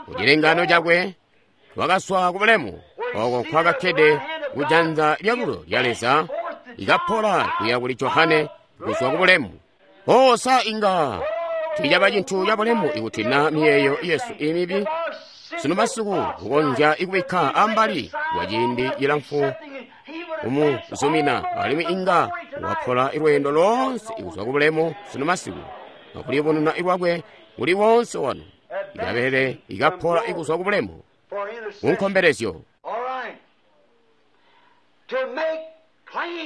ku cilengano cakwe, wakaswa ku bulemu oko nkwakakkede kujanza lyalulo lya Leza, ikapola kuya kuli Johane kuzwa ku bulemu. O sa inga ticaba cintu ca bulemu ikuti na miyeeyo yesu imibi sunu masiku kukonzya ikubikka ambali kwa ciindi cilamfu kumuzumina, alimwi inga wapola ilweendo loonse ikuzwa ku bulemu sunu masiku akuliyubununa ilwakwe kuli wonse wanu. Kabelele ikapola ikuzwa ku bulemu kunkombelezyo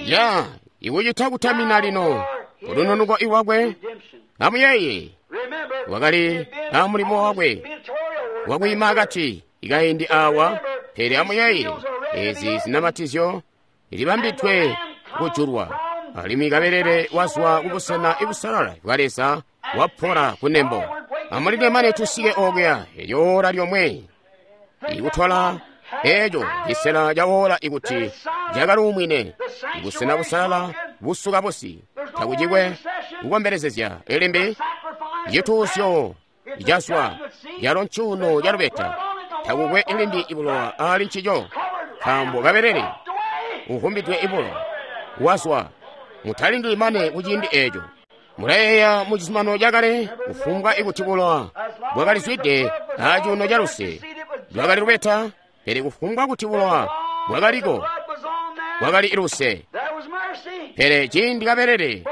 ya ikucita kutamina lino kulununuko iwakwe. Amuyeye wakali amulimo wakwe wakwiima akati ikaindi awa, pele amuyeye ezi zinamatizyo ilibambidwe kujulwa, alimwi kabelele wazwa kubusena ibusalala bwa Leza wapola kunembo. Amulinde mane tusike okuya elyo ora lyomwe ikutwala eco cisela ca ora ikuti cakaluumwine ibusena busalala busuka busi takucikwe kukombelezezya elimbi cituusyo cazwa calo ncuuno ca lubeta takukwe ilimbi ibulowa ali ncico nkaambo kabelele uvumbidwe ibulowa wazwa. Mutalindili mane kuciindi eco. Mulayeeya mu cizuminano cakale kufumbwa ikuti bulowa bwakalizwide acuuno ca luse lwakali lubeta, pele kufumbwa kuti bulowa bwakaliko bwakali luse. Pele ciindi kabelele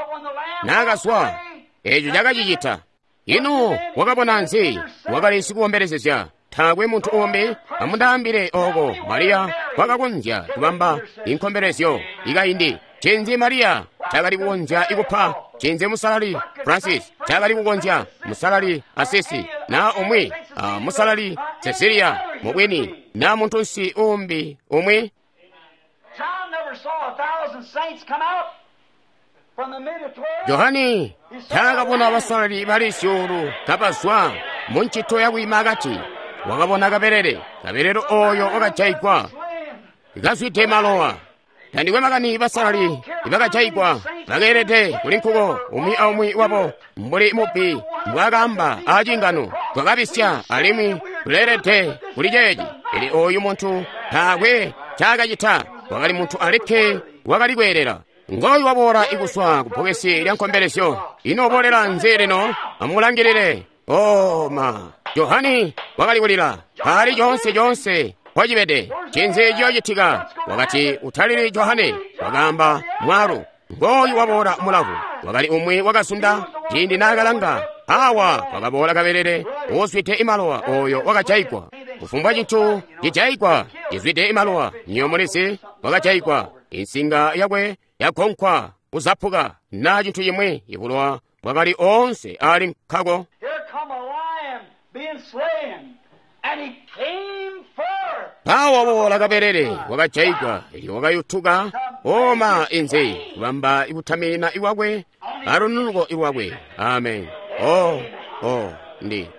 naakazwa eco cakacicita. Ino wakabona nzi? Wakali sikuwombelezezya. Taakwe muntu umbi amundaambile oko Mariya kwakakonzya kubamba inkombelezyo ikaindi. Cinzi Mariya cakali kukonzya ikupa? Cinzi musalali Francis cakali kukonzya? Musalali Asisi na umwi a musalali Cecilia mubwini na muntunsi umbi umwi? Johani taakabona basalali bali zyuulu kabazwa mu ncito yakwiima akati. Wakabona kabelele, kabelele oyo wakajaigwa kazwide malowa. Tandikwe makani basalali ibakajaigwa bakeelede kuli nkuko umwi aumwi wabo mbuli mubbi mbwaakaamba aacingano, twakabisya alimwi tuleelede kuli ceeci. Pele oyu muntu taakwe ncaakacita, wakali muntu alikke wakali kweelela. Ngooyu waboola ikuswa ku bbokesi lya nkombelezyo. Ino uboolela nzi lino? Amulangilile. Oh ma, Johani wakali kulila ali coonse coonse kwacibede. Cinzi ciyoocitika? Wakati utalili Johane, wakaamba mwaalu. Ngooyu waboola mulavu. Wakali umwi wakasunda ciindi naakalanga awa wakaboola kabelele uuzwide imalowa oyo wakajaigwa. Kufumbwa cintu cijaigwa cizwide imalowa nyo mulizi wakajaigwa. Insinga yakwe yagonkwa kuzapuka na cintu cimwi ibulowa bwakali onse ali nkako. Mpawo waboola kabelele wakajaigwa elyo wakayutuka oma inzi kubamba ikutamina iwakwe alununuko iwakwe. Amen. Oh, oh, ndi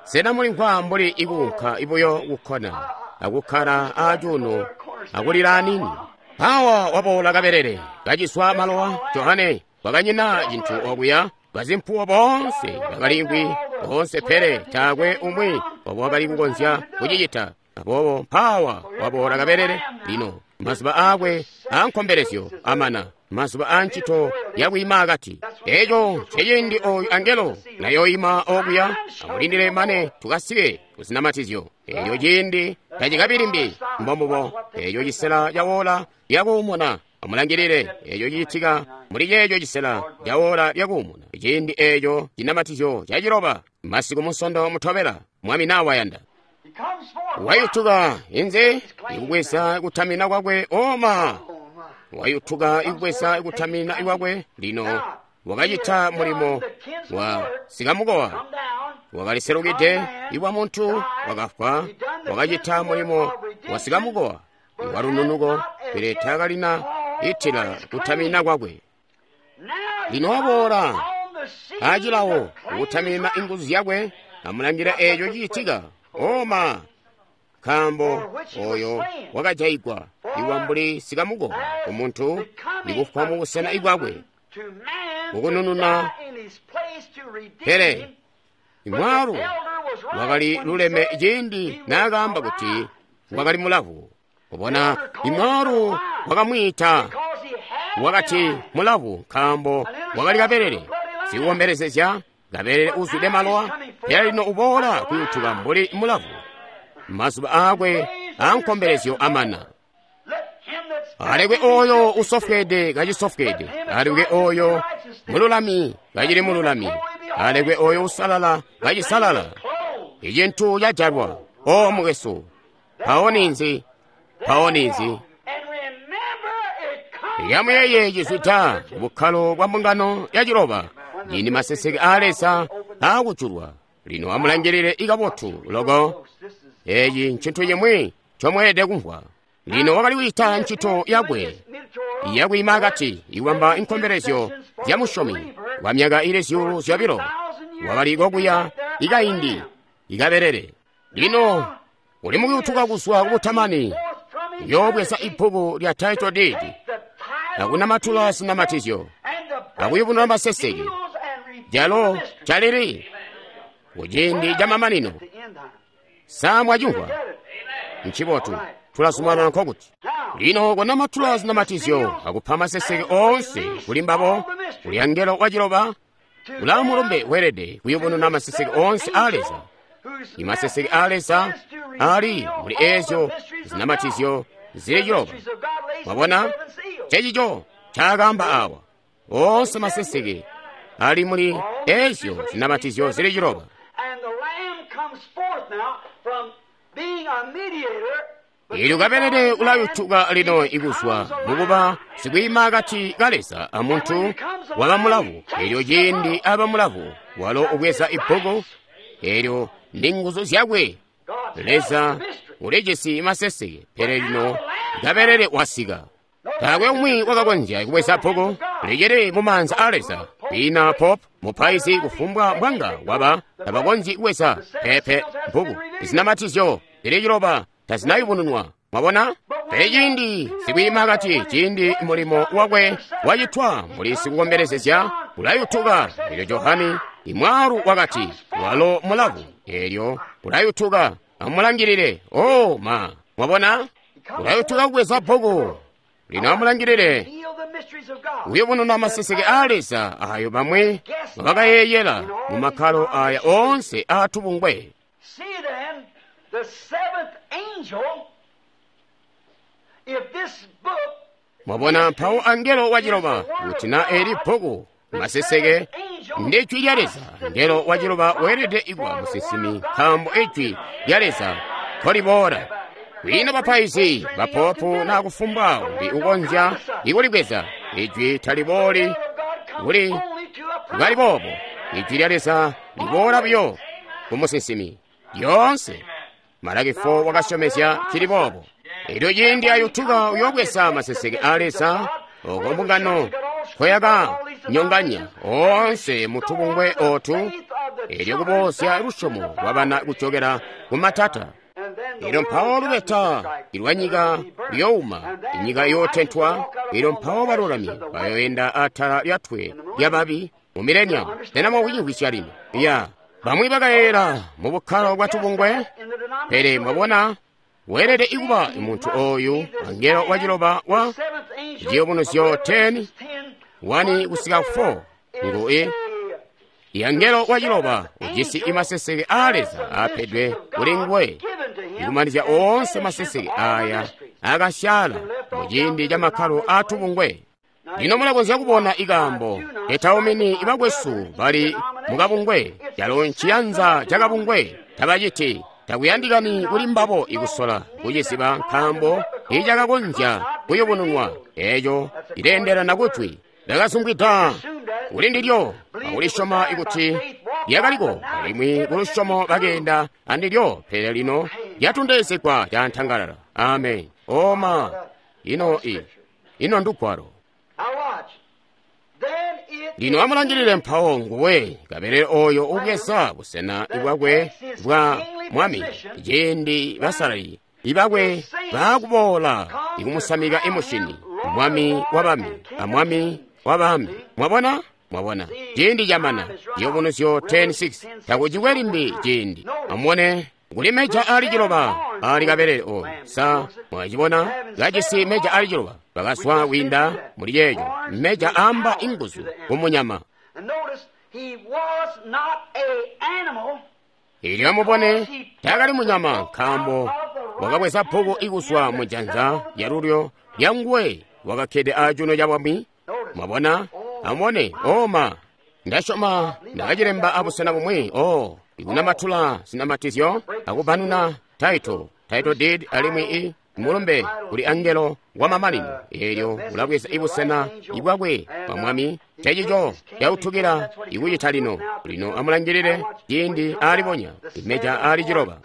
sena mulimvwa mbuli ikuunka ibuyo kukkona akukkala acuuno akulila anini? Mpawo waboola kabelele kaciswa malowa. Johane wakanyina cintu okuya. Bazimpuwo boonse bakaliimvwi boonse, pele taakwe umwi wabo wakali kukonzya kucicita. Aboobo mpawa waboola kabelele. Lino mazuba aakwe aankombelezyo amana, mazuba aancito yakwiima akati. Eco nceciindi oyu angelo nayoima okuya amulindile mane tukasike kuzinamatizyo. Eco ciindi tacikabi limbi. Mbombubo eco cisela cawola lyakuumuna. Amulangilile eco cicitika muli ceeco cisela cawola lyakuumuna. Ciindi eco cinamatizyo caciloba masiku munsondo mutobela Mwami nawayanda. Wayutuka inze ikubweza kutamina kwakwe oma. Wayutuka ikubweza kutamina ikwakwe. Lino wakacita mulimo wa sikamukowa, wakaliselukide iwa muntu wakafwa. Wakacita mulimo wa sikamukowa iwalununuko, pele taakalina itila kutamina kwakwe. Lino waboola acilawo kutamina inguzu zyakwe. Amulangila eco cicitika oma, nkaambo oyo wakajaigwa iwa mbuli sikamukowa umuntu nikufwa mu busena ibwakwe kukunununa. Pele imwaalu wakali luleme ciindi naakaamba kuti wakali mulavu. Kubona imwaalu wakamwiita wakati mulavu nkaambo wakali kabelele sikuwombelezezya, kabelele uzwide malowa. Pele lino uboola kuyutuka mbuli mulavu. Mazuba aakwe aankombelezyo amana. Alekwe oyo usofweede kacisofweede, alekwe oyo mululami kacili mululami, alekwe oyo usalala kacisalala, Icintu cajalwa. O mukwesu, mpawo ninzi? Mpawo ninzi? And remember, it comes Yamuyeye cizwida bukkalo bwa mbungano ya ciloba cindi maseseke aa Leza aakujulwa. Lino amulangilile ikabotu loko. This is Eeci ncintu cimwi ncomweelede kumvwa. Lino wakali kucita ncito yakwe yakwiima akati ikubamba inkombelezyo zya musyomi kwa myaka ili zyuulu zyobilo. Wakali kokuya ikaindi ikabelele. Lino uli mukuyutuka kuzwa kubutamani, yoobweza ibbuku lya title deed akunamatula zinamatizyo akuyubunula maseseke jalo calili kuciindi ca mamanino. Sa mwacimvwa? Ncibotu, tulazumanana nkokuti. Lino kunamatula zinamatizyo akupha maseseke oonse kuli mbabo, kuli angelo waciloba ulaa mulumbe weelede kuyubununa maseseke oonse aa Leza. Imaseseke aa Leza ali muli eezyo zinamatizyo zili ciloba. Mwabona? Cecico ncaakaamba awa. Oonse maseseke ali muli eezyo zinamatizyo zili ciloba. And the Lamb comes forth now from being a mediator. Eelyo kabelele ulayutuka lino ikuzwa mukuba sikwiima akati ka Leza amuntu waba mulavu. Eelyo ciindi aba mulavu, walo ubweza ibbuku, eelyo ndi nguzu zyakwe. Leza ulijisi maseseke, pele lino kabelele wasika. Taakwe umwi wakakonzya kubweza bbuku licili mu maanza aa Leza. Kwina pope, mupaizi kufumbwa mbwanga waba tabakonzyi kubweza pepe bbuku. Zinamatizyo zili ciloba tazinayubununwa. Mwabona? Pele ciindi sikwiima akati, ciindi mulimo wakwe wacitwa muli sikukombelezezya ulayutuka. Eelyo Johani imwaalu wakati, walo mulavu. Eelyo ulayutuka. Amulangilile. Oh ma! Mwabona? Ulayutuka kubweza bbuku. Lino amulangilile. Feel the mysteries of God. Uyubununa maseseke aa Leza ayo bamwi bakayeyela mu makkalo aya onse aatubungwe. See then, the seventh angel, if this book Mwabona mpawo angelo waciloba kuti na eli bbuku maseseke ndi jwi lya Leza. Angelo waciloba weelede ikuba musinsimi nkaambo ijwi lya Leza nkoliboola. Kwina bapaizi, bapopu na kufumbwa umbi ukonzya ikulibweza. Ijwi talibooli of God comes kuli only to a prophet. kali boobo. Ijwi lya Leza liboola buyo ku musinsimi lyoonse. Malaki four wakasyomezya cili boobo. Eelyo ciindi ayutuka uyoobweza maseseke aa Leza oko mbungano nkoyaka nyonganya oonse mutubungwe otu, eelyo kuboozya lusyomo lwabana kucokera ku matata. And then the Eelyo world mpawo judgment lubeta will strike. ilwa nyika luyouma, inyika yootentwa. Eelyo mpawo balulami bayoyenda atala lyatwe lyababi mu mileniamu. Sena mwakucimvwisya lino? Ya bamwi bakayeera mu bukkalo bwa tubungwe. In the denomination Pele mwabona, weelede ikuba muntu oyu angelo waciloba wa seventh angel Chiyubunuzyo of ten, Revelation ten, one kusika four ngu i angelo waciloba ujisi imaseseke aa Leza aapedwe kuli nguwe ikumanizya oonse maseseke aya akasyaala mu ciindi ca makkalo aatubungwe. Lino mulakonzya kubona ikaambo etaumini ibakwesu bali mukabungwe calo nciyanza ca kabungwe tabaciti. Takuyandikani kuli mbabo ikusola kuciziba nkaambo icakakonzya kuyubununwa eeco cileendelana kujwi. Ndakasungwida kuli ndilyo akulisyoma ikuti lyakaliko, alimwi kulusyomo bakeenda andilyo, pele lino lyatondezegwa cantangalala. Amen. Oma ino i ino ndugwalo. Now watch. Then it Lino amulangilile mpawo nguwe kabelele oyo ubweza busena bwakwe bwa mwami ciindi basalali ibakwe baakuboola ikumusamika imushini mwami wa bami amwami wa bami. Mwabona? Mwabona? Ciindi camana. Ciyubunuzyo ten six. Takucikwe limbi ciindi. Amubone kuli meja ali ciloba ali kabelele oyo. Sa mwacibona? Kajisi meja ali ciloba bakazwa kwiinda muli ceeco. Meja amba inguzu kumunyama. And notice, he was not a animal. Eelyo amubone taakali munyama nkaambo wakabweza bbuku ikuzwa mu janza lyalulyo lyanguwe wakakkede acuuno ca bwami. Mwabona? Amubone oma. Ndasyoma ndakacilemba abusena bumwi. O Ikunamatula zinamatizyo akubanuna title, title deed alimwi i mulumbe kuli angelo wa mamanino. Eelyo ulabweza ibusena ibwakwe bwa mwami. Ncencico cautukila ikucita lino. Lino amulangilile ciindi aalibonya imeja aali ciloba.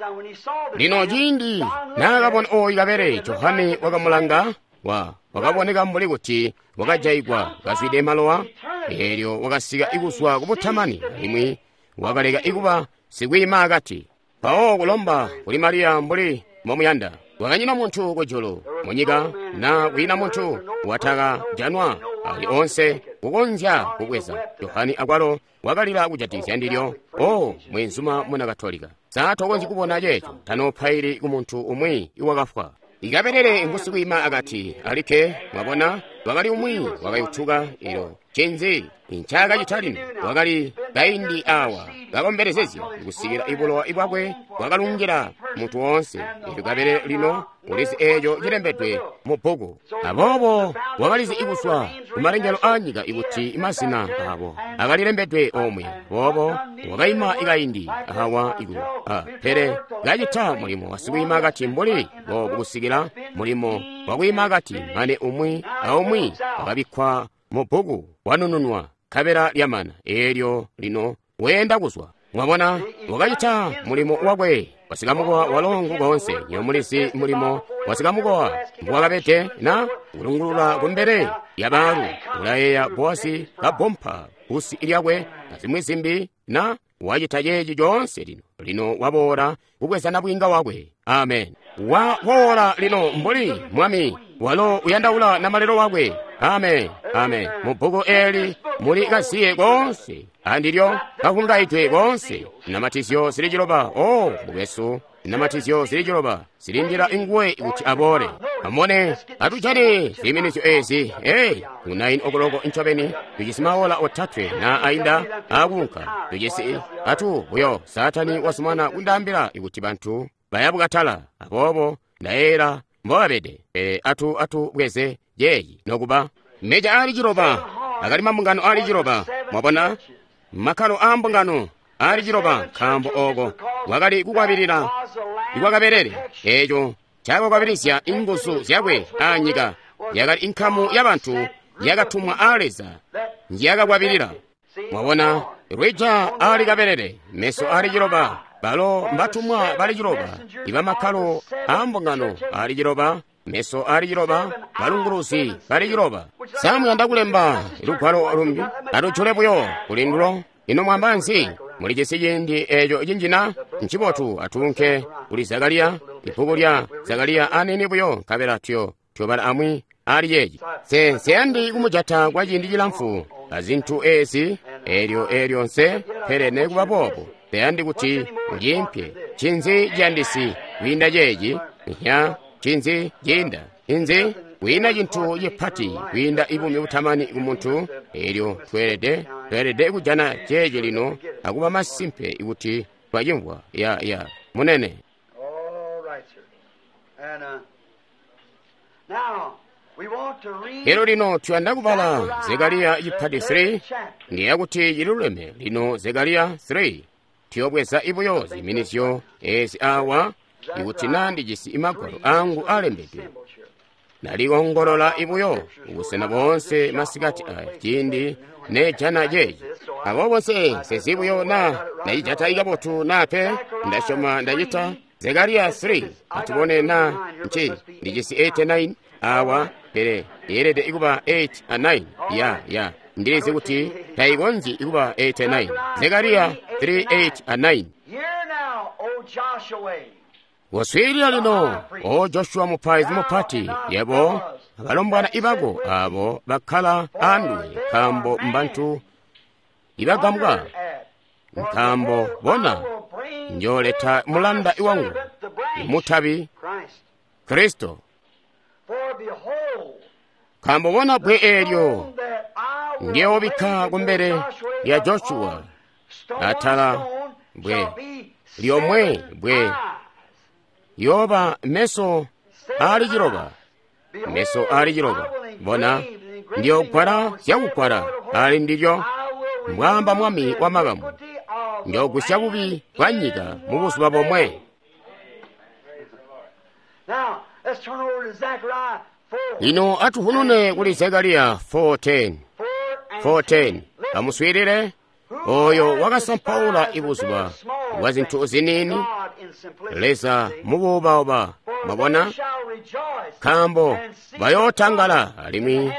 Lino ciindi naakabona ooyu kabere, Johane wakamulanga wa wakaboneka mbuli kuti wakajaigwa kazwide malowa. Eelyo wakasika ikuzwa kubutamani alimwi wakaleka ikuba sikwiima akati. Mpawo kulomba kuli Mariya mbuli mbomuyanda. Kwakanyina muntu kujulu munyika na kwiina muntu watakajanwa ali onse kukonzya kubweza. Johane akwalo wakalila kujatikizya ndilyo. O mwenzuma muna Katolika, sa tokonzyi kubona ceeco? Tanopaili ku muntu umwi iwakafwa. Ikabelele ngusikwiima akati alikke. Mwabona, wakali umwi wakayutuka. Ilo ncinzi ncaakacita lino? Wakali kaindi awa kakombelezezya kusikila ibulowa ibwakwe bwakalungila muntu woonse. Elyo kabelele lino ulizi eeco cilembedwe mu bbuku. Aboobo wakalizi ikuswa kumalengelo aanyika ikuti mazina abo akalilembedwe omwe. Aboobo wakaima ikaindi awa iku a pele kacita mulimo wasikwiima akati mbuli boobu kusikila mulimo wakwiima akati mane umwi aumwi wakabikkwa mu bbuku wanununwa kabela lyamana. Eelyo lino weenda kuzwa. Mwabona, wakacita mulimo wakwe wasikamukowa walongo koonse. Nyo mulizi mulimo wasikamukowa mbuwakabede na kulungulula kumbele ya baalu. Ulayeeya Boasi kabompa busi lyakwe na zimwi zimbi na wacita ceeci coonse lino. Lino waboola kubweza nabwiinga wakwe. Amen. Waboola lino mbuli mwami walo uyandaula namalelo wakwe. Amen. Amen. Mu bbuku eeli muli kaziye koonse andilyo kakungaidwe koonse. Namatizyo zili ciloba. O mukwesu, namatizyo zili ciloba zilindila inguwe kuti aboole. Amone atujane ziiminizyo ezi. Ei, ku nine okoloko ncobeni tujisi maola otatwe na ainda akuunka. Tujisi atu buyo. Saatani wasumana kundaambila ikuti bantu bayabukatala. Aboobo ndayeera mbobabede. Pele atu atu bweze yeeyi nokuba meja aali ciloba akali mambungano aali ciloba. Mwabona makkalo aa mbungano aali ciloba, nkaambo ooko wakali kukwabilila ikwakabelele. Eeco cakakwabilizya inguzu zyakwe aanyika. Yakali inkamu yabantu yakatumwa aa Leza njiyakakwabilila. Mwabona lwija aali kabelele, meso aali ciloba, balo mbatumwa bali ciloba, iba makkalo aa mbungano aali ciloba, meso aali ciloba, balunguluzi bali ciloba. Samuyanda kulemba lugwalo lumbi, atujule buyo kulindulo. Ino mwamba nzi? Mulijisi ciindi eeco cinjina? Ncibotu atuunke kuli Zakariya, ibbuku lya Zakariya anini buyo, nkabela tuyo tuyobala amwi ali yeeci. Nse nseyandi kumujata kwa ciindi cilamfu azintu ezi eelyo eelyo nse, pele nekuba boobo nseyandi kuti muciimpye. Ncinzi ciyandisi kwiinda ceeci? Nya ncinzi ciinda? Inzi kwiina cintu cipati kwiinda ibumi butamani ku muntu. Eelyo tweelede tweelede kujana ceeci lino akuba masimpe kuti twacimvwa. Ya ya munene. All right, sir. And uh, now we want to read Lero lino tuyanda kubala Zekariya chipati three, ndiye kuti chiluleme lino Zekariya three. Tiyobweza ibuyo ziminizyo ezi awa ikuti na ndijisi imagwalo angu alembedwe. Nalikongolola ibuyo ubusena bonse masikati aya ciindi nejana ceeci. Aboobo nse nsezibuyo na ndacijata ikabotu nape ndasyoma ndacita. Zekariya three atubone na nci ndijisi eighty-nine awa, pele yeelede ikuba eight a nine. Ya ya ndilizi kuti tayikonzyi ikuba eighty-nine. Zekariya three eight a nine. Hear now, O Joshua. Waswiilila lino, o Joshua mupaizi mupati, yebo abalombwana ibako abo bakkala anduwe, nkaambo mbantu ibagambwa, nkaambo bona njooleta mulanda iwangu mutabi Christ. Kristo. For behold, Nkaambo bona bwe eelyo that I will ndiyobikka raise kumbele Joshua lya upon Joshua stone atala stone bwe shall be lyomwe seven bwe eyes. yoba meso aali ciloba, Behold, meso aali ciloba. I will Bona engrave the engraving ndiyogwala upon zyakugwala seven ali ndilyo, I will mbwaamba remove mwami the wa makamu. iniquity of Njoogwisya bubi bwa nyika mu buzuba bomwe. Lino atuhunune kuli Zekariya four ten. four ten. Amuswiilile oyo wakasampaula ibuzuba bwa zintu ziniini, Leza mubuubauba, mwabona, nkaambo bayootangala alimwi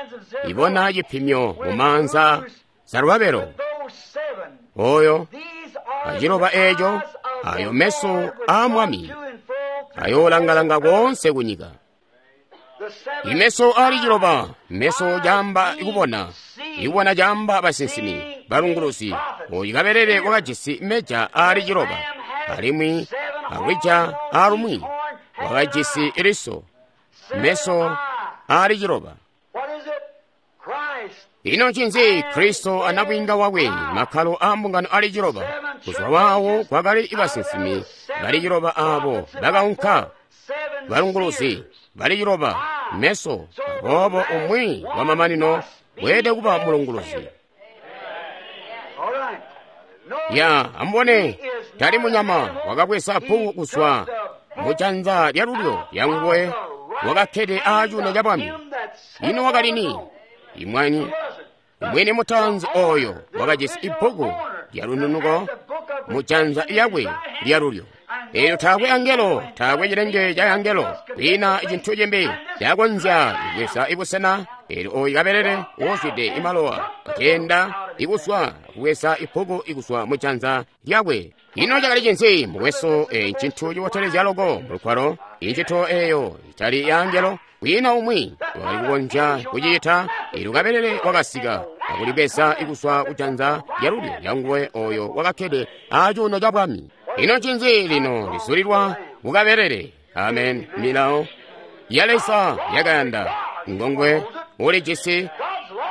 ibona cipimyo mu maanza Zerubabelo. Oyo aciloba eeco, ayo meso aa Mwami ayoolangalanga koonse kunyika. Imeso ali ciloba, meso caamba ikubona, ikubona caamba basinsimi, balunguluzi. Oyu kabelele wakajisi meja ali ciloba, alimwi alwija alumwi wakajisi liso, meso ali ciloba. Ino ncinzi Kristo anabwiinga wakwe makkalo a mbungano ali ciloba? Kuzwa waawo kwakali basinsimi bali ciloba aabo bakaunka, balunguluzi bali ciloba, meso. Aboobo umwi wamamanino weelede kuba mulunguluzi. Ya, amubone, tali munyama wakabweza bbuku kuzwa mujanza lyalulyo lyanguwe wakakkede aacuuno ca bwami. Ino wakali ni? Imwani mwini mutaanzi oyo wakajisi ibbuku lyalununuko mujanza lyakwe lyalulyo. Eelyo taakwe angelo, taakwe cilenge ca angelo, kwiina cintu cimbi cakonzya kubweza ibusena. Eelyo oyu kabelele wozwide imalowa akeenda ikuzwa kubweza ibbuku ikuzwa mujanza lyakwe. Ino cakali cinzi mukwesu? E ncintu cibotelezya loko mulugwalo. Incito eyo itali ya angelo, kwiina umwi wakali kukonzya kucita. Eelyo kabelele wakasika akulibweza ikuzwa kujanza lyalulyo lyanguwe oyo wakakkede acuuno ca bwami. Ino ncinzi lino lizulilwa kukabelele? Amen. Milawo ya Leza yakayanda ngongwe ulijisi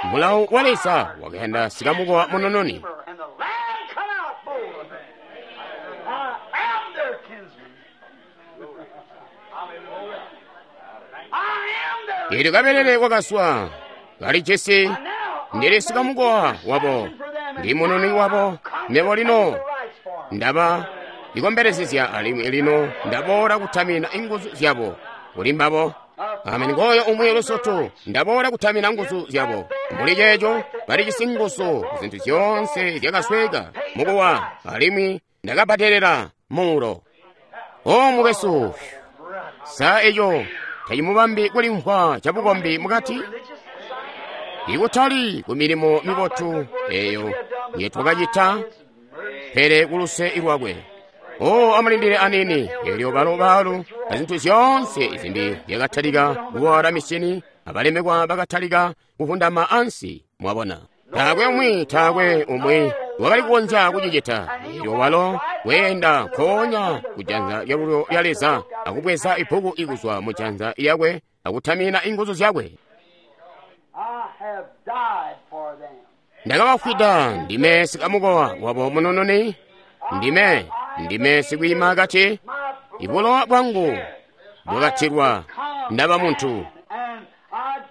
mulawo wa Leza wakayanda sikamukowa munununi. Eelyo kabelele wakaswa kalijisi ndili sikamukowa wabo, ndi mununi wabo. Mebo lino ndaba ikombelezezya alimwi lino ndaboola kutamina inguzu zyabo kuli mbabo. Amen. Ngoyo umwi lusutu, ndaboola kutamina nguzu zyabo. Muli ceeco balijisi nguzu zintu zyoonse zyakasweka mukuwa, alimwi ndakabbadelela muulo. O mukwesu, sa eco tacimubambi kulimvwa cabukombi mukati? Ikutali ku milimo mibotu eyo yetwakacita, pele kuluse lwakwe. O amulindile anini. Eelyo balo baalu azintu zyoonse zimbi zyakatalika kuwala misyini, abalemekwa bakatalika kuvundama ansi. Mwabona, taakwe umwi, taakwe umwi wakali kukonzya kucicita. Eelyo walo weenda nkoonya kujanza lyalulyo lya Leza akubweza ibbuku ikuzwa mujanza lyakwe akutamina inguzu zyakwe. Ndakabafwida, ndime sikamukowa wabo munununi, ndime ndime sikwiima kati ibulowa bwangu bwakatilwa, ndaba muntu.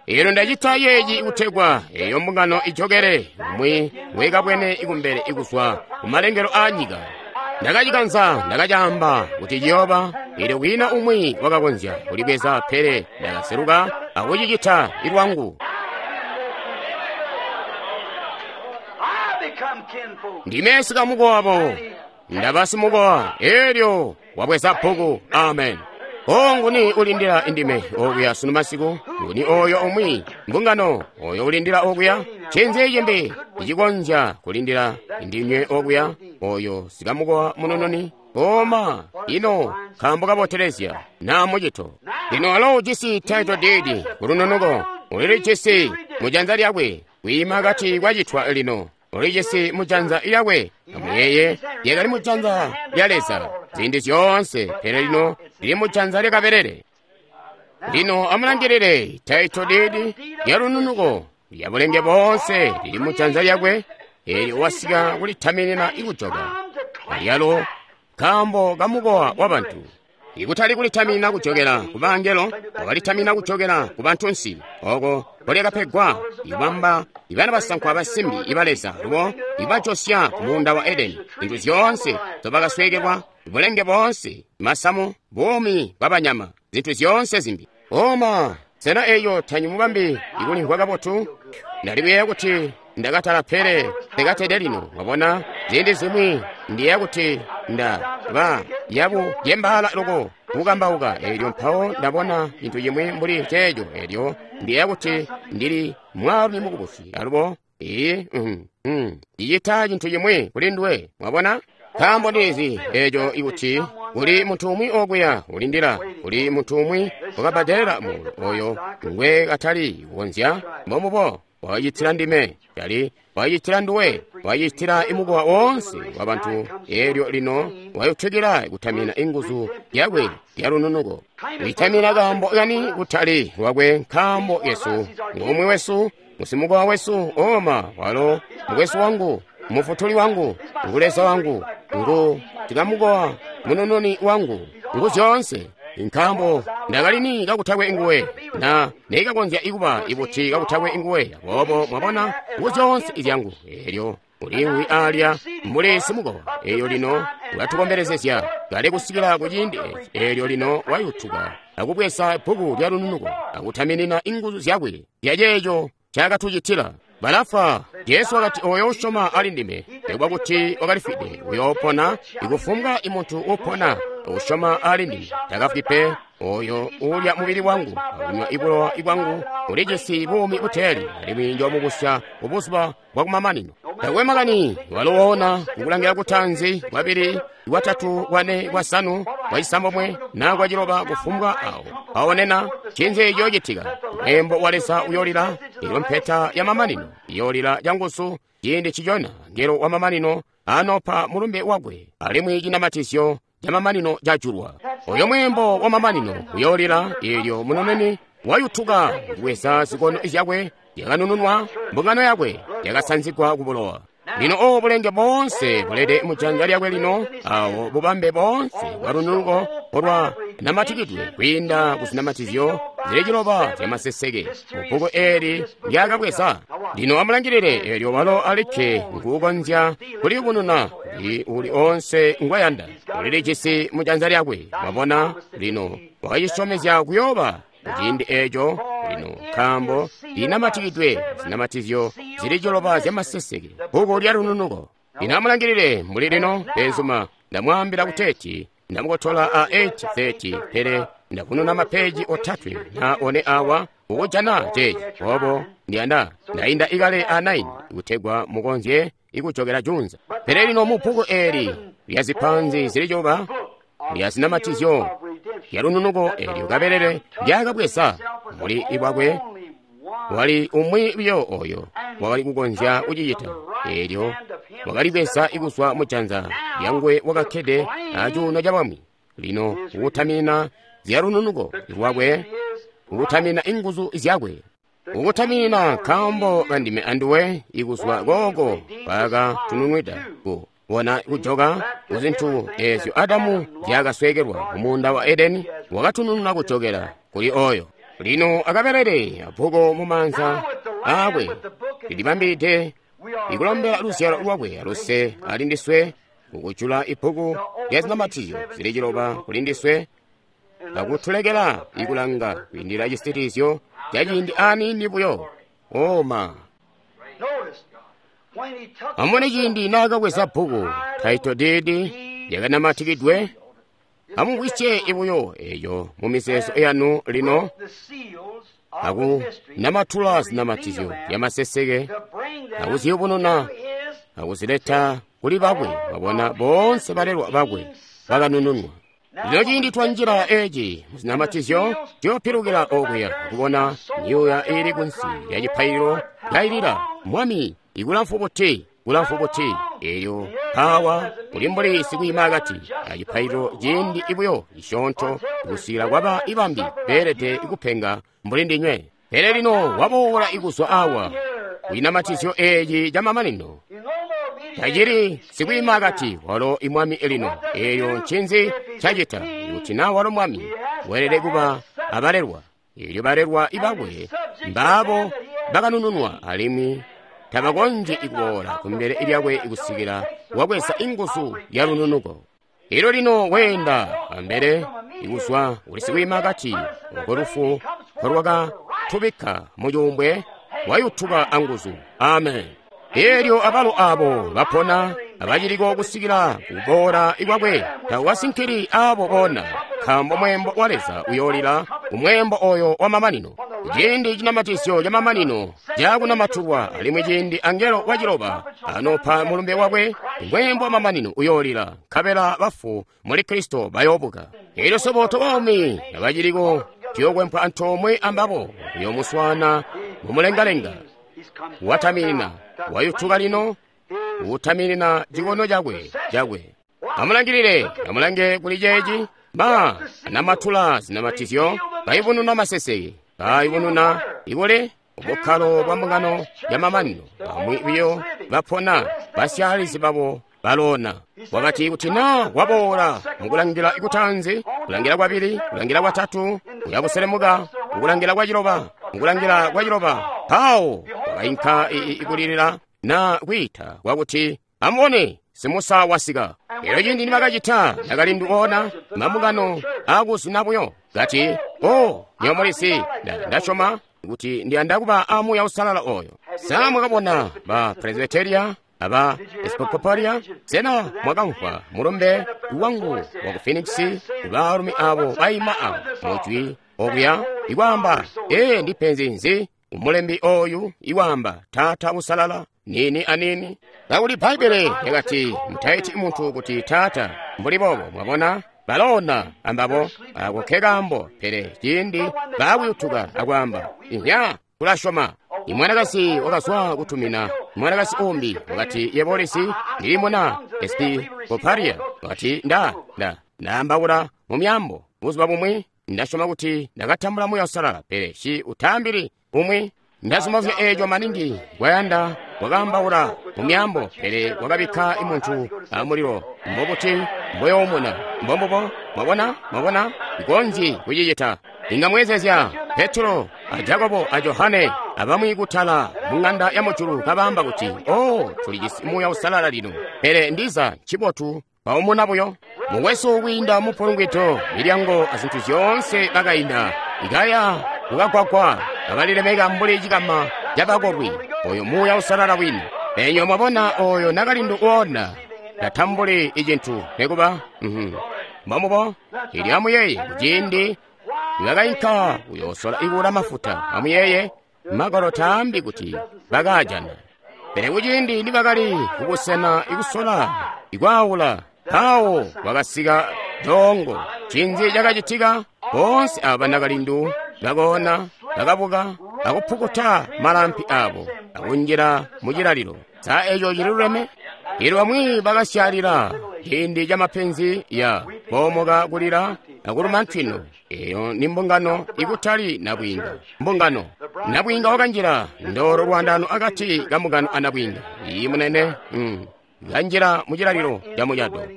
Eelyo ndacita yeeci kutegwa eyo mbungano ijokere umwi wekabwene ikumbele ikuzwa kumalengelo aa nyika. Ndakacikanza, ndakacaamba kuti ciyooba. Eelyo kwiina umwi wakakonzya kulibweza, pele ndakaseluka akucicita ilwangu. Ndime sikamukowa wabo, ndaba simukowa. Eelyo wabweza bbuku. Amen. O nguni ulindila indime okuya sunu masiku? Nguni oyo umwi mbungano oyo ulindila okuya? Ncinzi cimbi icikonzya kulindila indinywe okuya? Oyo sikamukowa munununi. Oma ino nkaambo kabotelezya na mucito. Lino alo ujisi title deed kulununuko, ulilijisi mujanza lyakwe kwiima kati kwacitwa lino. Ulijisi mujanza lyakwe. Amuyeye, lyakali mujanza lya Leza ziindi zyoonse, pele lino lili mujanza lya kabelele. Lino amulangilile title deed ya lununuko lya bulenge boonse lili mujanza lyakwe. Eelyo wasika kulitaminina ikujoka alyalo nkaambo kamukowa wa bantu. Ikutali kulitamina kujokela ku bangelo, wakalitamina kujokela ku bantunsi. Oko kolyakapegwa ibamba ibana basankwa abasimbi iba Leza lubo ibajosya ku muunda wa Edeni. Zintu zyoonse zobakasweekelwa, bulenge boonse, masamu, buumi bwa banyama, zintu zyoonse zimbi. Oma, sena eyo tanyimubambi ikulimvwa kabotu? Ndali kuyeeya kuti ndakatala pele ndikatede lino. Wabona, ziindi zimwi ndiyeeya kuti nda ba yabu yembaala loko kukambauka, elyo mpawo ndabona cintu cimwi mbuli ceeco, elyo ndiyeeya kuti ndili mwaalumi mukubusi alubo. Iyi, mm, mm, ndicita cintu cimwi kuli nduwe, mwabona? Nkaambo ndizi eco ikuti kuli muntu umwi okuya ulindila, kuli muntu umwi wakabbadelela muulo oyo ngwe katali kukonzya. Mbombubo wacitila ndime, cali wacitila nduwe, wacitila imukowa woonse wa bantu. Elyo lino wayutukila kutamina inguzu yakwe yalununuko, kuitamina kaambo kani kutali lwakwe, nkaambo Yesu ngumwi wesu, musimukowa wesu. Oma, walo mukwesu wangu, mufutuli wangu, ngu Leza wangu, ngu tikamukowa, munununi wangu, ngu zyoonse. Nkaambo ndakalini kakutakwe nguwe, na neikakonzya ikuba ibuti kakutakwe nguwe. Aboobo mwabona, ngu zyoonse izyangu. Elyo uliimwi alya mbuli simukowa. Elyo lino ulatukombelezezya kale kusikila ku ciindi eci. Elyo lino wayutuka akubweza bbuku lya lununuko akutaminina inguzu zyakwe zyaceeco ncaakatucitila. Balafwa. Jesu wakati, oyo usyoma ali ndime, nikuba kuti wakalifwide, uyoopona. Ikufumbwa imuntu upona usyoma ali ndime takafwi pe. Oyo ulya mubili wangu akunywa ibulowa bwangu ulijisi buumi buteeli, alimwi njoomubusya kubuzuba bwakumamanino. Takwe makani walo woona kukulangila kutanzi, kwabili, kwatatu, kwane, kwasanu, kwacisambomwe na kwaciloba, kufumbwa awo aonena cinzi ciyoocitika. Mweembo wa Leza uyoolila, elyo mpeta ya mamanino iyoolila canguzu ciindi cicona ngelo wa mamanino anopa mulumbe wakwe, alimwi cinamatizyo camamanino cajulwa. Oyo mweembo wa mamanino uyoolila, elyo munoneni wayutuka kubweza zikono zyakwe yakanununwa, mbungano yakwe yakasanzigwa kubulowa. Lino obo bulenge boonse bulede mujanza lyakwe lino, awo bubambe boonse bwalununuko olwa namatikidwe kwiinda kuzinamatizyo zili ciloba zyamaseseke mubbuku eeli lyakabweza. Lino amulangilile, elyo walo alikke nguukonzya kuliyubununa kuli uli onse ngwayanda. Ulilijisi mujanza lyakwe. Mwabona, lino wakacisyomezya kuyooba kuciindi eco lino, nkaambo linamatikidwe zinamatizyo zili ciloba zyamaseseke, bbuku lya lununuko. Lino amulangilile mbuli lino, benzuma, ndamwaambila kuteeti ndamukotola a eight thirty, pele ndavununa mapeji otatwe na one awa ukujana ceeci. Obo ndiyanda ndayinda ikale a nine kutegwa mukonzye ikujokela junza. Pele lino mu bbuku eli lya zipanzi zili ciloba lya zinamatizyo lya lununuko elyo kabelele lyakabweza muli ibwakwe, wali umwi buyo oyo wakali kukonzya kucicita. Elyo wakalibweza ikuzwa mujanza lyangwe wakakkede acuuno ca bwami. Lino ukutamina zya lununuko lwakwe, ukutamina inguzu zyakwe, ukutaminina nkaambo kandime anduwe ikuzwa kooko kwakatununwida ku bona kujoka kuzintu ezyo Adamu zyakasweekelwa mumuunda wa Edeni, wakatunununa kujokela kuli oyo. Lino akabelele abbuku mumaanza aakwe lilibambide ikulombela luzyalo lwakwe aluse ali ndiswe, kukujula ibbuku lya zinamatizyo zili ciloba kuli ndiswe, akutulekela ikulanga kwiindila cisitilizyo ca ciindi aniini buyo. Oma, amubone ciindi naakabweza bbuku title deed lyakanamatikidwe. Amumvwisye ibuyo eyo mu mizeezo yanu lino, akunamatula zinamatizyo zyamaseseke, akuziyubununa, akuzileta kuli bakwe. Babona boonse balelwa bakwe bakanununwa. Lino ciindi twanjila eci muzinamatizyo, tuyopilukila okuya kubona myuuya iili kunsi lya cipaililo kailila, Mwami, ikulamfu buti, kulamfu buti. Elyo mpawa kuli mbuli sikwiima akati acipaililo ciindi ibuyo cisyoonto kusikila kwaba ibambi beelede kupenga mbuli ndinywe. Pele lino waboola ikuzwa awa kucinamatizyo eci camamanino, tacili sikwiima akati walo imwami lino. Eyo ncinzi cacita? Ikuti na walo mwami, weelede kuba abalelwa. Elyo balelwa ibakwe mbaabo bakanununwa alimwi tabakonzyi kuboola kumbele lyakwe kusikila wabweza inguzu ya lununuko. Elyo lino weenda ambele ikuzwa kuli sikwiima kati oko lufu nkolwakatubikka mu cuumbwe, wayutuka anguzu. Amen. Elyo abalo abo bapona abaciliko kusikila kuboola kwakwe tawasinkili abo bona, nkaambo mweembo wa Leza uyoolila kumweembo oyo wa mamanino. Ciindi cinamatizyo ca mamanino cakunamatulwa, alimwi ciindi angelo waciloba anopa mulumbe wakwe, mweembo wa mamanino uyoolila, nkabela bafu muli Kristo bayoobuka. Elyo swebo tobaumi abaciliko tuyokwempwa antoomwe ambabo kuyoomuswaana mumulengalenga. Wataminina, wayutuka lino, utaminina chikono chakwe chakwe. Amulangilile, amulange kuli ceeci. Ma anamatula zinamatizyo, bayubununa maseseke, bayubununa ikule ubukkalo bwa mbungano ya mamanino. Bamwi biyo bapona, basyaalizi babo balona. Wakati kuti na waboola mukulangila ikutanzi, kulangila kwabili, kulangila kwatatu, kuyakuselemuka mukulangila kwa ciloba, mukulangila kwa ciloba. Pawo wakainka ikulilila na kwiita kwakuti, amubone simusa wasika. Elyo ciindi nibakacita, ndakali ona mambungano akuzuna buyo kati, o nyomulisi, ndasyoma kuti ndiyanda kuba a Muuya Uusalala oyo. Sa mwakabona ba Presbyteria aba Episcopalia? Sena mwakamvwa mulumbe wangu wa ku Phoenix, baalumi abo baima awo mujwi okuya ikwaamba, ee ndipenzi nzi umulembi oyu iwaamba Taata Usalala nini anini? Kakuli Bbaibele yakati mutaiti muntu kuti taata mbuli boobo. Mwabona balona ambabo ako ke kaambo. Pele ciindi baakuyutuka akwaamba, inya tulasyoma. Imwanakazi wakazwa kutumina mwanakazi umbi wakati, yebolisi ndili muna Episcopalia. Wakati, nda nda ndaambaula mu myambo buzuba bumwi, ndasyoma kuti ndakatambula Muuya Uusalala, pele ci utaambili umwi. Ndazumazya eeco maningi kwayanda wakaambaula mu myambo, pele wakabikka imuntu amulilo. Mbobuti mboyoomuna? Mbombubo. Mwabona, mwabona, ikonzyi kucicita. Inga mwezezya Petro a Jakobo a Johane abamwi kutala mu ng'anda ya mujulu kabaamba kuti, o tulijisi Muuya Uusalala lino, pele ndiza ncibotu baumuna buyo. Mukwesu kwiinda mupulungwito, milyango azintu zyoonse bakainda ikaya kukagwagwa, kabalilemeka mbuli cikama cabakolwi. Oyo Muuya Uusalala wini. Enyo mwabona oyo nakalindu uona tatambuli icintu nekuba. Mbombubo. Ili amuyeye kuciindi nibakainka kuyoosola ikuula mafuta, amuyeye magwalo taambi kuti bakaajana, pele kuciindi nibakali kubusena ikusola ikwaawula, mpawo kwakasika dongo. Cinzi cakacitika? Boonse aba banakalindu bakoona, bakabuka akupukuta malampi abo akunjila mu cilalilo. Sa eco cililuleme? Elyo bamwi bakasyalila ciindi ca mapenzi ya boomoka kulila akuluma ntwino. Eyo ni mbungano ikutali nabwiinga. Mbungano nabwiinga wakanjila ndolo lwandano akati ka mbungano a nabwiinga. Iyi munene, mm. kanjila mu cilalilo ca mucado.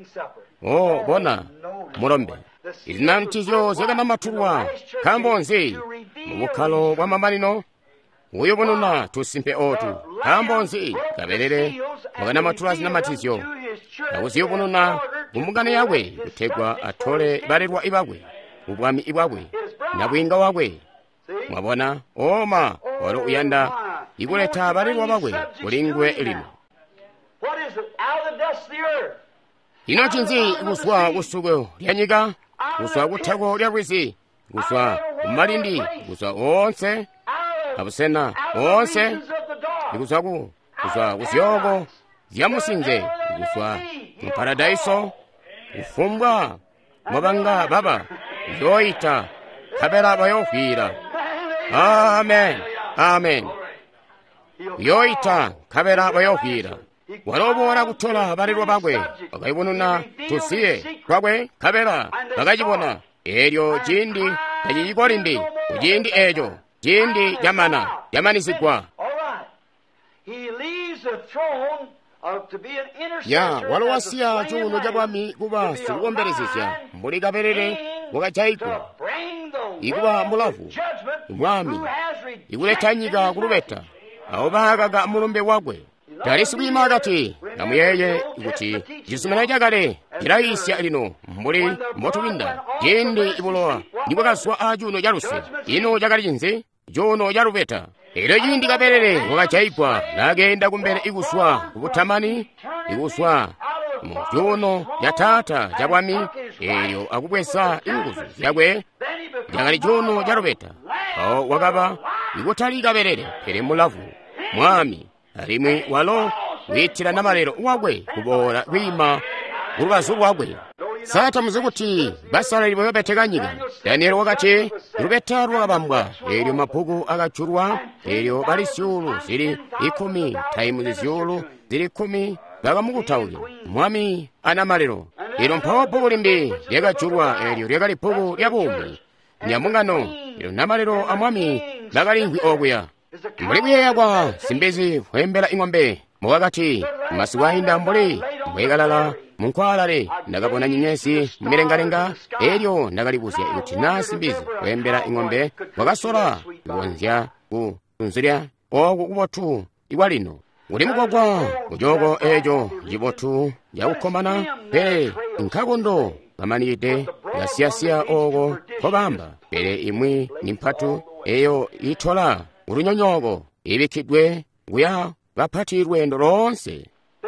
O bona mulombe, izinamtizyo zyakanamatulwa. Nkaambo nzi? Mu bukkalo bwa mamanino uyubununa tusimpe otu. Nkaambo nzi? Kabelele wakanamatula zinamatizyo akuziyubununa ku mbungano yakwe kutegwa atole balelwa ibakwe ubwami ibwakwe nabwiinga wakwe. Mwabona, oma walo uyanda ikuleta balelwa bakwe kuli nguwe lino. Ino ncinzi? Kuzwa kusuko lya nyika, kuzwa kuthako lya lwizi, kuzwa kumalindi, kuzwa onse abusena onse, ikuzwa ku kuzwa kuzyooko zya musinze, kuzwa mu paradaiso, kufumbwa mwabanga baba uyooita, nkabela bayoofwiila. Amen, amen. Uyooita, nkabela bayoofwiila. Waloboola kutola balelwa bakwe, bakayubununa tusiye twakwe, nkabela bakacibona. Elyo ciindi taciciko limbi, kuciindi eco ciindi camana, camanisigwa. Ya walo wasiya cuuno ca bwami kuba sikukombelezezya mbuli kabelele wakajayigwa, ikuba mulavu, mwami, ikuleta nyika kulubeta, abo baakaka mulumbe wakwe. Tali sikwiima akati. Amuyeeye kuti cizuminano cakale cilayiisya lino mbuli mbotubinda ciindi ibulowa nibwakazwa acuuno ca luse. Ino cakali cinzi? Cuuno ca lubeta. Elyo ciindi kabelele wakajayigwa nakeenda kumbele ikuswa kubutamani, ikuswa mu cuuno ca Taata ca bwami, elyo akubweza inguzu zyakwe, cakali cuuno ca lubeta. Mpawo wakaba ikutali kabelele pele mulavu, mwami, alimwi walo wiitila namalelo wakwe kuboola kwiima kulubazu lwakwe. Sa tamuzi kuti basalali bayobeteka nyika? Daniel wakati lubeta lwakabambwa, elyo mabbuku akajulwa, elyo bali zyuulu zili ikumi taimuzi zyuulu zili kkumi bakamukutaukila mwami anamalelo. Elyo mpawo bbuku limbi lyakajulwa, elyo lyakali bbuku lya buumi lyambungano, elyo namalelo a mwami bakalimvwi okuya. Mbuli kuyeeya kwa simbizi kweembela ing'ombe mukakati masiku ainda mbuli mbwekalala munkwaalale, ndakabona nyenyezi mumilengalenga, elyo ndakalibuzya kuti naa simbizi kweembela ing'ombe wakasola kukonzya kunzilya oku kubotu ikwalino. Kuli mugwagwa kucooko eco cibotu cakukkomana, pele nkakondo kamanikide kasiyasiya ooko nkobamba, pele imwi ni mpatu eyo itola kulunyonyooko ibikkidwe kuya bapati lweendo loonse.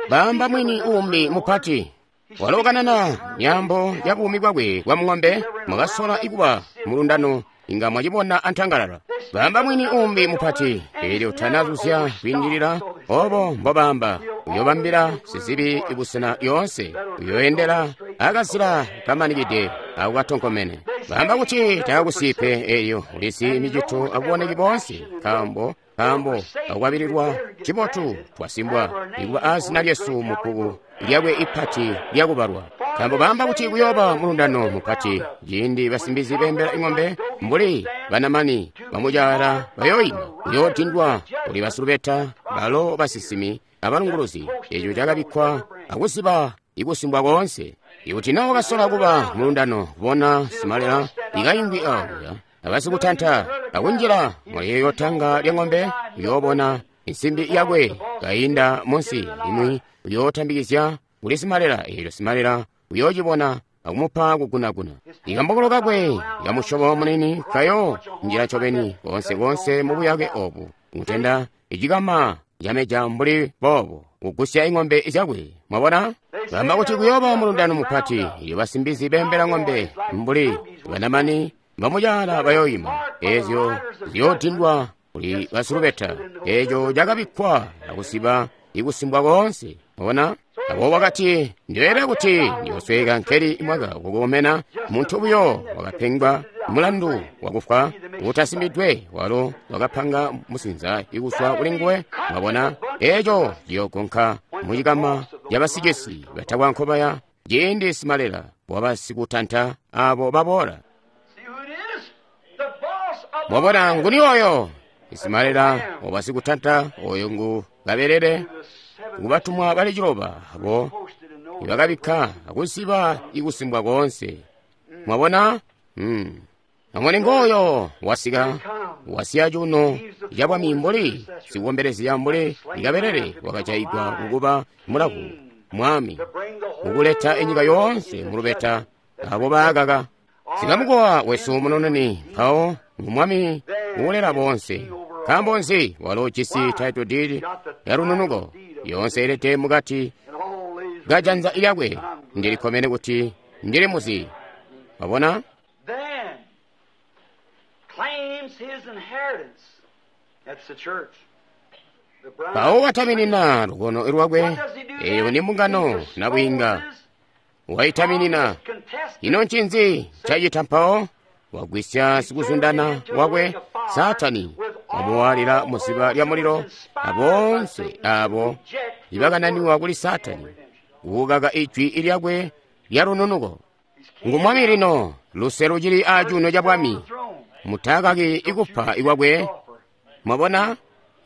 Bamba mwini uumbi mupati walo kanana myaambo ya buumi bwakwe bwa mung'ombe, mwakasola ikuba mulundano inga mwacibona antangalala. Bamba mwini uumbi mupati, elyo tanazuzya kwiindilila obo mbobamba, uyobambila sizibi ibusena lyoonse, uyoendela akazila kamanikide akukatonkomene. Bamba kuti takakusipe, elyo ulizi micito akuboneki boonse, nkaambo nkaambo akukwabililwa cibotu twasimbwa ikuba azina lyesu mu bbuku lyakwe ipati lyakubalwa. Nkaambo bamba kuti kuyooba mulundano mupati ciindi basimbizi beembela ing'ombe mbuli banamani bamucaala bayoyima, kuyoodindwa kuli basilubeta balo basisimi abalunguluzi. Eco cakabikkwa akuziba ikusimbwa koonse. Ikuti na wakasola kuba mulundano kubona simalela ikayingwi akuya abasikutanta akunjila muliyeyo tanga lya ng'ombe, uyoobona insimbi yakwe kayinda munsi, limwi uyootambikizya kuli simalela, eelyo simalela uyoocibona akumupa kugunaguna. Ikambokolo kakwe kamusyobo munini kayo njila ncobeni koonse-koonse mubuyake obu, kutenda icikama cameja mbuli boobo kugusya ing'ombe zyakwe. Mwabona? Bamba kuti kuyooba mulundano mupati, iyo basimbizi beembela ng'ombe mbuli banamani bamucaala bayoyima, ezyo ziyoodindwa kuli basilubeta. Eco cakabikkwa akusiba ikusimbwa koonse. Mwabona? Abo wakati ndileele kuti ndiyosweka nkeli mwaka kukomena muntu buyo wakapengwa mulandu wakufwa utasimbidwe, walo wakapanga musinza ikuswa kuli nguwe. Mwabona? Eco ciyogonka mucikama cabasikesi batakwa nkobaya ciindi simalela wabasikutanta abo baboola. Mwabona nguni oyo? Isimalela wabasikutanta oyo ngu kabelele kubatumwa bali ciloba abo ibakabikka akuziba ikusimbwa koonse. Mwabona? Mm. Amone ngoyo wasika wasiya cuuno ca bwami mbuli sikukombelezya mbuli ikabelele wakajayigwa kukuba mulavu mwami kukuleta enyika yoonse mulubeta abo baakaka. Sikamukowa wesu munoneni mpawo ngu mwami uulela boonse. Nkaambo nzi? Walo ujisi title deed ya lununuko yoonse ilete mukati kajanza lyakwe. Ndilikkomene kuti ndili muzi. Wabona? Mpawo wataminina lukono lwakwe, eyo ni mbungano nabwiinga. Waitaminina. Ino ncinzi cacita mpawo? Wagwisya sikuzundana wakwe Saatani, wamuwaalila muziba lya mulilo, aboonse abo ibakananiwa kuli Saatani kukaka ijwi lyakwe lya lununuko. Ngu mwami lino, luse lucili acuuno ca bwami. Mutakaki ikupa ikwakwe. Mwabona?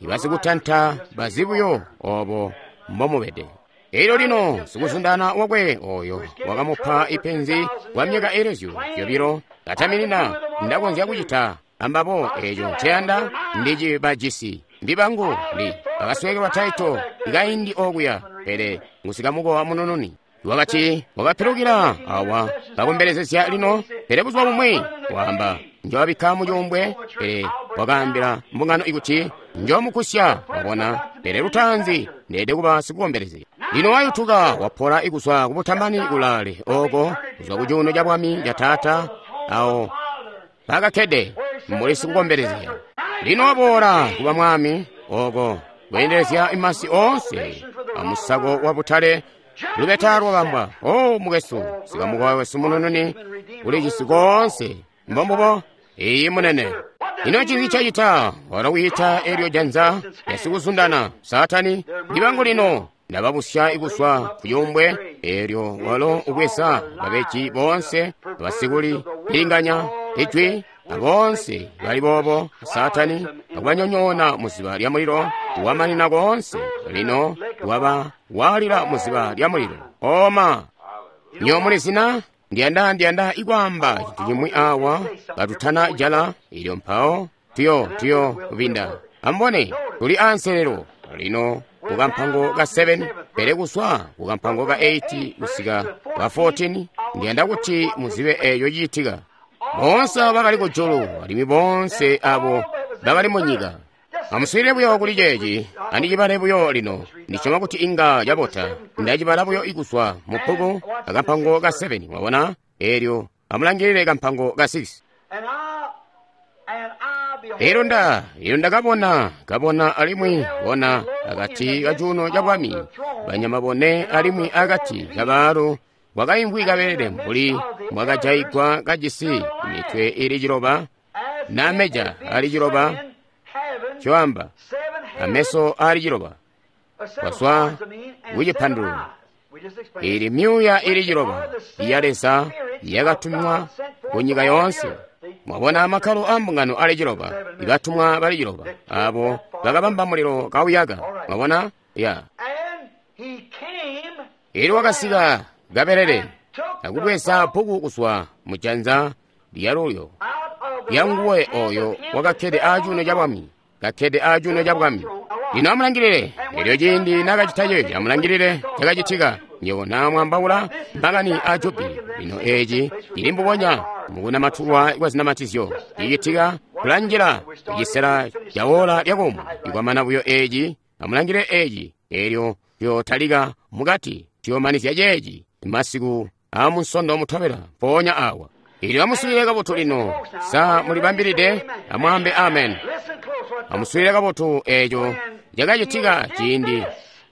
Ibasikutanta bazi buyo obo mbomubede. Elyo lino sikuzundana wakwe oyo wakamupa ipenzi kwa myaka elezyo zyobilo kataminina ndakonzya kucita ambabo eco nceyanda ndicibajisi mbibangu ndi bakaswekelwa Taito ikaindi okuya pele ngusikamukowa munununi. Wakati wakapilukila awa kakombelezezya lino pele buzuba bumwi waamba njowabikka mucuumbwe pele wakaambila mbungano ikuti njomukusya wabona pele lutaanzi ndeede kuba sikukombelezya. Lino wayutuka wapola ikuzwa kubutamani kulaale oko kuzwa kucuuno ca bwami ca taata awo pakakkede mbuli sikukombelezya. Lino waboola kuba mwami oko kweendelezya imasi oonse amusako wa butale lubeta lwabambwa. O mukwesu sikamukowa wesu munununi uli cisi koonse mbombubo iyi munene. Ino ncinzi cacita? Walo wiita elyo janza lyasikuzundana Saatani ndibangu lino ndababusya ikuzwa kucuumbwe. Elyo walo ubweza babeji boonse basikuli pilinganya ijwi aboonse bali boobo Saatani akubanyonyoona muziba lya mulilo wamanina koonse. Lino waba walila muziba lya mulilo. Oma nyo mulizina ndiyanda ndiyanda ikwaamba cintu cimwi awa katutana jala ilyo mpawo tuyo tuyo binda. Ambone tuli anselelo lino kukampango ka seven pele kuswa kukampango ka eight kusika ka fourteen ndiyanda kuti muzibe eyo ciitika. Boonse abo bakali kujulu alimwi boonse abo bakali mu nyika. Amuswiilile buyo kuli ceeci, andicibale buyo lino. Ndisyoma kuti inga cabota. Ndacibala buyo ikuswa mu bbuku akampango ka seven, mwabona? Elyo amulangilile kampango ka six. Elyo nda, elyo ndakabona, kabona alimwi bona akati kacuuno ca bwami, banyama bone alimwi akati kabaalu kwakaimvwi kabelele mbuli mwakajaigwa kajisi mitwe ili ciloba nameja ali ciloba coamba ameso ali ciloba kwaswa kucipandulula ili myuuya ili ciloba ya Leza yakatumwa ku nyika yoonse. Mwabona amakkalo a mbungano ali ciloba ibatumwa bali ciloba abo bakabamba mulilo kauyaka. Mwabona ya ili wakasika kabelele akubweza bbuku kuzwa mujanza lyalulyo lyanguwe oyo wakakkede acuuno ca bwami kakkede acuuno ca bwami. Lino amulangilile elyo ciindi nakacita ceeci amulangilile cakacitika. Nywebo namwambaula makani a jubili. Lino eeci cili mbubonya mukunamatulwa kwa zinamatizyo cicitika kulanjila kucisela ca wola lyakomwe. Ikwamana buyo eeci amulangilile eeci elyo tuyotalika mukati tuyomanizya ceeci masiku amunsondo mutobela mpoonya awa. Ilyo amuswiilile kabotu lino. Sa mulibambilide? Amwaambe amen. Amuswiilile kabotu eeco cakacitika ciindi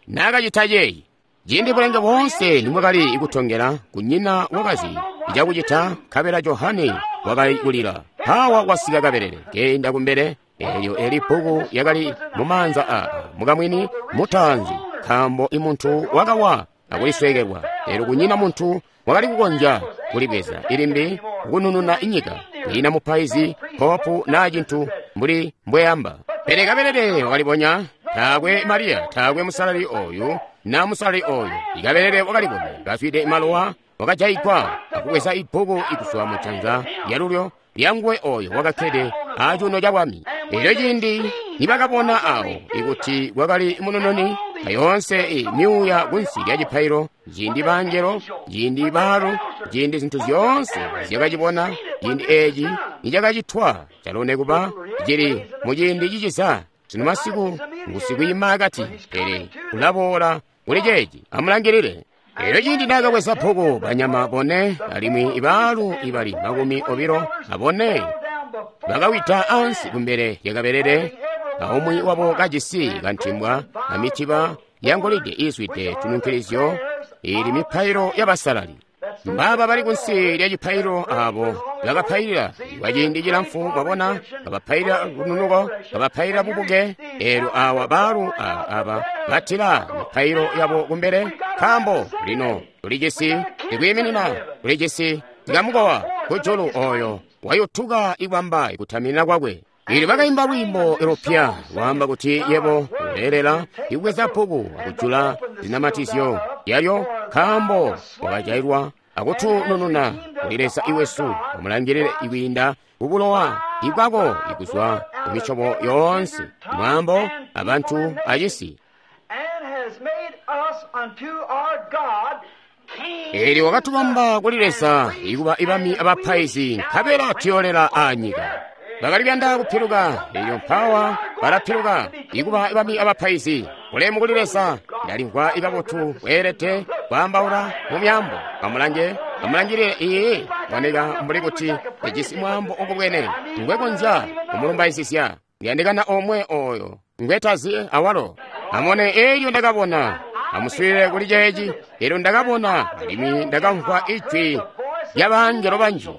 nakacita ceeci. Ciindi bulenge boonse nimwakali kutongela kunyina wakazi icakucita nkabela Johane wakali kulila. Hawa wasika kabelele keenda kumbele. Elyo eli bbuku yakali mumaanza a mukamwini mutaanzi nkaambo imuntu wakawa akuliswekelwa. Elyo kunyina muntu wakali kukonzya kulibweza ilimbi kunununa inyika. Kwiina mupaizi popu naa cintu mbuli mbweyamba. Pele kabelele wakalibonya taakwe Mariya taakwe musalali oyu na musalali oyu. Ikabelele wakalibonya kazwide malowa wakajaigwa akubweza ibbuku ikuswa mujanza lyalulyo lyanguwe oyo wakakkede acuuno ca bwami. Elyo ciindi nibakabona awo ikuti kwakali munununi ayoonse myuuya kunsi lya cipailo, ciindi bangelo, ciindi baalu, ciindi zintu zyoonse zyakacibona, ciindi eeci nicakacitwa calo nekuba cili muciindi ciciza. Sino masiku ngusikwiima akati, pele kulaboola kuli ceeci. Amulangilile. Elyo ciindi nakabweza bbuku banyama bone alimwi ibaalu ibali makumi obilo abone bakawida ansi kumbele lyakabelele, aumwi wabo kajisi kantimbwa amitiba yangolide iizwide tununkilizyo ili mipailo y'abasalali. Mbaba bali kunsi lya cipailo abo bakapailila kwa ciindi cilamfu, mwabona, kabapailila lununuko, kabapailila bubuke. Elyo awa baalu aba batila mipailo yabo kumbele, nkaambo lino tulijisi ikwiiminina, tulijisi tikamukowa kujulu oyo wayutuka ikwamba ikutaminina kwakwe. Ili bakaimba lwiimbo lupya lwaamba kuti yebo uleelela ikubweza bbuku akujula zinamatizyo yalyo, nkaambo wakajailwa akutunununa kuli Leza iwesu, amulangilile ikwiinda kubulowa ibwako ikuzwa kumisyobo yoonse, mwaambo, abantu, acisi. Eelyo wakatubamba kuli Leza ikuba ibami abapaizi, nkabela tuyoolela aanyika. Bakali kuyanda kupiluka, eelyo mpawa balapiluka ikuba ibami abapaizi. Bulemu kuli Leza, ndalimvwa ikabotu kweelede kwaambaula mu myaambo. Amulange, amulangilile iye, boneka mbuli kuti ejisi mwaambo ukubwene ngwekonzya kumulumbaizisya. Ndiyandikana omwe oyo ngwetazi awalo. Amone eelyo ndakabona, amuswiilile kuli ceeci, eelyo ndakabona alimwi ndakamvwa ijwi lyabangelo banji.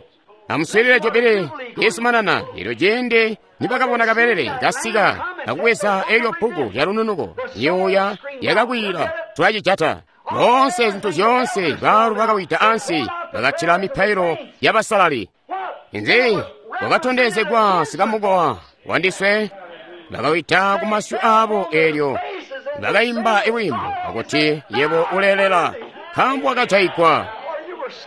Amuswiilile jobile yesumanana, eelyo ciindi nibakabona kabelele kasika akubweza eelyo bbuku lya lununuko, myuuya yakakwiila, tulacijata. Boonse zintu zyoonse baalu bakawida ansi, bakatila mipailo yabasalali. Inzi wakatondezegwa sikamukowa wandiswe, bakawida ku masyu aabo eelyo bakaimba iwimbo akuti yebo uleelela, nkaambo wakajaigwa.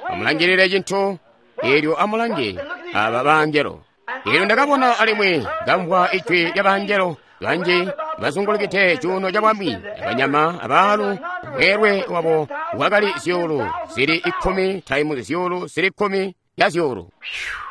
Amulangilile cintu eelyo amulange aba bangelo. Eelyo ndakabona alimwi ndamvwa ijwi lyabangelo banji bazungulukide cuuno ca bwami, abanyama abaalu, mweelwe wabo wakali zyuulu zili ikkumi taimu zyuulu zili kkumi ya zyuulu.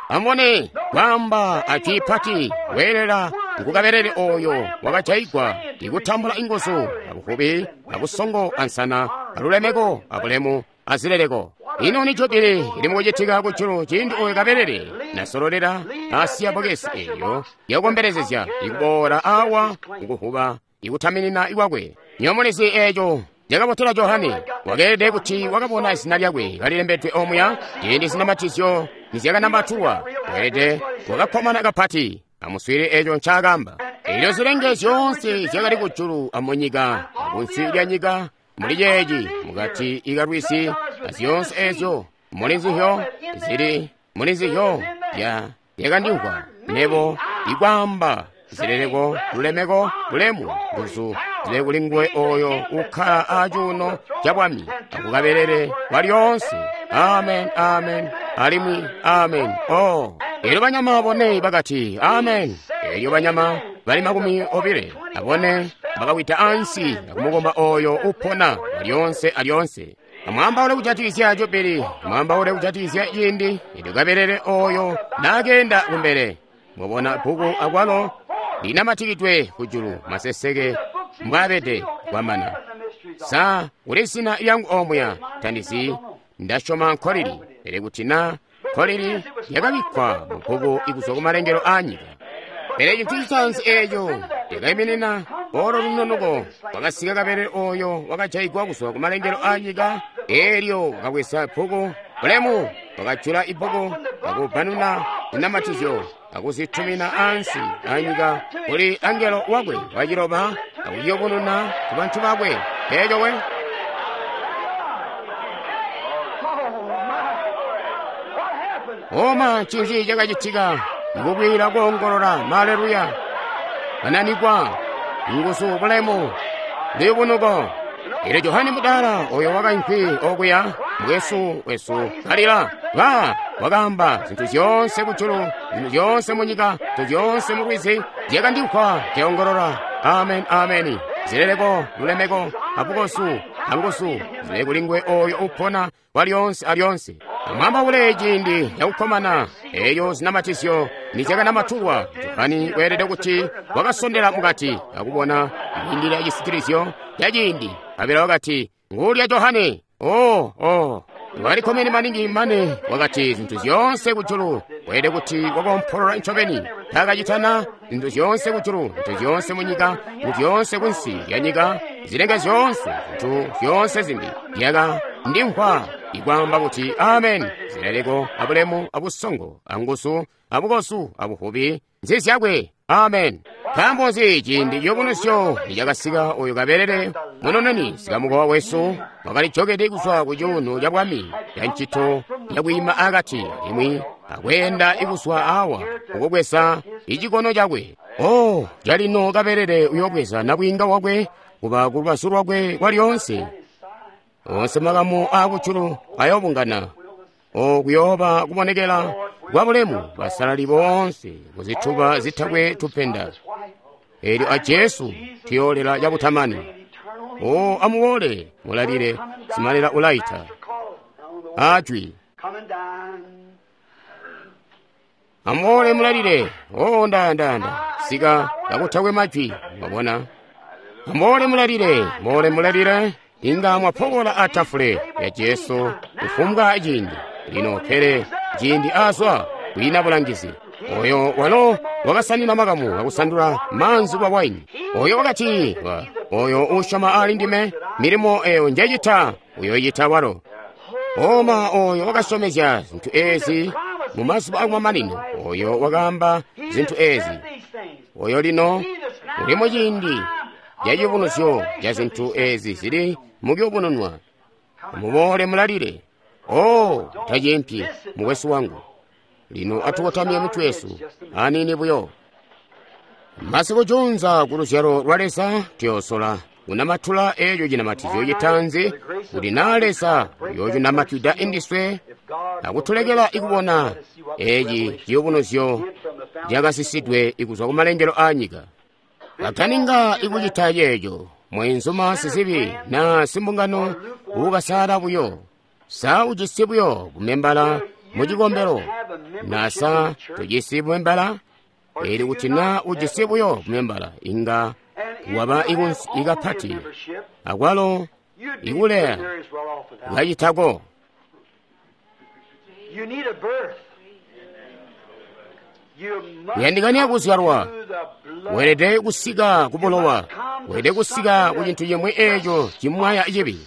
Amubone kwaamba ajwi pati, weelela ngukabelele oyo wakajaigwa ikutambula inguzu abuvubi abusongo ansana alulemeko abulemu azileleko. Ino ni jobile ili mukucitika kujulu ciindi oyo kabelele nasololela asiya bokesi eyo yakukombelezezya ikuboola awa mukuvuba ikutaminina ikwakwe. Nyomulizi eeco cakabotela Johane wakeelede kuti wakabona izina lyakwe kalilembedwe omuya ciindi zinamatizyo nizyakanambatulwa. Weelede wakakkomana kapati. Amuswiilile eeco ncaakamba. Eelyo zilenge zyoonse zyakali kujulu amunyika akunsi lya nyika muli ceeci mukati ikalwisi azyoonse eezyo muli nzizyo zili muli nzizyo ya yakandimvwa nebo ikwaamba zileleko lulemeko bulemu nguzu zile kuli nguwe oyo ukkala acuuno ca bwami akukabelele kwa lyoonse. Amen, amen, alimwi amen. Oh, eelyo banyama bone bakati amen. Eelyo banyama bali makumi obile abone bakawida ansi akumukomba oyo upona alyoonse alyoonse. Amwaambaule kujatikizya jobili, amwaambaule kujatikizya ciindi eelyo kabelele oyo naakenda kumbele. Mwabona bbuku akwalo linamatikidwe kujulu maseseke mbwaabede kwamana. Sa kuli zina lyangu omuya tandizi, ndasyoma nkolili, pele kuti na nkolili yakabikkwa mu bbuku ikuzwa kumalengelo aanyika. Pele cintu citaanzi eeco lyakaiminina olo lununuko wakasika kabelele oyo wakajaigwa kuzwa kumalengelo aanyika. Eelyo wakabweza bbuku bulemu, wakajula ibbuku akubbanuna zinamatizyo akuzitumina ansi anyika kuli angelo wakwe waciloba akuyubununa ku bantu bakwe. Eeco we oma ncinzi cakacitika? Ikubwila koongolola maleluya, bananikwa nguzu bulemu luyubunuko. Eelyo Johane Mudala oyo wakaimvwi okuya mwesu wesu kalila ba wakaamba zintu zyoonse kujulu, zintu zyoonse munyika, zintu zyoonse mulwizi zyakandimvwa nkeongolola amen, ameni. Zileleko lulemeko abukosu anguzu zile kuli nguwe oyo upona kwa lyoonse alyoonse. Amwaambaule ciindi cakukkomana eeyo zinamatizyo nizyakanamatulwa. Johane weelede kuti wakasondela mukati akubona kwiindilila cisitilizyo ca ciindi. Kabela wakati nguulya Johane. Oh, oh, walikkomene maningi mane wakati zintu zyoonse kujulu. Weelede kuti wakoompolola ncobeni taakacitana zintu zyoonse kujulu, zintu zyoonse munyika, zintu zyoonse kunsi lya nyika, zilenge zyoonse, zintu zyoonse zimbi zyaka ndimvwa ikwaamba kuti amen. Zileleko abulemu abusongo anguzu abukozu abuvubi nzizyakwe. Amen. Nkaambo nzi ciindi ciyubunuzyo nicakasika oyo kabelele munoneni sikamukowa wesu wakalijokede kuzwa ku cuuno ca bwami ya ncito yakwiima akati alimwi akweenda ikuzwa awa kukubweza Icikono cakwe. Oh, calino kabelele uyobweza nabwiinga wakwe kuba ku lubazu lwakwe kwalyoonse. Onse makamu aakujulu ayobungana. O kuyooba kubonekela kwa bulemu basalali boonse kuzituba zitakwe tupenda. Elyo a Jesu tuyoolela cabutamani. O amuboole mulalile simalela ulaita. Ajwi. Amuboole mulalile. O ndayandayanda sika kakutakwe majwi mwabona. Amuboole mulalile, muboole mulalile. Inga mwapokola atafule ya Jesu kufumbwa ciindi. Lino pele ciindi azwa kwiina bulangizi. Oyo walo wakasanina makamu akusandula maanzi kwa waini. Oyo wakati, oyo usyoma ali ndime, milimo eyo njecita uyoyita walo. Oma oyo wakasyomezya zintu ezi mu mazuba akumamanino. Oyo wakaamba zintu ezi. Oyo lino uli mu ciindi caciyubunuzyo ca zintu ezi zili mukuyubununwa. Muboole mulalile. Oh, taciimpyi mukwesu wangu. Lino atukotamye mitwe yesu aniini buyo. Masiku junza ku luzyalo lwa Leza tuyoosola kunamatula eeco cinamatizyo citanzi kuti naa Leza uyoocinamatwida indiswe akutulekela ikubona eci ciyubunuzyo cakasisidwe ikuzwa kumalengelo aanyika. Kataninga ikucita ceeco mweenzuma sizibi naa simbungano uukasala buyo. Sa ujisi buyo bumembala mu cikombelo na sa tujisi bumembala? Eli kuti naa ujisi buyo bumembala inga waba ikapati akwalo ikuleya kacitako. Kuyandikania kuzyalwa. Weelede kusika ku bulowa. Weelede kusika ku cintu cimwi eeco cimwaya cibi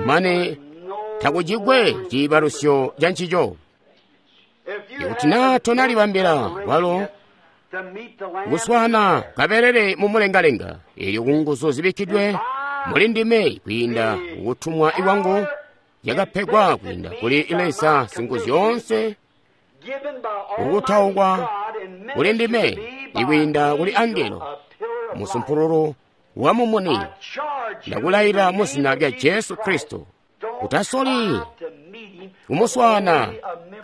mane takucikwe ciibalusyo ca ncico. Ikuti naa tonalibambila walo kuswaana kabelele mu mulengalenga, elyo ku nguzu zibikkidwe muli ndime kwiinda kutumwa kwangu yakapegwa kwiinda kuli Leza Singuzyoonse, kukutaukwa kuli ndime ikwiinda kuli angelo musumpululu wa mumuni, ndakulayila mu zina lya Jesu Kristo. Utasoli kumuswaana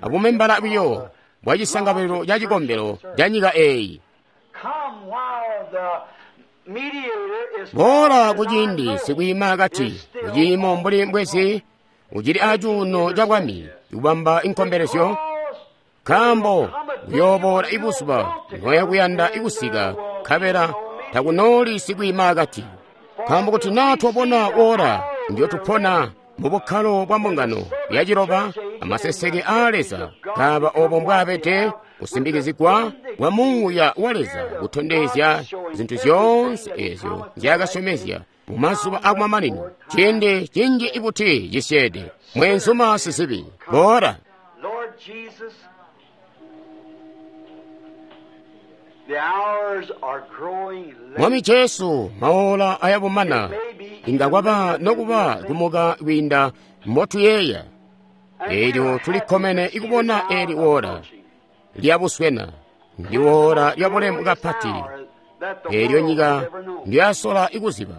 abumembala buyo bwa cisangabelo ca cikombelo ca nyika eeyi. Boola kuciindi sikwiima akati kuciimo mbuli mbwezi ucili acuuno ca bwami kubamba inkombelezyo, nkaambo kuyooboola ibuzuba noya kuyanda ikusika nkabela takunooli sikwiima akati. Nkaambo kuti naa twabona woola ndyo tupona mu bukkalo bwa mbungano ya ciloba amaseseke aa Leza kaaba obo mbwaabede kusimbikizigwa kwa Muuya wa Leza kutondezya zintu zyoonse ezyo nzyaakasyomezya mu mazuba akumamanino. Ciindi cinji ibuti cisyeede mweenzuma sizibi boola. Mwami Jesu, maola ayabumana inga kwaba nokuba kumuka kwiinda mbotuyeeya. Elyo tulikkomene ikubona eli woola lyabuswena, ndi woola lya bulemu kapati elyo nyika ndyasola ikuziba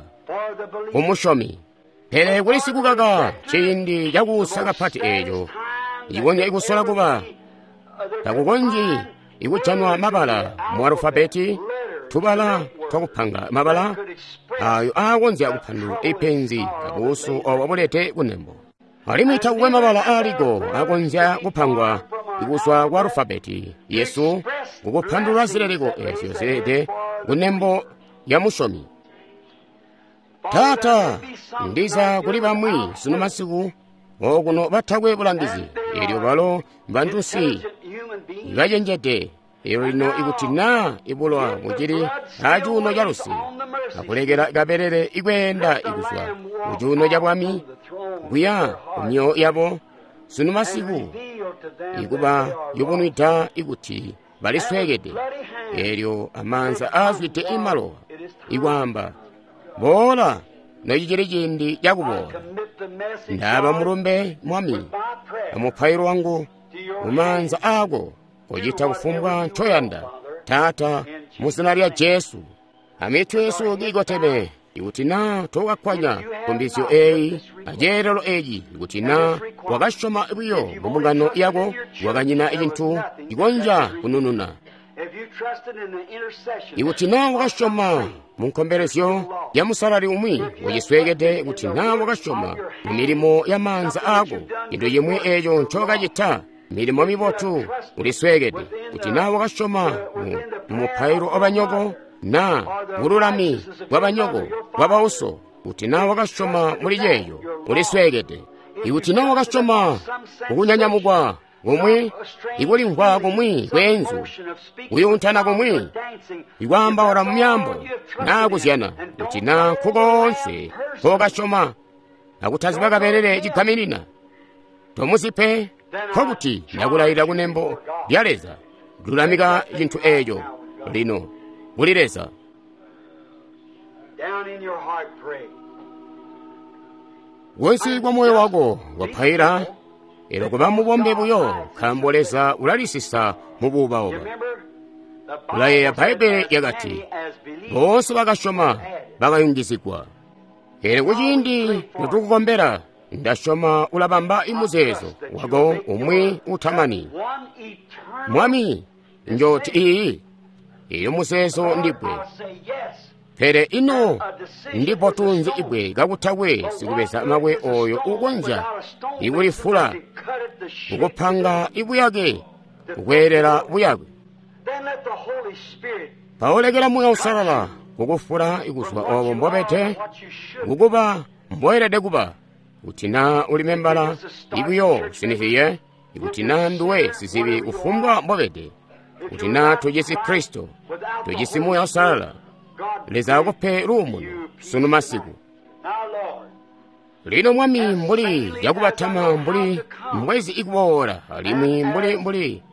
kumusyomi. Pele kuli sikukaka ciindi cakuusa kapati eeco icikonzya ikusola kuba takukonzyi ikujanwa mabala mu alufabeti, tubala twakupanga mabala ayo aakonzya kupandulula ipenzi abuusu obo bulete kunembo. Alimwi takukwe mabala aaliko akonzya kupangwa ikuzwa kwa alufabeti yesu kukupandulula zileleko ezyo zilede kunembo ya musyomi. Taata, ndiza kuli bamwi sunu masiku okuno batakwe bulangizi, elyo balo mbantunsi bacenjede. Elyo lino ikuti naa ibulowa bucili acuuno ca luse, akulekela kabelele ikweenda ikuzwa ku cuuno ca bwami kuya ku myoyo yabo sunu masiku, ikuba yubunwida ikuti balisweekede. Elyo amaanza aazwide imalowa ikwaamba, boola nocicili ciindi cakuboola. Ndaaba mulumbe Mwami amupailo wangu mumaanza aako, kocita kufumbwa ncoyanda. Taata, mu zina lya Jesu. Amitwe yesu kiikoteme. Ikuti naa tokakkwanya nkumbizyo eyi aceelelo eci, ikuti naa wakasyoma buyo mu mbungano yako, wakanyina cintu cikonzya kunununa. Ikuti naa wakasyoma mu nkombelezyo ya musalali umwi ucisweekede, ikuti naa wakasyoma mu milimo ya maanza aako, cintu cimwi eeco ncokacita, milimo mibotu, ulisweekede. Kuti naa wakasyoma mu mupailo wabanyoko, naa bululami bwabanyoko bwabauso, kuti naa wakasyoma muli ceeco, ulisweekede. Ikuti naa wakasyoma kukunyanyamukwa kumwi, ikulimvwa kumwi kweenzu, kuyuuntana kumwi, ikwaambaula mu myaambo, naa kuzyana, kuti naa nkukoonse nkokasyoma akutaziba kabelele cigaminina, tomuzi pe, nkokuti ndakulayilila kunembo lya Leza, lulamika cintu eeco lino kuli Leza. Kunsi kwa moyo wako wapaila, elo kuba mubombe buyo, nkaambo Leza ulalisisa mu buuba-uba. Ulayeeya Bbaibbele lyakati, boonse bakasyoma bakayungizigwa. Pele kuciindi notukukombela, ndasyoma ulabamba imuzeezo wako umwi utamani. Mwami, njooti iyi, iyo muzeezo ndibwe. Pele ino ndipotunzi ibwe kakutakwe sikubeza mabwe oyo ukonzya ikulifula, ukupanga ibuyake, kukweelela buyake. Paulekela Muuya Uusalala kukufula ikuzwa obo mbobete kukuba mboelede kuba. Kuti naa uli membala ibuyo sinihiye, ikuti naa nduwe sizibi kufumbwa mbobede, kuti naa tujisi Kristo, tujisi Muuya Uusalala, Leza akupe luumuno sunu masiku. Lino Mwami, mbuli yakubatama, mbuli mbwezi ikuboola, alimwi mbuli mbuli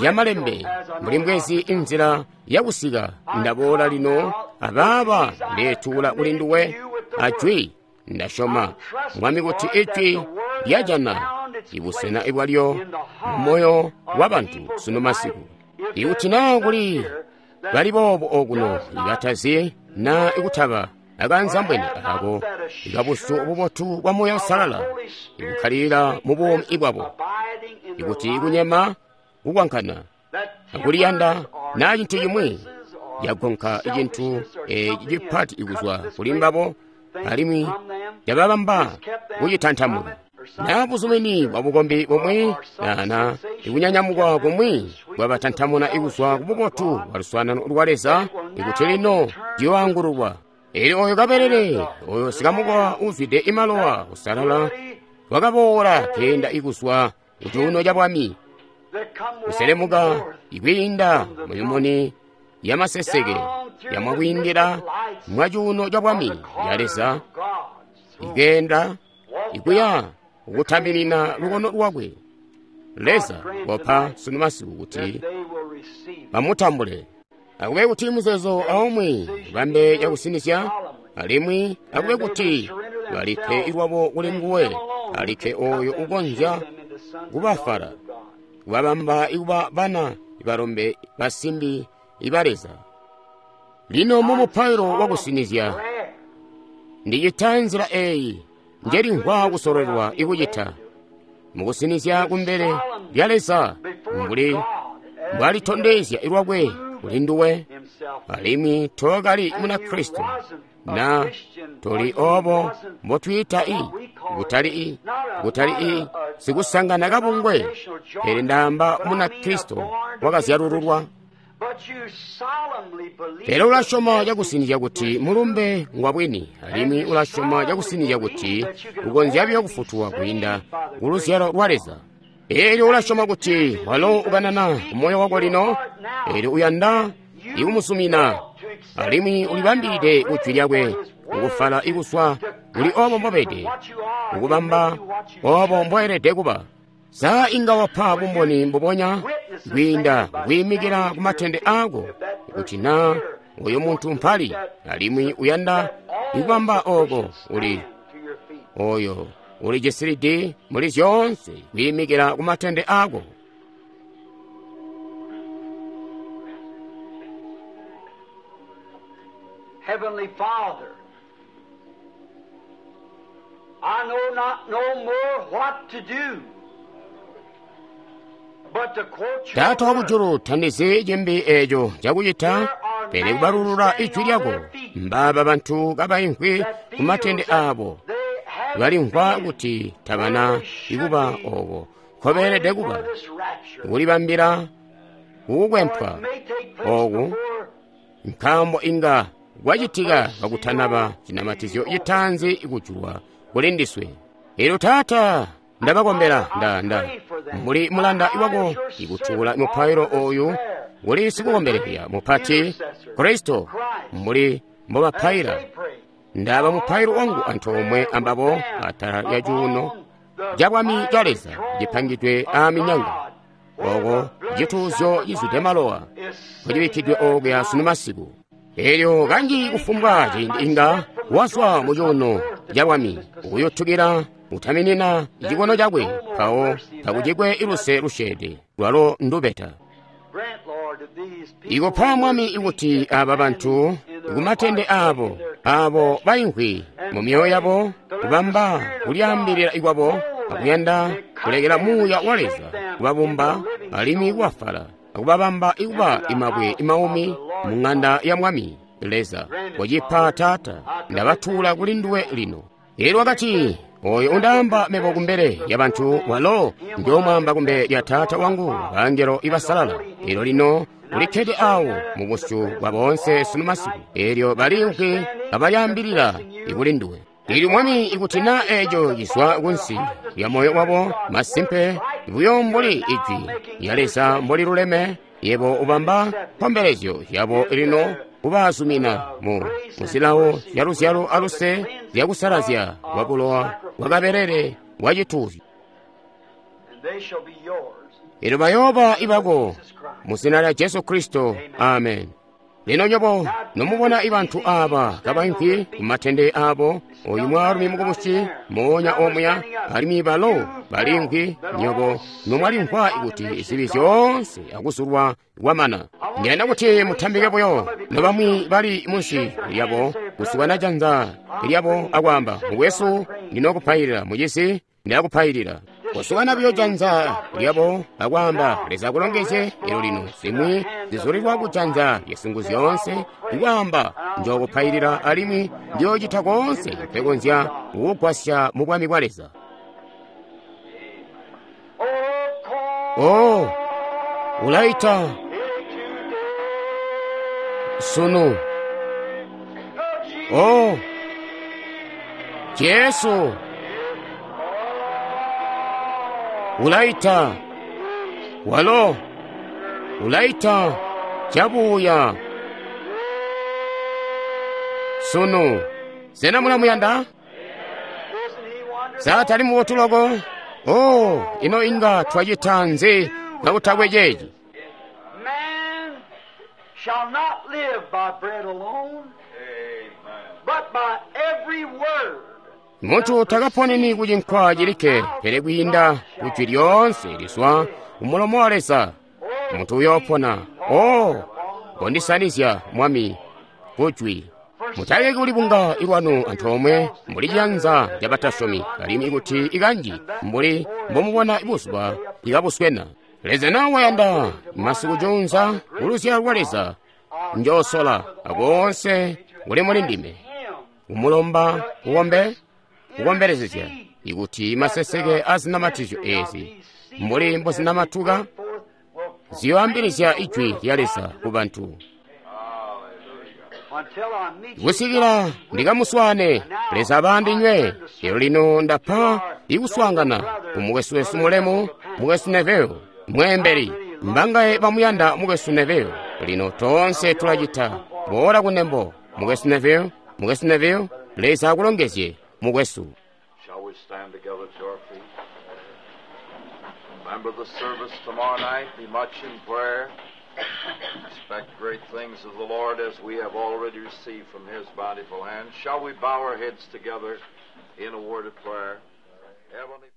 yamalembe, mbuli mbwezi inzila yakusika, ndaboola lino abaaba ndetuula kuli nduwe ajwi. Ndasyoma Mwami kuti ijwi lyajana ibusena ibwalyo mu moyo wa bantu sunu masiku. Ikuti naa kuli bali boobo okuno ikatazi naa ikutaba akanzambwene ako ikabusu bubotu bwa Muuya Uusalala ikukkalilila mu buumi bwabo, ikuti ikunyema, kukwankana, akuliyanda naa cintu cimwi yagonka icintu eci cipati ikuzwa kuli mbabo, alimwi yababamba kucitantamuka, naa buzumini bwa bukombi bumwi na ikunyanyamukwa kumwi bwabatantamuna ikuzwa ku bubotu bwa luswaanano lwa Leza, ikuti lino ciyoangululwa. Elyo oyo kabelele, oyo sikamukowa uzwide imalowa usalala, wakaboola keenda ikuzwa ku cuuno ca bwami, kuselemuka ikwiinda mumimuni ya maseseke yamwakwiindila mwa cuuno ca bwami ya Leza, ikeenda ikuya kukutabilina lukono lwakwe. Leza wapa sunu masiku kuti bamutambule. Akube kuti muzeezo aumwi bambe yakusinizya, alimwi akube kuti balipe ilwabo kuli nguwe, alikke oyo ukonzya kubafala, kubabamba ikuba bana balombe basimbi iba Leza. Lino mu mupailo wakusinizya, ndicita nzila eyi njelimvwa kusololelwa ikucita mukusinizya kumbele lya Leza, mbuli mbwalitondezya ilwakwe kuli nduwe, alimwi tookali muna Kristo, na toli obo mbotwiita i, kutali i, kutali i sikusangana kabungwe, pele ndaamba muna Kristo wakazyalululwa. Pele ulasyoma cakusinizya kuti mulumbe ngwa bwini, alimwi ulasyoma cakusinizya kuti ukonzya buyo kufutulwa kwiinda ku luzyalo lwa Leza. Elyo ulasyoma kuti walo ukanana ku moyo wako lino, elyo uyanda ikumusumina, alimwi ulibambilide ku jwi lyakwe, kukufala ikuswa kuli obo mbobede, kukubamba obo mboelede kuba. Sa inga wapa bumboni mbubonya kwiinda kwiimikila ku matende aako, kuti naa oyo muntu mpali, alimwi uyanda ikubamba oko uli oyo ulijisilidi muli zyoonse kwiimikila ku matende aako. Heavenly Father, I know not no more what to do, but to quote your Taata wa word. kujulu tandizi cimbi eco cakucita pele kubalulula ijwi lyako. Mbaaba bantu kabaimvwi ku matende aabo balimvwa kuti tabana ikuba obo nkobeelede kuba kulibambila kukukwempwa oku, nkaambo inga kwacitika kakutanaba cinamatizyo citaanzi kujulwa kuli ndiswe. Elyo Taata, ndabakombela nda nda mbuli mulanda wako ikutuula mupailo oyu kuli sikukombelezya mupati Kristo, mbuli mbobapaila. Ndaba mupailo wangu antoomwe ambabo atala lya cuuno ca bwami ca Leza cipangidwe aaminyanga, oko cituuzyo cizwide malowa kucibikkidwe okuya sunu masiku. Elyo kanji kufumbwa ciindi inga wazwa mu cuuno ca bwami ukuyutukila utaminina cikono cakwe, mpawo takucikwe iluse lusyeede lwalo ndubeta. Grant, Lord, that these people Ikupa Mwami ikuti aba bantu kumatende aabo abo baimvwi mu myoyo yabo kubamba kulyaambilila ikwabo akuyanda kulekela muuya wa Leza kubabumba alimwi kubafala akubabamba ikuba imabwe imaumi mu ng'anda ya Mwami Leza. Wacipa Taata, ndabatuula kuli nduwe lino. Elyo wakati, oyo undaamba mebo kumbele ya bantu walo njoomwaamba kumbele lya Taata wangu bangelo ibasalala. Elyo lino ulikkede awo mu busyu bwa boonse sunu masiku. Elyo baliimvwi kabalyaambilila ikuli nduwe. Elyo Mwami, ikuti naa eeco cizwa kunsi lya moyo wabo, masimpe buyo mbuli ijwi lya Leza mboli luleme, yebo ubamba nkombelezyo yabo lino kubazumina mu muzilawo zya luzyalo aluse zyakusalazya kwa bulowa bwa kabelele bwa cituuzyo. and they shall be yours. Elyo bayooba ibako mu zina lya Jesu Kristo. Amen. Lino nyobo nomubona ibantu aba kabaimvwi ku matende aabo, oyu mwaalumi mukubusi moonya omuya, alimwi balo baliimvwi, nyobo nomwalimvwa kuti zibi zyoonse akuzulwa kwamana. Ndiyanda kuti mutambike buyo nobamwi bali munsi lyabo kusukana janza lyabo akwaamba, mukwesu ndinokupailila, mucisi ndakupailila. Kusukana buyo janza lyabo akwaamba, Leza akulongezye. Elyo lino zimwi zizulilwa kujanza lyasingu zyoonse ikwaamba, njookupailila alimwi ndiyoocita koonse mpekonzya kukugwasya mu bwami bwa Leza. Oh, Oh, ulaita sunu. Oh, Jesu ulaita, walo ulaita cabuya sunu. Sena mulamuyanda? Isn't he wonderful? Sa tali mubotu loko? Oh, ino inga twacita nzi kakutakwe ceeci? Man shall not live by bread alone, but by every word Munthu takaponeni ku chinkwa chilikke, pele kwiinda ku jwi lyoonse lizwa umulomo wa Leza. Munthu uyopona. Oh, kondisanizya Mwami ku jwi. Mutaleki kulibunga ilwanu antoomwe mbuli ciyanza ca batasyomi, alimwi kuti ikanji mbuli mbomubona buzuba ikabuswena. Leza nawe wayanda masiku junza uluzyalo lwa Leza njoosola akoonse kuli muli ndime him kumulomba kukombe kukombelezezya ikuti maseseke a zinamatizyo ezi mbuli mbozinamatuka forth will ziyoambilizya ijwi lya Leza ku bantu until I meet you. kusikila ndikamuswaane Leza abandinywe. Lero lino ndapha ikuswaangana ku mukwesu wesu mulemu, mukwesu Neville mwembeli. Mbangaye bamuyanda mukwesu Neville? Lino tonse tulacita. Boola kunembo mukwesu Neville, mukwesu Neville, Leza akulongezye mukwesu. Shall we stand together to our feet? Remember the service tomorrow night. Be much in prayer. Expect great things of the Lord as we have already received from His bountiful hand. Shall we bow our heads together in a word of prayer? Heavenly